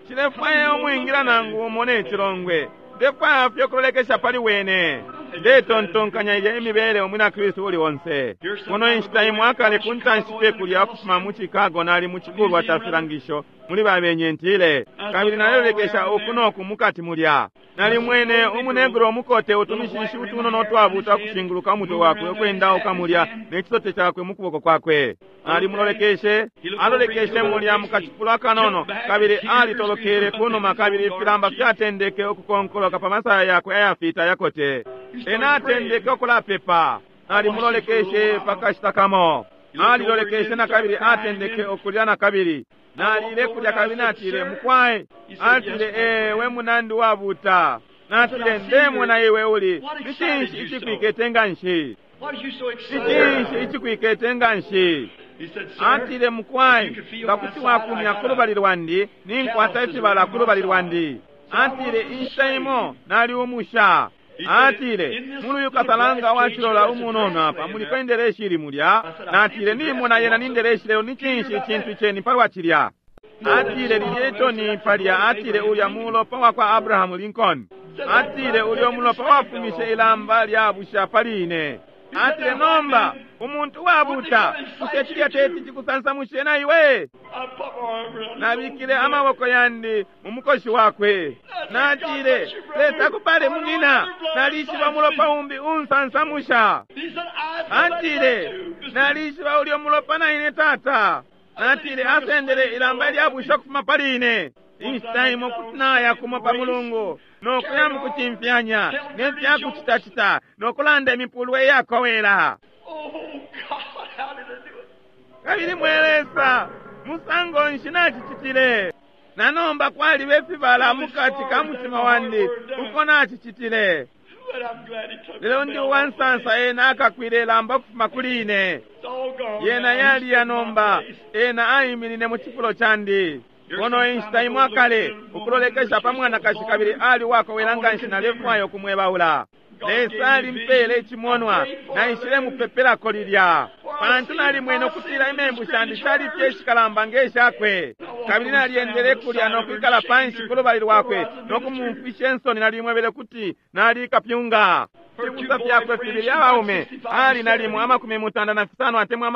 Nshilefwaya umwingila nangu umo ne chilongwe. Ndefwaya fye ukulolekesha pali wene. Ndetontonkanya ilya imibele umwina Kristu uli onse. Kuno inshita imwe akale ku ntanshi fye kulya ukufuma mu Chicago nali mu cikulwa ca filangisho muli babenye ntile. Kabili nalelolekesha uku noku mukati mulya. Nalimwene umunegro umukote utumishishi utunono utwabuta ukushinguluka umutwe wakwe ukwendauka mulya ne cisote cakwe mu kuboko kwakwe. Alimulolekeshe, alolekeshe mulya mu kacifulo akanono, kabili alitolokele kunuma kabili ifilamba fyatendeke ukukonkoloka pa masaya yakwe ayafita ayakote. Ena atendeke ukulapepa. Alimulolekeshe pakashita kamo. Alilolekeshe na kabili atendeke ukulya na kabili. Nalile kulya kabili natile, mukwai. Atile, ee, we munandi wabuta. Natile, ndemona iwe uli. Ni cinshi icikwikete nganshi? What is you so excited? Ni cinshi icikwikete nganshi? He said, sir, Atile, mukwai, nga kuti wakumya ku lubali lwandi, ninkwata ifibala ku lubali lwandi. Atile, inshita imo nali umusha. Atile, muli uyu kasalanga wacilola umunono apa muliko indeleshi ili mulya. Natile, nimona yena ni ndeleshi lelo ni cinshi icintu iceni palwa cilya. Atile, lilye itoni palya. Atile, ulya mulopa wakwa Abrahamu Lincoln. Atile, ulya umulopa wafumishe ilamba lya busha pali ine. Atile, nomba umuntu uwabuta, bushe cilya teti cikusansamushe na iwe? I put my arm around his Nabikile old amaboko yandi mu mukoshi wakwe. Natile, Lesa kupale munyina, nalishiba umulopa umbi unsansamusha. He said, I feel Atile, that too. nalishiba ulya umulopa na ine tata. Natile, asendele ilamba lyabusha ukufuma pali ine. Inshita imo kuti naya kumo pa mulungu, nokuya mukucimfyanya, ne fyakucitacita, nokulanda imipulwe iyakowela. Oh, God, how did I do it? Kabili mwe Lesa, musango nshi nacicitile? Na nomba kwaliba ifibala mukati ka mutima wandi uko nacicitile. But I'm glad he took Lelo the ndi belt off uwansansa me. ena akakwile ilamba ukufuma kuli ine. It's all gone Yena now. He yali ya stood in my nomba, place. ena aiminine mu cifulo candi. Kono inshita imwe akale ukulolekesha pa mwanakashi kabili ali wakowela nganshi nalefwaya ukumwebaula. Lesa alimpele icimonwa, naishile mupepelako lilya. Pantu nalimwene ukutila imembu shandi shali fye ishikalamba nge shakwe. Kabili nalyendele kulya no kwikala panshi ku lubali lwakwe no kumumfisha insoni nalimwebele kuti nali kapyunga. Fibusa fyakwe fibili abaume ali nalimo 85 atemwa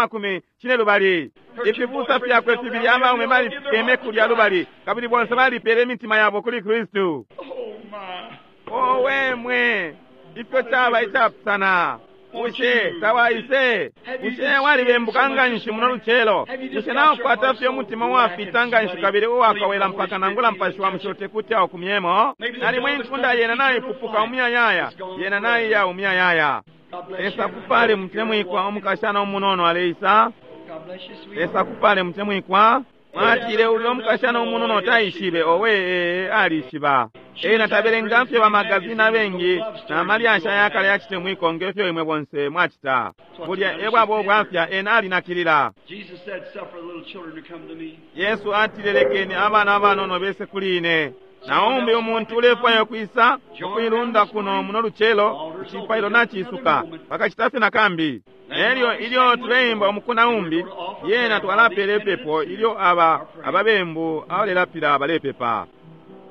42. Ifibusa fyakwe fibili abaume balikeme kulya lubali kabili bonse balipele imitima yabo kuli Kristu. Oh, my. Owe mwe, ifyo caba icapusana. Bushe tawaise? Bushe walibembuka nganshi muno lucelo? Bushe naukwata fye umutima uwafita nganshi kabili uwakowela mpaka nangula mpashi wa mushilo tekuti aukumyemo? Nalimwe inkunda yena naipupuka umuyayaya, yena naiya umuyayaya. God bless Lesa you. kupale mutemwikwa umukashana umunono aleisa. God bless you, sweetheart. Lesa kupale mutemwikwa. Mwatile ulya umukashana umunono taishibe, owe ee, alishiba. Ena tabelenga fye bamagazini abengi na malyasha yakale yacitemwiko ngefyo imwe bonse mwacita. Bulya ebwabo bwafya ena alinakilila. Jesus said, suffer little children to come to me. Yesu atile lekeni abana abanono bese kuli ine. Naumbi umuntu ulefwaya ukwisa ukuilunda kuno muno lucelo icipailo nacisuka pakacita fye nakambi. Elyo ilyo tuleimba umukuna umbi yena twalapela ipepo ilyo aba ababembu abalelapila balepepa.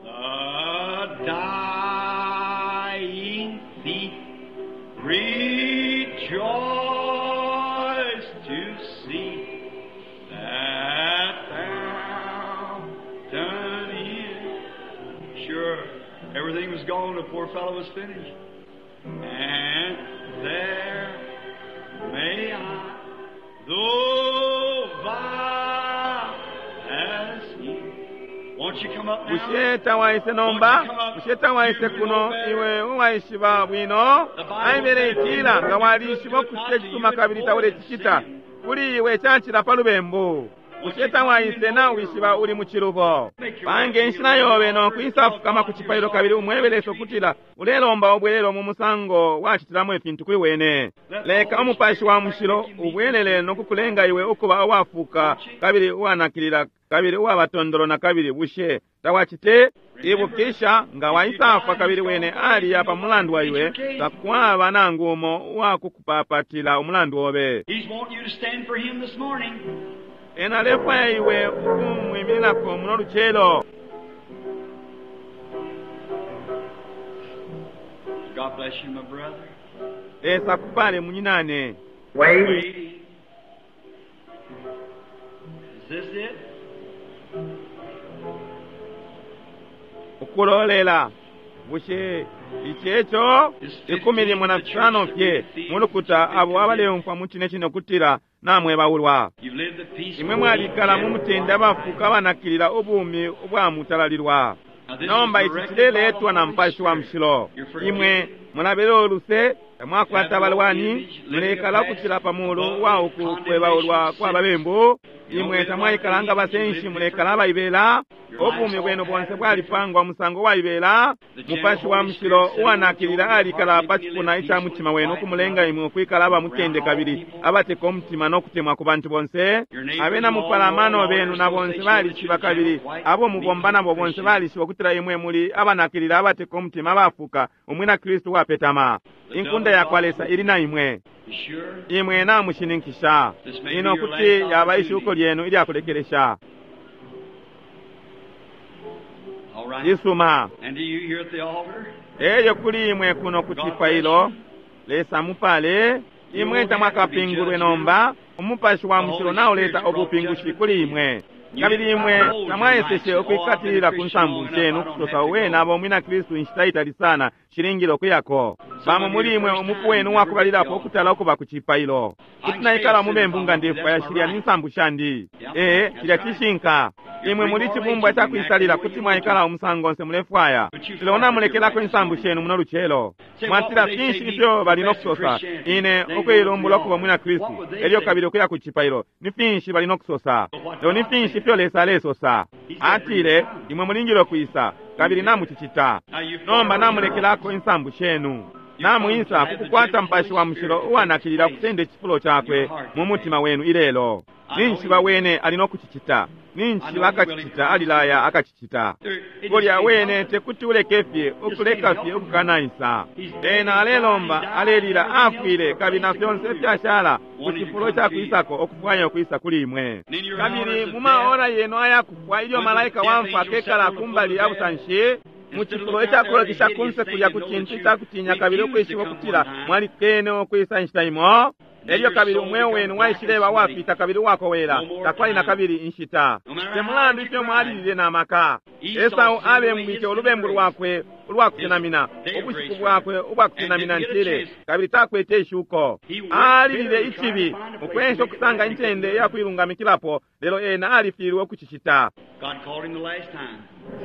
The dying thief rejoice to see that fountain in. Sure, everything was gone. The poor fellow was finished. And there may I, though vile as he. Won't you come up now? Bushe tawaise nomba? Bushe tawaise kuno iwe uwaishiba bwino? Aibele itila nga walishiba ukucita icisuma kabili taulecicita, kuli iwe cacila pa lubembu. Bushe tawaise nawishiba uli mucilubo? Pange inshila yobe no kwisafukama ku cipailo kabili umwebe Lesa ukutila ulelomba ubwelelo mu musango wacitilamo ifintu kuli wene. Leka Umupashi wa Mushilo ubwelele no kukulenga iwe ukuba uwafuka kabili uwanakilila kabili uwabatondolo na kabili. Bushe tawacite? Ibukisha, nga waisafwa kabili wene aliya pa mulandu wa iwe, takwaba nangu umo uwakukupapatila umulandu obe. He's wanting you to stand for him this morning. Ena alefwaya iwe ukumwimininako muno lucelo. God bless you, my brother. Lesa akupale munyinane. Wait. Waiting. Is this it? Ukulolela. Bushe ici eco? 15 fye mulukuta abo abaleumfwa mu cine cine ukutila namwebaulwa. You've lived the peaceful. Imwe mwalikala mu mutende abafuka abanakilila ubumi ubwamutalalilwa. Now, this Nomba is ici directed cileletwa by the na Holy Mupashi wa Spirit. Mushilo. You're forgiven. Imwe mulabela uluse, tamwakwata abalwani, mulekala ukucila pa mulu wa uku kwebaulwa kwa babembu. Imwe tamwaikala nga basenshi, mulekala abaibela. Ubumi bwenu bonse bwalipangwa musango waibela. Mupashi wa Mushilo uwanakilila alikala pa cipuna ica mutima wenu ukumulenga imwe ukwikala aba mutende kabili abateka umutima no kutemwa ku bantu bonse. Abena mupalamano benu na bonse balishiba kabili abo mubomba nabo bonse balishiba ukutila imwe muli abanakilila abateka umutima abafuka umwina Kristu wapetama. Inkunda ya kwa Lesa ili na imwe. You sure? Imwe namushininkisha ino kuti yaba ishuko lyenu ilyakulekelesha. All right. Isuma. And do you here at the altar? Eyo kuli imwe kuno ku cipailo, Lesa mupale, imwe tamwakapingulwe nomba, Umupashi wa Mushilo nauleta ubupingushi kuli imwe. Kabili imwe tamwaeseshe ukwikatilila ku nsambu shenu kusosa uwe nabo mwina Kristu inshita itali sana shilingile ukuyako. Bamo muli imwe umupu wenu wakubalilapo ukutala ukuba ku cipailo. Kuti naikala mubembu nga ndefwaya shilya ni nsambu shandi. Ee, cilya cishinka. Imwe muli cibumbwa ca kwisalila kuti mwaikala umusango onse mulefwaya. Lelo namulekelako insambu shenu muno lucelo. Mwatila finshi ifyo bali no kusosa? Ine ukuilumbula ukuba mwina Kristu, elyo kabili ukuya ku cipailo. Ni finshi bali no kusosa? Lelo ni finshi ifyo Lesa alesosa? Atile, imwe mulingile ukwisa, kabili namucicita. Nomba namulekelako insambu shenu. Namwisa kukukwata Mupashi wa Mushilo uwanakilila kusenda icifulo cakwe mu mutima wenu ilelo. Ninshi wene ali no kucicita. Ninshi akacicita alilaya akacicita. Kulya wene tekuti uleke fye ukuleka fye ukukanaisa. Ena alelomba alelila afwile kabili na fyonse fyashala ku cifulo ca kwisako ukufwaya ukwisa kuli imwe. Kabili mu maora yenu ayakufwa ilyo malaika wamfwa akekala kumbali ya busanshi mu cifulo icakulolekesha kunse kulya ku cintu icakutinya kabili ukwishiba ukutila mwalikene ukwisa inshita imo. Elyo kabili umweo wenu waishileba uwafita kabili uwakowela, takwali na kabili inshita. Te mulandu ifyo mwalilile na maka. Esau abembwike ulubembu lwakwe ulwakusenamina, ubushiku bwakwe ubwakusenamina ntile, kabili takwete ishuko. Alilile icibi, ukwensha ukusanga incende iyakuilungamikilapo, lelo ena alifilwe ukucicita. God called him the last time.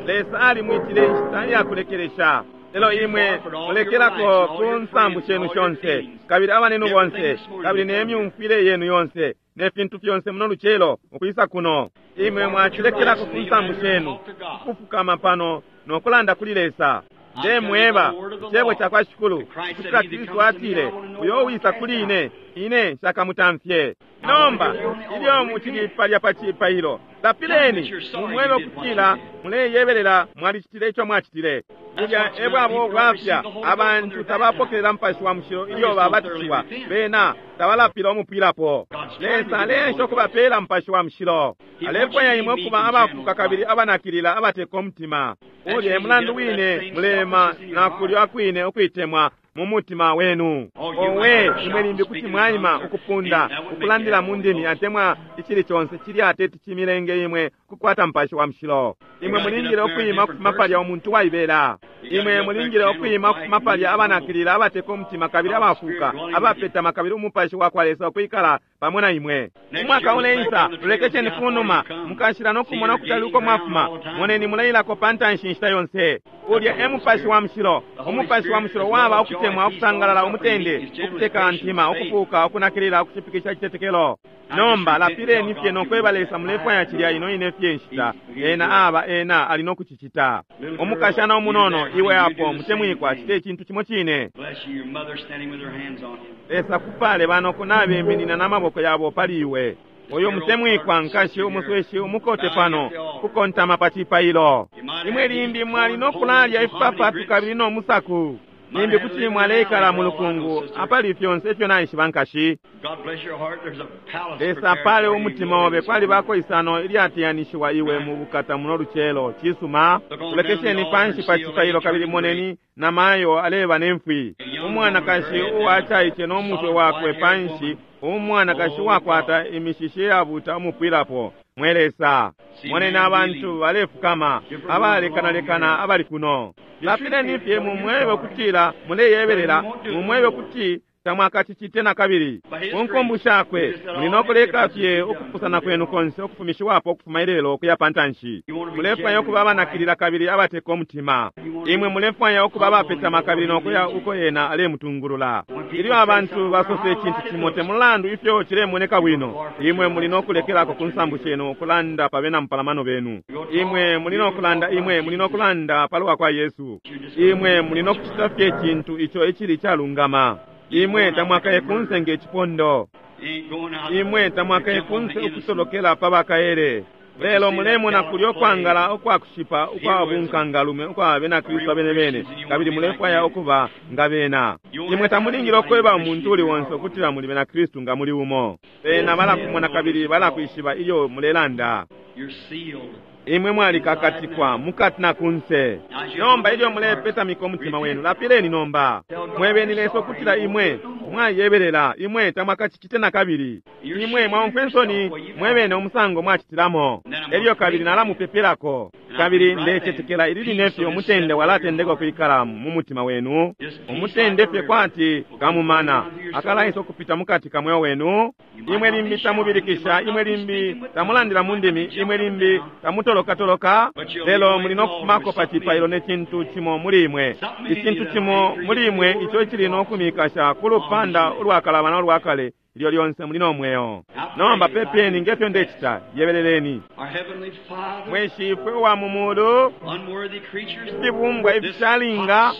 Lesa alimwitile inshita iyakulekelesha. Lelo imwe mulekelako ku nsambu shenu shonse, kabili abanenu bonse, kabili ne myumfwile yenu yonse, ne fintu fyonse muno lucelo ukwisa kuno. Imwe mwacilekelako ku nsambu shenu, ukufukama pano no kulanda kuli Lesa. Ndemweba icebo ca kwa Shikulu, ukutila Kristu atile, uyo uwisa kuli ine, ine nshakamutamfye. Nomba ilyo mucili palya pa cipailo, lapileni mumwebe ukutila muleyebelela mwalicitile ico mwacitile. Bulya e bwabo bwafya abantu tabapokelela Mupashi wa Mushilo ilyo babatishiwa, bena tabalapila umupwilapo. Lesa aleensha ukubapeela Mupashi wa Mushilo. Alefwaya imwe ukuba abafuka kabili abanakilila abateka umutima. Ulya e mulandu wine mulema na kulya kwine ukwitemwa mu mutima wenu. Owe, imwe limbi kuti mwaima ukupunda, ukulandila mu ndimi atemwa icili conse cilya teti cimilenge imwe kukwata Mupashi wa Mushilo. Imwe mulingile ukwima ukufuma palya umuntu waibela. Imwe mulingile ukwima ukufuma palya abanakilila abateka umutima kabili abafuka, abapetama kabili Umupashi wa kwa Lesa ukwikala pamo na imwe. Umwaka uleisa, lolekesheni kunuma, mukashila no kumona ukutali uko mwafuma. Moneni muleilako pa ntanshi inshita yonse. Ulya e Mupashi wa Mushilo. Umupashi wa Mushilo waba ukutemwa, ukusangalala, umutende, ukuteka ntima, ukufuuka, ukunakilila, ukushipikisha, icitetekelo. Nomba lapileni fye no kweba Lesa mulefwaya cilya ino ine fye nshita. Ena aba, Ena ali no kucicita. Umukashana umunono, iwe apo, mutemwikwa, cite icintu cimo cine. Bless you, your mother standing with her hands on you. Lesa kupale banoko nabeminina n'amaboko yabo pali iwe. Uyu mutemwikwa nkashi umusweshi umukote pano kukontama pa cipailo. Imwe limbi mwali no kulalya ifipapatu kabili no musaku. Limbi kuti mwaleikala mu lukungu apali fyonse ifyo naishiba nkashi. God bless your heart. There's a palace Lesa prepared apale for you. umutima obe kwalibako isano ilyateyanishiwa iwe mu bukata muno lucelo. Cisuma, tulekesheni panshi pa cipailo kabili moneni namayo aleba nemfwi. Umwanakashi uwacaice no mutwe wakwe panshi, umwanakashi uwakwata imishishi yabuta umupwilapo. Mwe Lesa, moneni abantu balefukama, abalekanalekana abali kuno. Lapileni fye mumwebe ukutila muleyebelela, mumwebe ukuti tamwakacicite na kabili. Ku nkumbu shakwe muli no kuleka fye ukupusana kwenu konse ukufumishiwapo ukufuma ilelo ukuya pa ntanshi. Mulefwaya ukuba abanakilila kabili abateka umutima. Imwe mulefwaya ukuba abapetama kabili no kuya uko ena alemutungulula. Ilyo abantu basosa icintu cimo te mulandu ifyo cilemoneka bwino, imwe muli no kulekelako ku nsambu shenu ukulanda pa bena mupalamano benu. Imwe muli no kulanda, imwe muli no kulanda palwa kwa Yesu. Imwe muli no kucita fye icintu ico icili calungama. Imwe tamwakaye kunse nge cipondo. Ain't going out. Imwe tamwakaye kunse ukutolokela pa bakaele. Lelo mulemona kulyo kwangala ukwakushipa ukwa bunkangalume ukwa bena Kristu abene bene, kabili mulefwaya ukuba nga bena. Imwe tamulingile ukweba umuntu uli onse ukutila muli bena Kristu nga muli umo. Bena balakumona kabili balakwishiba ilyo mulelanda. You're sealed. Imwe mwalikakatikwa mukati na kunse. Nomba ilyo mulepetamika umutima wenu, lapileni nomba. Mwebeni Lesa ukutila imwe mwayebelela, imwe tamwakacicite na kabili. Imwe mwaumfwe nsoni mwebene umusango mwacitilamo. Elyo kabili nalamupepelako. Kabili ndecetekela ili line fye umutende walatendeka ukwikala mu mutima wenu. Umutende fye kwati kamumana akalaisa ukupita mukati ka mweo wenu. Imwe limbi tamubilikisha, imwe limbi tamulandila mu ndimi, imwe limbi tamutolokatoloka, lelo muli no kufumako pa cipailo ne cintu cimo muli imwe. Icintu cimo muli imwe ico icili no kumikasha ku lupanda ulwakalabana ulwakale ilyo lyonse muli no mweo. Nomba pepeni ngefyo ndecita, yebeleleni. Our Heavenly Father, Mwe Shifwe uwa mu mulu, unworthy creatures, ifibumbwa ifishalinga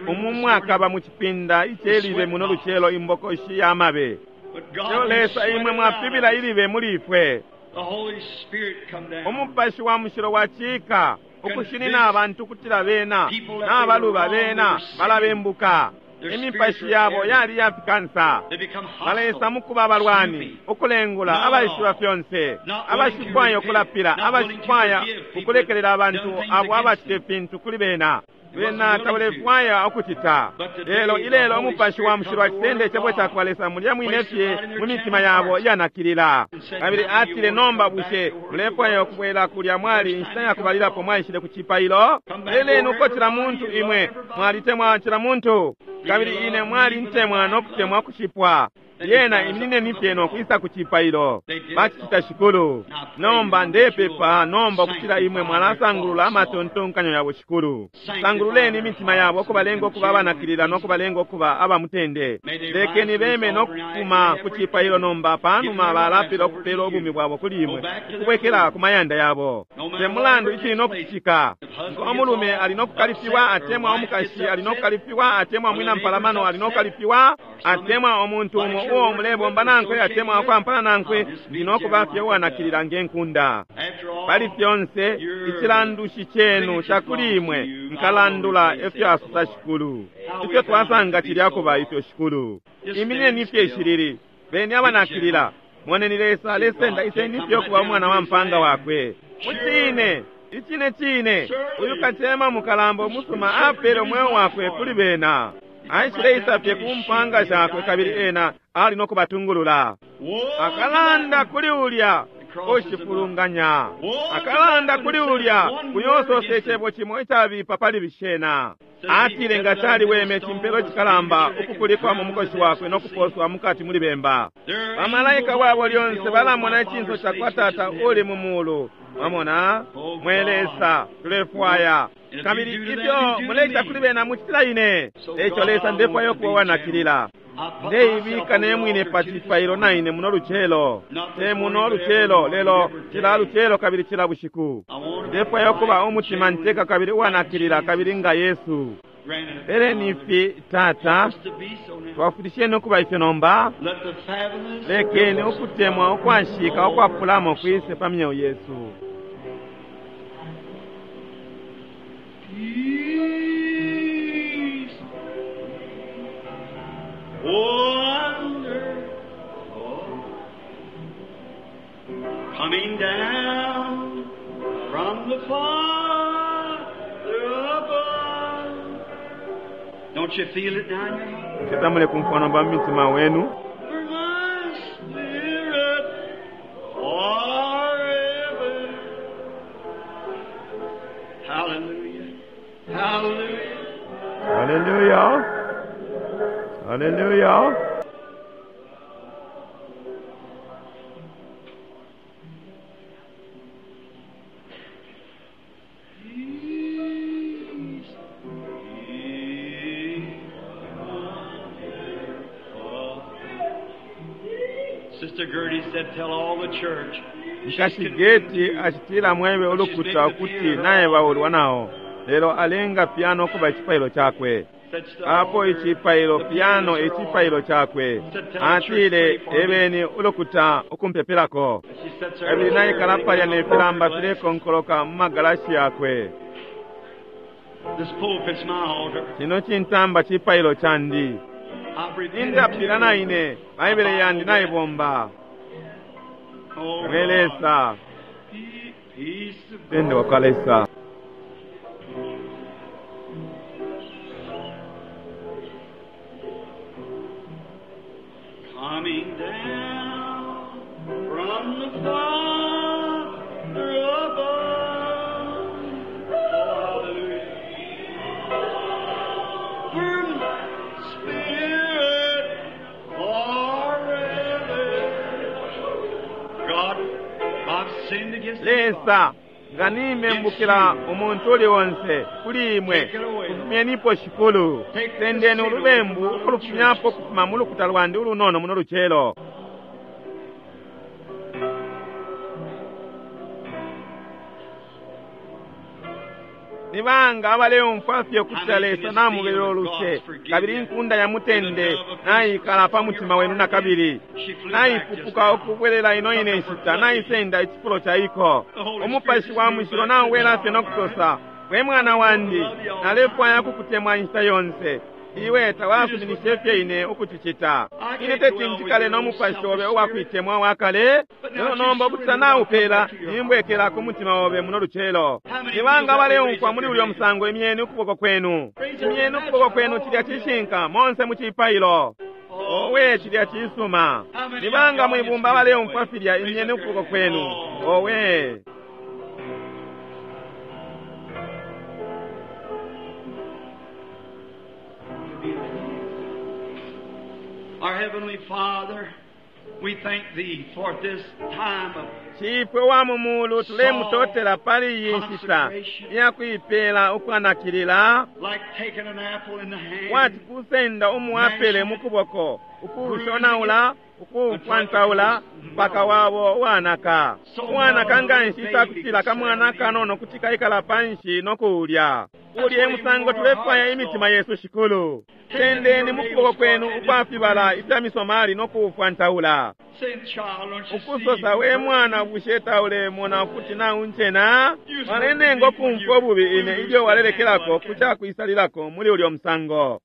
umu mwakaba mu cipinda icelibe muno lucelo imbokoshi y'amabe. but God, Lelo you Lesa sweat imwe it mwafibila out. ilibe muli ifwe. The Holy Spirit come down. Umupashi wa mushilo wacika ukushinina abantu ukutila bena n'abaluba bena balabembuka. Imipashi yabo yali yafikansa. They become Balesa hostile. mu kuba abalwani, ukulengula, abaishiba fyonse, abashifwaya ukulapila, abashifwaya ukulekelela abantu abo abacita ifintu kuli bena. Bena tabalefwaya ukucita. Lelo ilelo umupashi wa mushilo acisenda icebo cakwa Lesa mulya mwine fye mu mitima yabo iyanakilila. Kabili atile nomba bushe mulefwaya ukubwela kulya mwali inshita ya kubalilapo mwaishile ku cipailo? Leleni uko cila muntu imwe mwalitemwa cila muntu. Kabili ine mwalintemwa no kutemwa kushipwa. Lyena iminineni fye no kwisa ku cipailo. Bacicita Shikulu. Nomba ndepepa nomba ukutila imwe mwalasangulula amatontonkanyo yabo Shikulu. Sangululeni imitima yabo ukubalenga ukuba abanakilila no kubalenga ukuba abamutende. Lekeni beme no kufuma ku cipailo nomba panuma balapila ukupela ubumi bwabo kuli imwe ukubwekela ku mayanda yabo. Te mulandu icili no kucitika. Ngo omulume ali no kukalifiwa atemwa omukashi ali no kukalifiwa atemwa mwina mpalamano ali no kukalifiwa atemwa omuntu umo uo mulebomba nankwe atemwa akwampana nankwe ndi no kuba fye uwanakilila ngenkunda. After all, Pali fyonse icilandushi cenu cakuli imwe nkalandula efyo asosa Shikulu. Ifyo twasanga cilya kuba ifyo Shikulu. Imineni fye ishilili, beni abanakilila. Moneni Lesa alesenda iseni fye ukuba umwana wa mpanga wakwe. Mucine, icine cine, uyu kacema mukalamba umusuma apele umweo wakwe kuli bena. Aishileisa fye ku mpanga shakwe kabili ena ali no kubatungulula. woe Akalanda kuli ulya Ushifulunganya. Akalanda kuli ulya uyo icebo cimo icabipa pali bishena. Atile nga caliweme cimpelo cikalamba ukukulikwa mu mukoshi wakwe no kuposwa mukati muli bemba. Bamalaika wabo lyonse balamona icinso ca kwa Tata uli mu mulu. Mwamona, mwe Lesa, tulefwaya. Kabili ifyo muleita kuli bena mucitila ine. Eico Lesa ndefwaya ukuba wanakilila. Ndeibika ne mwine pa cipailo naine muno lucelo. Te muno lucelo, lelo cila lucelo kabili cila bushiku. Ndefwaya ukuba umutima nteka kabili uwanakilila kabili nga Yesu. Peleni ifi, Tata, twafundisheni ukuba ifyo nomba. Lekeni ukutemwa ukwashika ukwapulamo kwise pa myeo yesu. Peace. Wonderful. Coming down from the Father above. Don't you feel it now in your heart? Chetamule kumfwa nomba mu mitima wenu. For my spirit forever. Hallelujah. Hallelujah. Hallelujah. Hallelujah. Peace be wonderful. Sister Gertie said, tell all the church. Nkashigeti achitila mwebe ulukuta ukuti naye baulwa nawo lelo alenga piano kuba icipailo chakwe. Apo icipailo piano icipailo chakwe. Atile ebeni ulukuta ukumpepelako. Kabili naikala palya ne filamba filekonkoloka mu magalashi yakwe. This pulpit's my altar. Chino chintamba chipailo chandi. I've repented Indapila na ine, Baibele yandi naibomba. Oh, Mwe Lesa, Peace of tende wakwa Lesa. Coming down from the Father above. Oh, hallelujah. From Spirit forever. God, I've sinned against thee, Lesa, nga nimembukila umuntu uli onse kuli imwe, kufumyenipo shikulu. Sendeni ulubembu ukulufumyapo ukufuma mu lukuta lwandi ulunono muno lucelo. Ni banga abaleumfwa fye ukutila Lesa namubelele uluse, kabili inkunda ya mutende naikala pa mutima wenu na kabili. Naipupuka ukubwelela ino ine nshita, naisenda icifulo ca iko. Umupashi wa mushilo nauwela fye nokusosa, we mwana wandi, nalefwaya kukutemwa inshita yonse. Iwe tawasuminishe fye ine ukucicita. Ine teti njikale n'omupashi obe uwakwitemwa wakale, lelo nomba ukutila naupela, nimbwekela ku mutima obe muno lucelo. Ni banga baleumfwa muli ulyo musango imyeni ukuboko kwenu. Imyeni ukuboko kwenu cilya cishinka monse mu cipailo. Owe cilya cisuma. Ni banga mwibumba baleumfwa filya imyeni ukuboko kwenu. Owe. Our Heavenly Father, we thank Thee for this time of Chifwe wa mumulu tulemutotela pali iyi nshita iyakuipela ukwanakilila like taking an apple in the hand. wati kusenda umuapele mukuboko ukuushonaula ukuufwantaula mpaka wabo wanaka wanaka nga nshi itakutila kamwana kanono kuti kaikala panshi nokuulya ulye musango tulefwaya imitima yesu shikulu sendeni mukuboko kwenu ukwafibala ifya misomali nokuufwantaula Say, child, don't you see? ukusosa we mwana bushe taulemona ukuti naunchena walenenga okumfwa obubi ine ilyo walelekelako kucakwisalilako muli ulyo musango.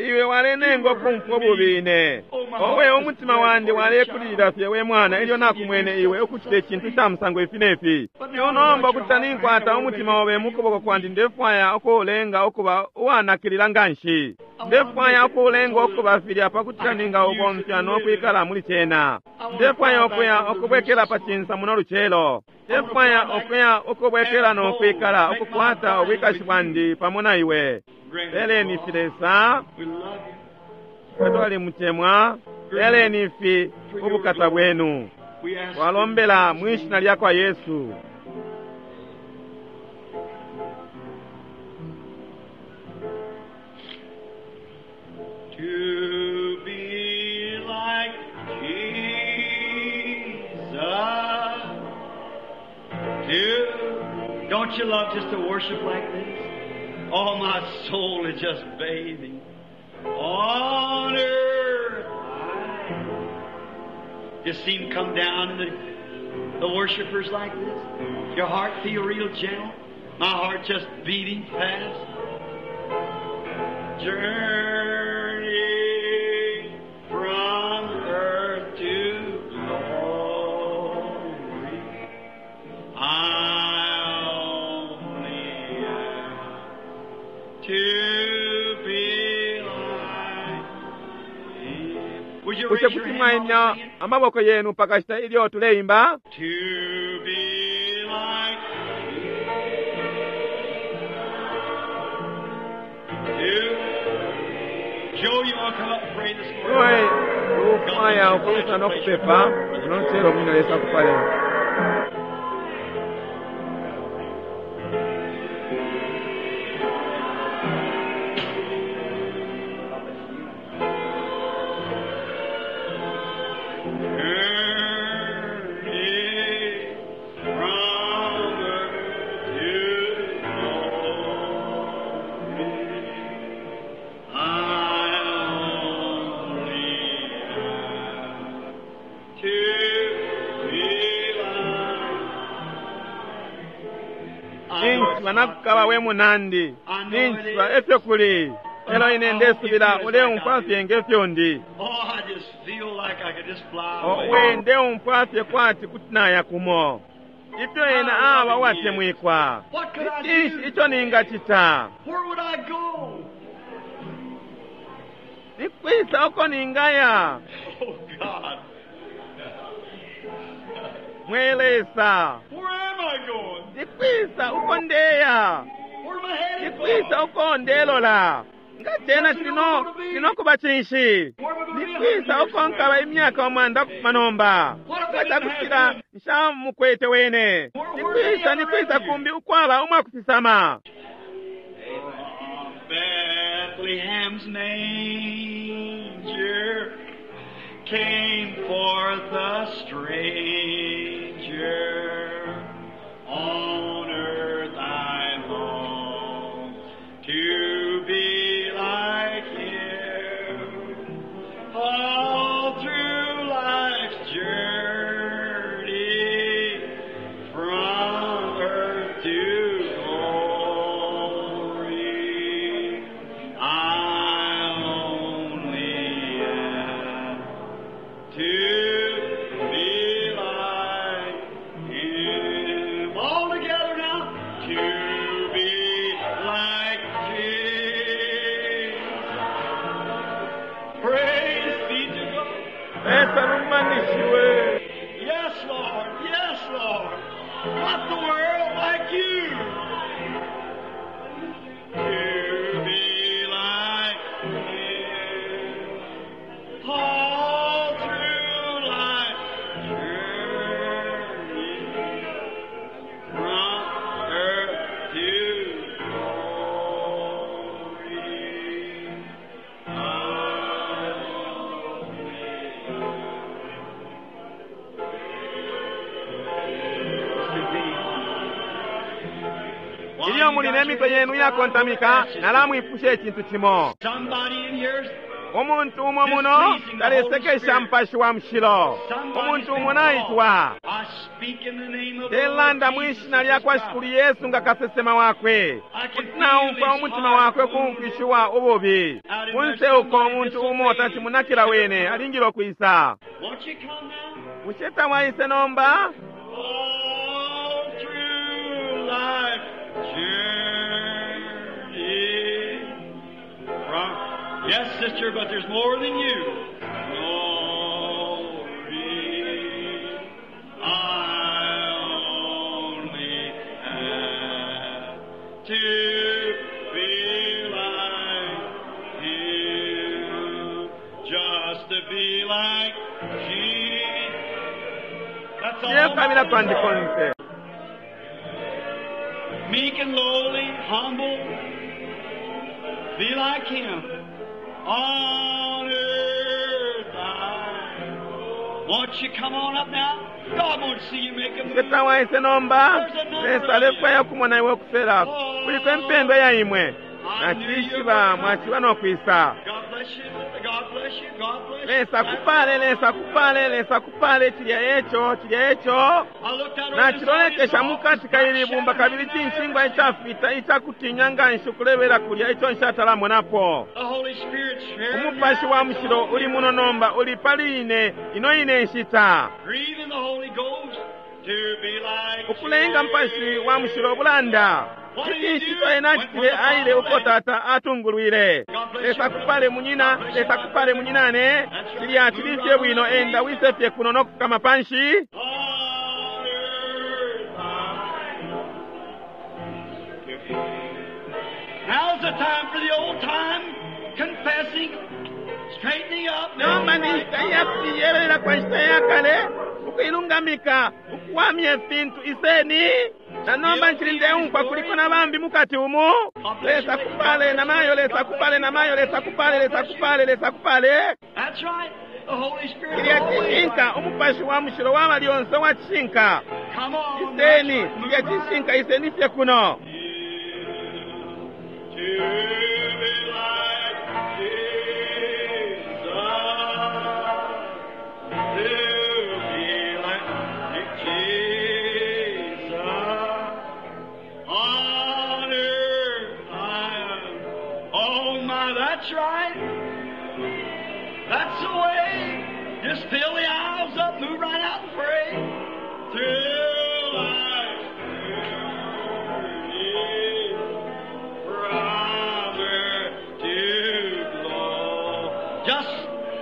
Iwe walenenga ukumfwa ububi ine. Owe, umutima wandi walekulilila fye, we mwana, ilyo nakumwene iwe ukucita icintu ca musango ifi nefi. Nomba ukuti ninkwata umutima obe mukuboko kwandi, ndefwaya ukuulenga ukuba uwanakilila nganshi. Ndefwaya ukuulenga ukuba filya pakutila ningaubomfya no kwikala muli cena. Ndefwaya ukuya ukubwekela pa cinsa muno lucelo. Ndefwaya ukuya ukubwekela no kwikala ukukwata ubwikashi bwandi pamo na iwe. Peleni ifi, Lesa, twalimutemwa. Peleni ifi ubukata bwenu. Twalombela mwi shina lya kwa Yesu. To be like Jesus. To, don't you love just to worship like this? Oh, my soul is just bathing on earth. Just see him come down and the worshipers like this. Your heart feel real gentle. My heart just beating fast. Journey from earth to glory. I only ask to be like him. Would you Bushe raise your kuti hand mwaimya while we're singing? amaboko yenu pakashita ilyo tuleimba? To be like you. Joe, you want to come up and pray this Iwe morning? ufwaya ukwisa no kupepa unochero mwina Lesa akupale. Journey from earth to glory. I only have to be like. Ninshi nakukaba we munandi, ninshi efyo kuli. Elo ine ndesubila uleumfwa fye ngefyo ndi. Oh, I just feel like I could just fly Owe away. ndeumfwa fye kwati kuti naya kumo. Ifyo ena aba uwatemwikwa. What could I Cinshi do? ico ningacita? Where would I go? Nikwisa uko ningaya? Oh, God. Mwe Lesa. Where am I going? Nikwisa uko ndeya? Where am I headed Nikwisa for? uko ndelola? Nga cena cilino kuba cinshi? Nikwisa uko nkaba imyaka umwanda kufuma nomba? Nga cakutila nshamukwete wene. Nikwisa, nikwisa kumbi ukwaba umwakufisama. Bethlehem's manger came forth a stranger. On earth I long to be like him. All through life's journey from earth to glory, I only ask to be like him. All together now. To be like Jesus. Praise be to God. Lesa lumbanishiwe. Yes, Lord. Yes, Lord. Not the world like you. To be like him. All through life's journey, from earth to glory, I Ilyo muli ne mitwe yenu iyakontamika, nalamwipusha icintu cimo. Somebody in here's Umuntu umo muno talesekesha Mupashi wa Mushilo. Umuntu umo naitwa. I speak in the name of the Ndelanda Lord mwi Jesus shina lya kwa Christ. Shikulu Yesu nga kasesema wakwe. Kuti naumfwa umutima wakwe kumfishiwa ububi. Kunse uko umuntu umo tachimunakila wene alingile ukwisa. Won't you come now? Bushe tamwaise nomba? All through life journey from Yes, sister, but there's more than you. Glory, I only have to be like Him, just to be like Jesus. That's all. Ndekabila kwandi konse. Meek and lowly, humble, be like Him. On earth, I won't you come on up now? God won't see you make a Bushe move. tamwaise nomba? Lesa alefwaya ukumona iwe ukusela. Kuliko impendwa ya imwe. Nacishiba mwaciba no kwisa. God bless you. God bless you. God bless you. Lesa kupale, Lesa kupale, Lesa kupale, chilya echo, chilya echo. I looked out over this Nachilolekesha audience, mukati kaili bumba kabili chinshingwa ichafita ichakutinya nganshi ukulebela kulya icho nshatalamonapo. The Holy Spirit's here. Umupashi wa mushilo uli muno nomba uli pali ine ino ine nshita. Grieving the Holy Ghost to be like Ukulenga mpashi wa mushilo bulanda. Icinshi icho ena acitile aile uko tata atungulwile. Lesa kupale munyina, Lesa kupale munyinane. Chilya chili fye bwino enda wise fye kuno nokukama panshi. On earth Now's the time for the old time confessing, straightening up. Nomba ni nshita iyakuyelera kwa nshita yakale ukuilungamika ukuwamya ifintu iseni na nomba nchili ndeumfwa kuliko na bambi mukati umu. Lesa kupale na mayo, Lesa kupale na mayo, Lesa kupale, Lesa kupale, Lesa kupale. That's right. The Holy Spirit. Kilya always cishinka umupashi wa mushilo waba lyonse wa cishinka. Come on. Iseni, that's right. kilya cishinka iseni fye kuno. To be like Jesus. To be like Jesus. On earth I am. Oh my, that's right. That's the way. Just fill the aisles up, move right out and pray. Through life's journey, brother to glory. Just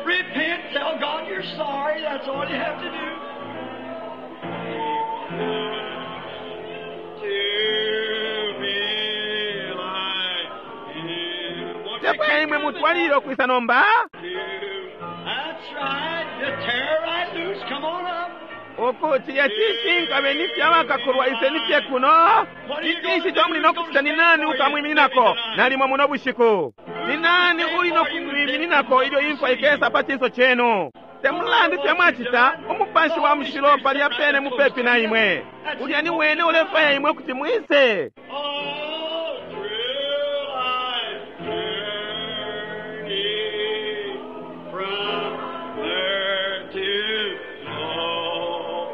repent, tell God you're sorry. That's all you have to do. To be like Him. Won't you Tefwaya imwe mutwalile ukwisa nomba. That's right. Just tear right loose. Come on up. Uku chilya cishinka beni fye abakakulwa iseni fye kuno. Icinshi ico muli nokucita ni nani ukamwimininako nalimo muno bushiku? Ni nani uli nokumwimininako ilyo imfwa ikesa pa cinso cenu? Temulandu fye mwacita umupashi wa mushilo palya pene mupepi na imwe. Ulya ni wene ulefwaya imwe kuti mwise. All through life's journey, from earth to glory.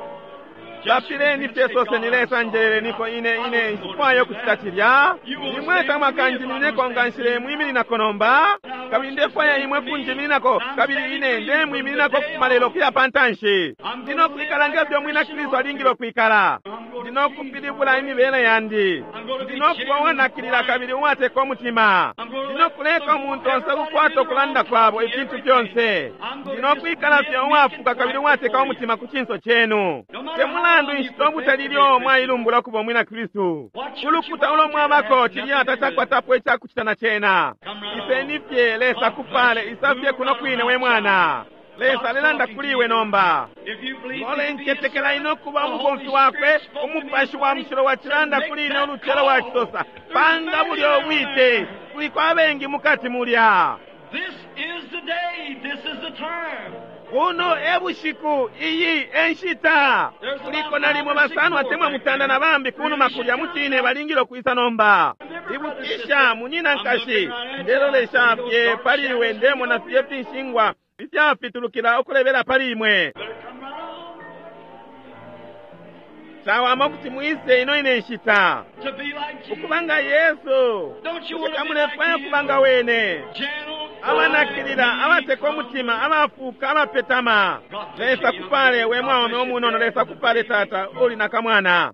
Lapileni fye soseni Lesa njeleleniko ine ine nshifwayo ukucita cilya. Imwe tamwakanjiminineko nga nshile-mwimininako nomba. Kabili ndefwaya imwe kunjimininako kabili ine ndemwimininako kufuma lelo kuya pantanshi. Ndinokwikala ngefyo mwina Kristu alingile ukwikala. Ndinokupilibula imibele yandi. Ndinokuba uwanakilila kabili uwateka umutima. Ndinokuleka umuntu onse ukukwata ukulanda kwabo ifintu fyonse. Ndinokwikala fye uwafuka kabili uwateka umutima ku cinso chenu. Temulandu inshita ubutali ilyo mwailumbula ukuba umwina Kristu. Ulukuta ulo mwabako cilya tacakwatapo icakucita na cena. Iseni fye Lesa kupale isafye kuno kwine we mwana. Lesa alelanda kuli iwe nomba. If you believe Ngole me to be his ncetekela ine ukuba the umubomfi Holy wakwe Spirit spoke to me umupashi wa mushilo wacilanda Make kuli ine that ulucelo call. wacisosa. Panga bulyo bwite kuliko abengi mukati mulya. This is the day. This is the time. Uno e bushiku iyi e nshita. Kuliko nalimo basano atemwa mutanda na bambi kunuma kulya mucine balingile ukwisa nomba. Ibukisha munyina nkashi, ndelolesha fye pali iwe, ndemona fye finshingwa ifyafitulukila ukulebela pali imwe. Cawama kuti mwise ino ine nshita ukuba nga Yesu. Bushe tamulefwaya ukuba nga wene? Abanakilila, abateka umutima, abafuuka, abapetama. Lesa kupale we mwaume umunono. Lesa kupale tata uli na kamwana.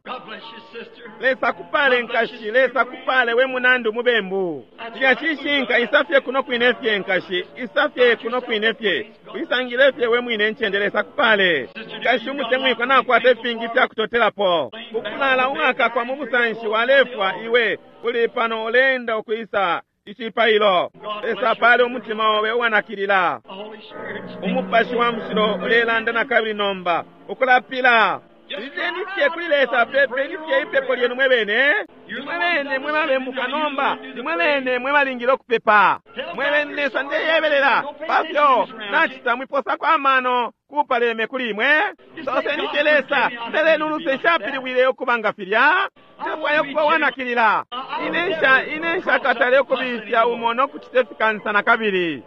Lesa kupale nkashi. Lesa kupale we munandi umubembu. Cilya cishinka, isafye kuno kwine fye nkashi, isafye kuno kwine fye, uisangile fye we mwine ncende. Lesa kupale nkashi umutemwikwa, nakwata ifingi ifyakutotelapo. Ukulala uwakakwa mu busanshi walefwa, iwe uli pano uleenda ukwisa icipailo. Lesa apale umutima obe uwanakilila. Umupashi wa Mushilo ulelanda na kabili nomba ukulapila. Lileni fye kuli Lesa, pepeni fye ipepo lyenu mwe bene. Nimwe bene mwe babembuka nomba, nimwe bene mwe balingile ukupepa. Mwe bene Lesa ndeyebelela pafyo nacita, mwiposako amano kupaleme kuli imwe. Soseni fye Lesa, mbeleni uluse, nshapilibwile ukuba nga filya. Ndefwaya ukuba uwanakilila. Ine nshakatale ukubifya umo no kucita ifikansa na kabili.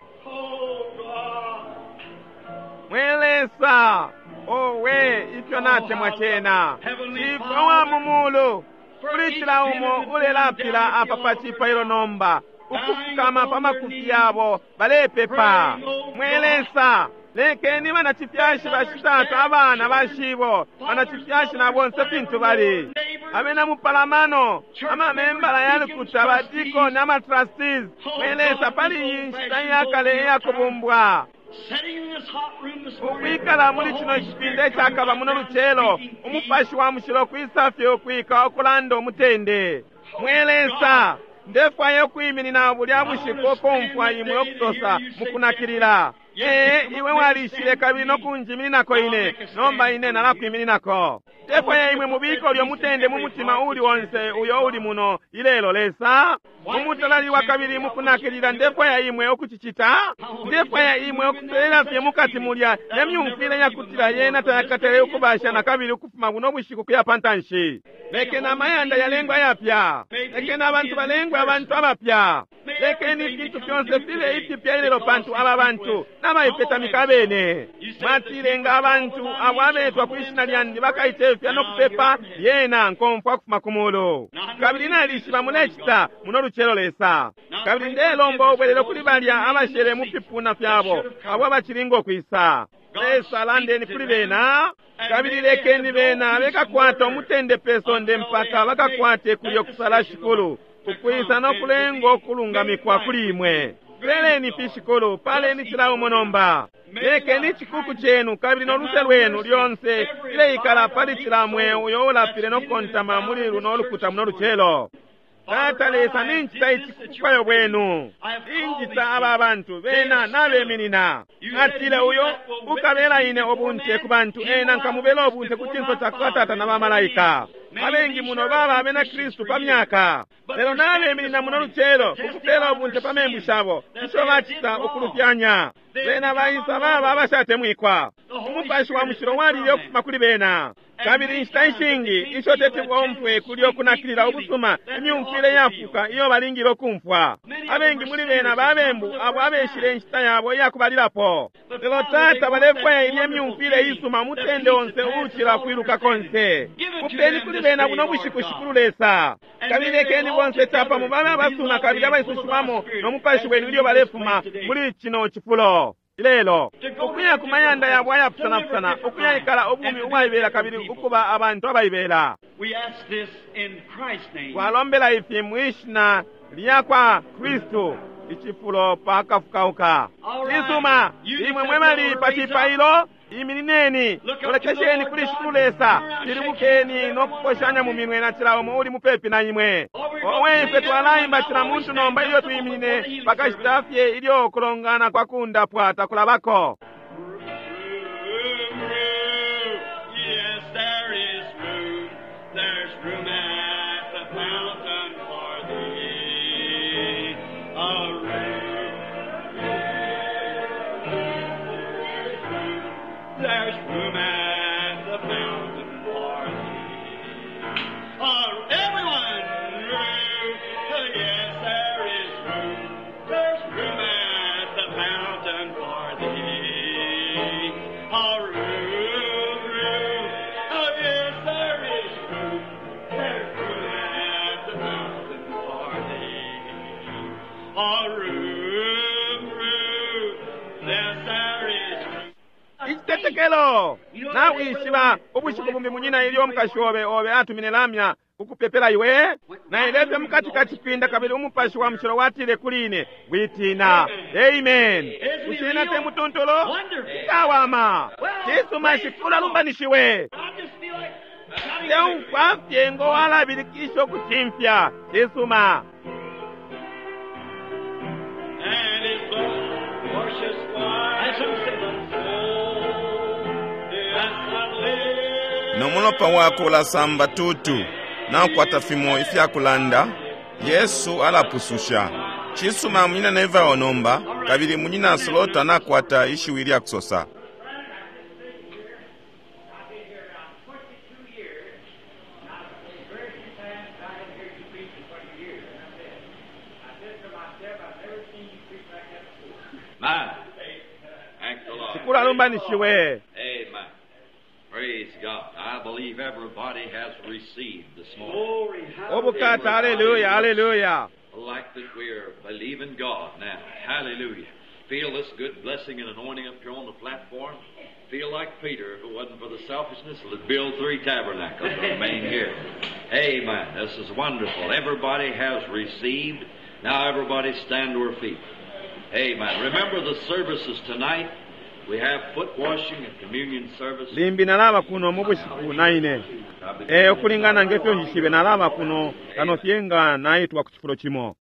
Mwe Lesa, owe ifyo natemwa cena. Shifwe wa mu mulu, kuli cila umo ulelapila apa pa cipailo nomba, ukufukama pa makufi yabo balepepa. Mwe Lesa, lekeni banacifyashi bashitata, abana bashibo, banacifyashi na bonse fintu bali abena mupalamano, amamembala ya lukuta, badikoni, amatrustees. Mwe Lesa, pali iyi nshita iyakale iyakubumbwa, ukwikala muli cino cipinda icakaba muno lucelo, Umupashi wa Mushilo kwisa fye ukwika ukulanda umutende. Mwe Lesa, ndefwaya ukwiminina bulya bushiku ukumfwa imwe ukusosa mukunakilila: Ee, iwe walishile kabili nokunjimininako ine, nomba ine nalakwimininako. Ndefwaya imwe mubike ulyo mutende mu mutima uli onse uyo uli muno ilelo, Lesa, mumutalaliwa kabili mukunakilila. Ndefwaya imwe ukucicita. Ndefwaya imwe ukuselela fye mukati mulya ne myumfwile yakutila yena tayakatale ukubasha na kabili ukufuma buno bushiku kuya pantanshi. Lekeni amayanda yalengwe ayapya, lekeni abantu balengwe abantu abapya, lekeni ifintu fyonse fibe ifipya ilelo, pantu aba bantu nabaipetamika abene. Mwatile nga abantu abo abetwa kwi shina lyandi bakaicefya no kupepa, lyena nkomfwa kufuma ku mulu. Kabili nalishiba mulecita muno lucelo, Lesa. Kabili ndelomba ubwelelo kuli balya abashele mu fipuna fyabo abo abacilinga ukwisa. Lesa, landeni kuli bena, kabili lekeni bena bekakwata umutende pe sonde mpaka bakakwate kulyo kusala, Shikulu, ukwisa no kulenga ukulungamikwa kuli imwe. Peleni fi, Shikulu, paleni cila umo nomba. Lekeni icikuku cenu kabili no luse lwenu lyonse fileikala pali cila mweo uyo ulapile no kukontama muli luno lukuta muno lucelo. Tata Lesa, nincita ici kubufwayo bwenu. Injita aba bantu bena nabeminina. Atile uyo ukabela ine ubunte ku bantu, ena nkamubela ubunte ku cinso ca kwa Tata na bamalaika. Abengi muno baba abena Kristu pa myaka, lelo nabeminina muno lucelo ukupela ubunte pa membu shabo isho bacita ukulufyanya. Bena baisa baba abashatemwikwa. Umupashi wa Mushilo walile ukufuma kuli bena. Kabili inshita ishingi isho teti bomfwe kulyo kunakilila ubusuma, imyumfwile yafuka iyo balingile ukumfwa. Abengi muli bena babembu abo abeshile inshita yabo iyakubalilapo. Lelo Tata, balefwaya ilye myumfwile isuma, umutende onse uucila kwiluka konse. Mupeni kuli bena buno bushiku, Shikulu Lesa. Kabili lekeni bonse capamo babe abasuma kabili abaisushiwamo no Mupashi wenu ilyo balefuma muli cino cifulo ilelo, ukuya ku mayanda yabo ayapusanapusana, ukuyaikala ubumi ubwaibela kabili ukuba abantu abaibela. We ask this in Christ's name. Twalombela ifi mwishina lya kwa Kristu, icifulo pakafukauka. Cisuma, imwe mwe bali pa cipailo, iminineni, lolekesheni kuli Shikulu Lesa, pilibukeni no kuposhanya mu minwe na cila umo uli mupepi na imwe. Owe, ifwe twalaimba cila muntu nomba ilyo twiminine pakashita fye ilyo kulongana kwa kundapwa takulabako. Room, room, yes, there is room. There's room at the fountain for thee. A room, room, there's room at the fountain for thee. Everyone, room, Icitetekelo. Nawishiba ubushiku bumbi munyina ilyo umukashi obe obe atumine lamya kukupepela iwe nailefye mukati ka cipinda kabili umupashi wa mushilo watile kuli ine witina. Amen. Bushe te mutuntulu? Cawama. Cisuma, Shikulu alumbanishiwe. Ndeumfwa fye ngo walabilikisha ukucimfya. Cisuma. And his blood washes white as snow. Yes, I live. No mulopa wakwe ulasamba tutu nakukwata fimo ifyakulanda Yesu alapususha. Cisuma munyina Neville nomba kabili munyina Slaughter nakwata ishiwi lya kusosa. My. Thank the Lord. Shikulu alumbanishiwe. Amen. Praise God. I believe everybody has received this morning. Ubukata, haleluya, haleluya. Like that we're believing God now. Hallelujah. Feel this good blessing and anointing up here on the platform. Feel like Peter, if it wasn't for the selfishness, would build 3 tabernacles and remain here. Amen. This is wonderful. Everybody has received. Now everybody stand to her feet. Amen. Remember the services tonight. We have foot washing and communion service. Limbi nalaba kuno mu bushiku naine. E, ukulingana ngefyo njishibe nalaba kuno kano fye nga naitwa ku cifulo cimo.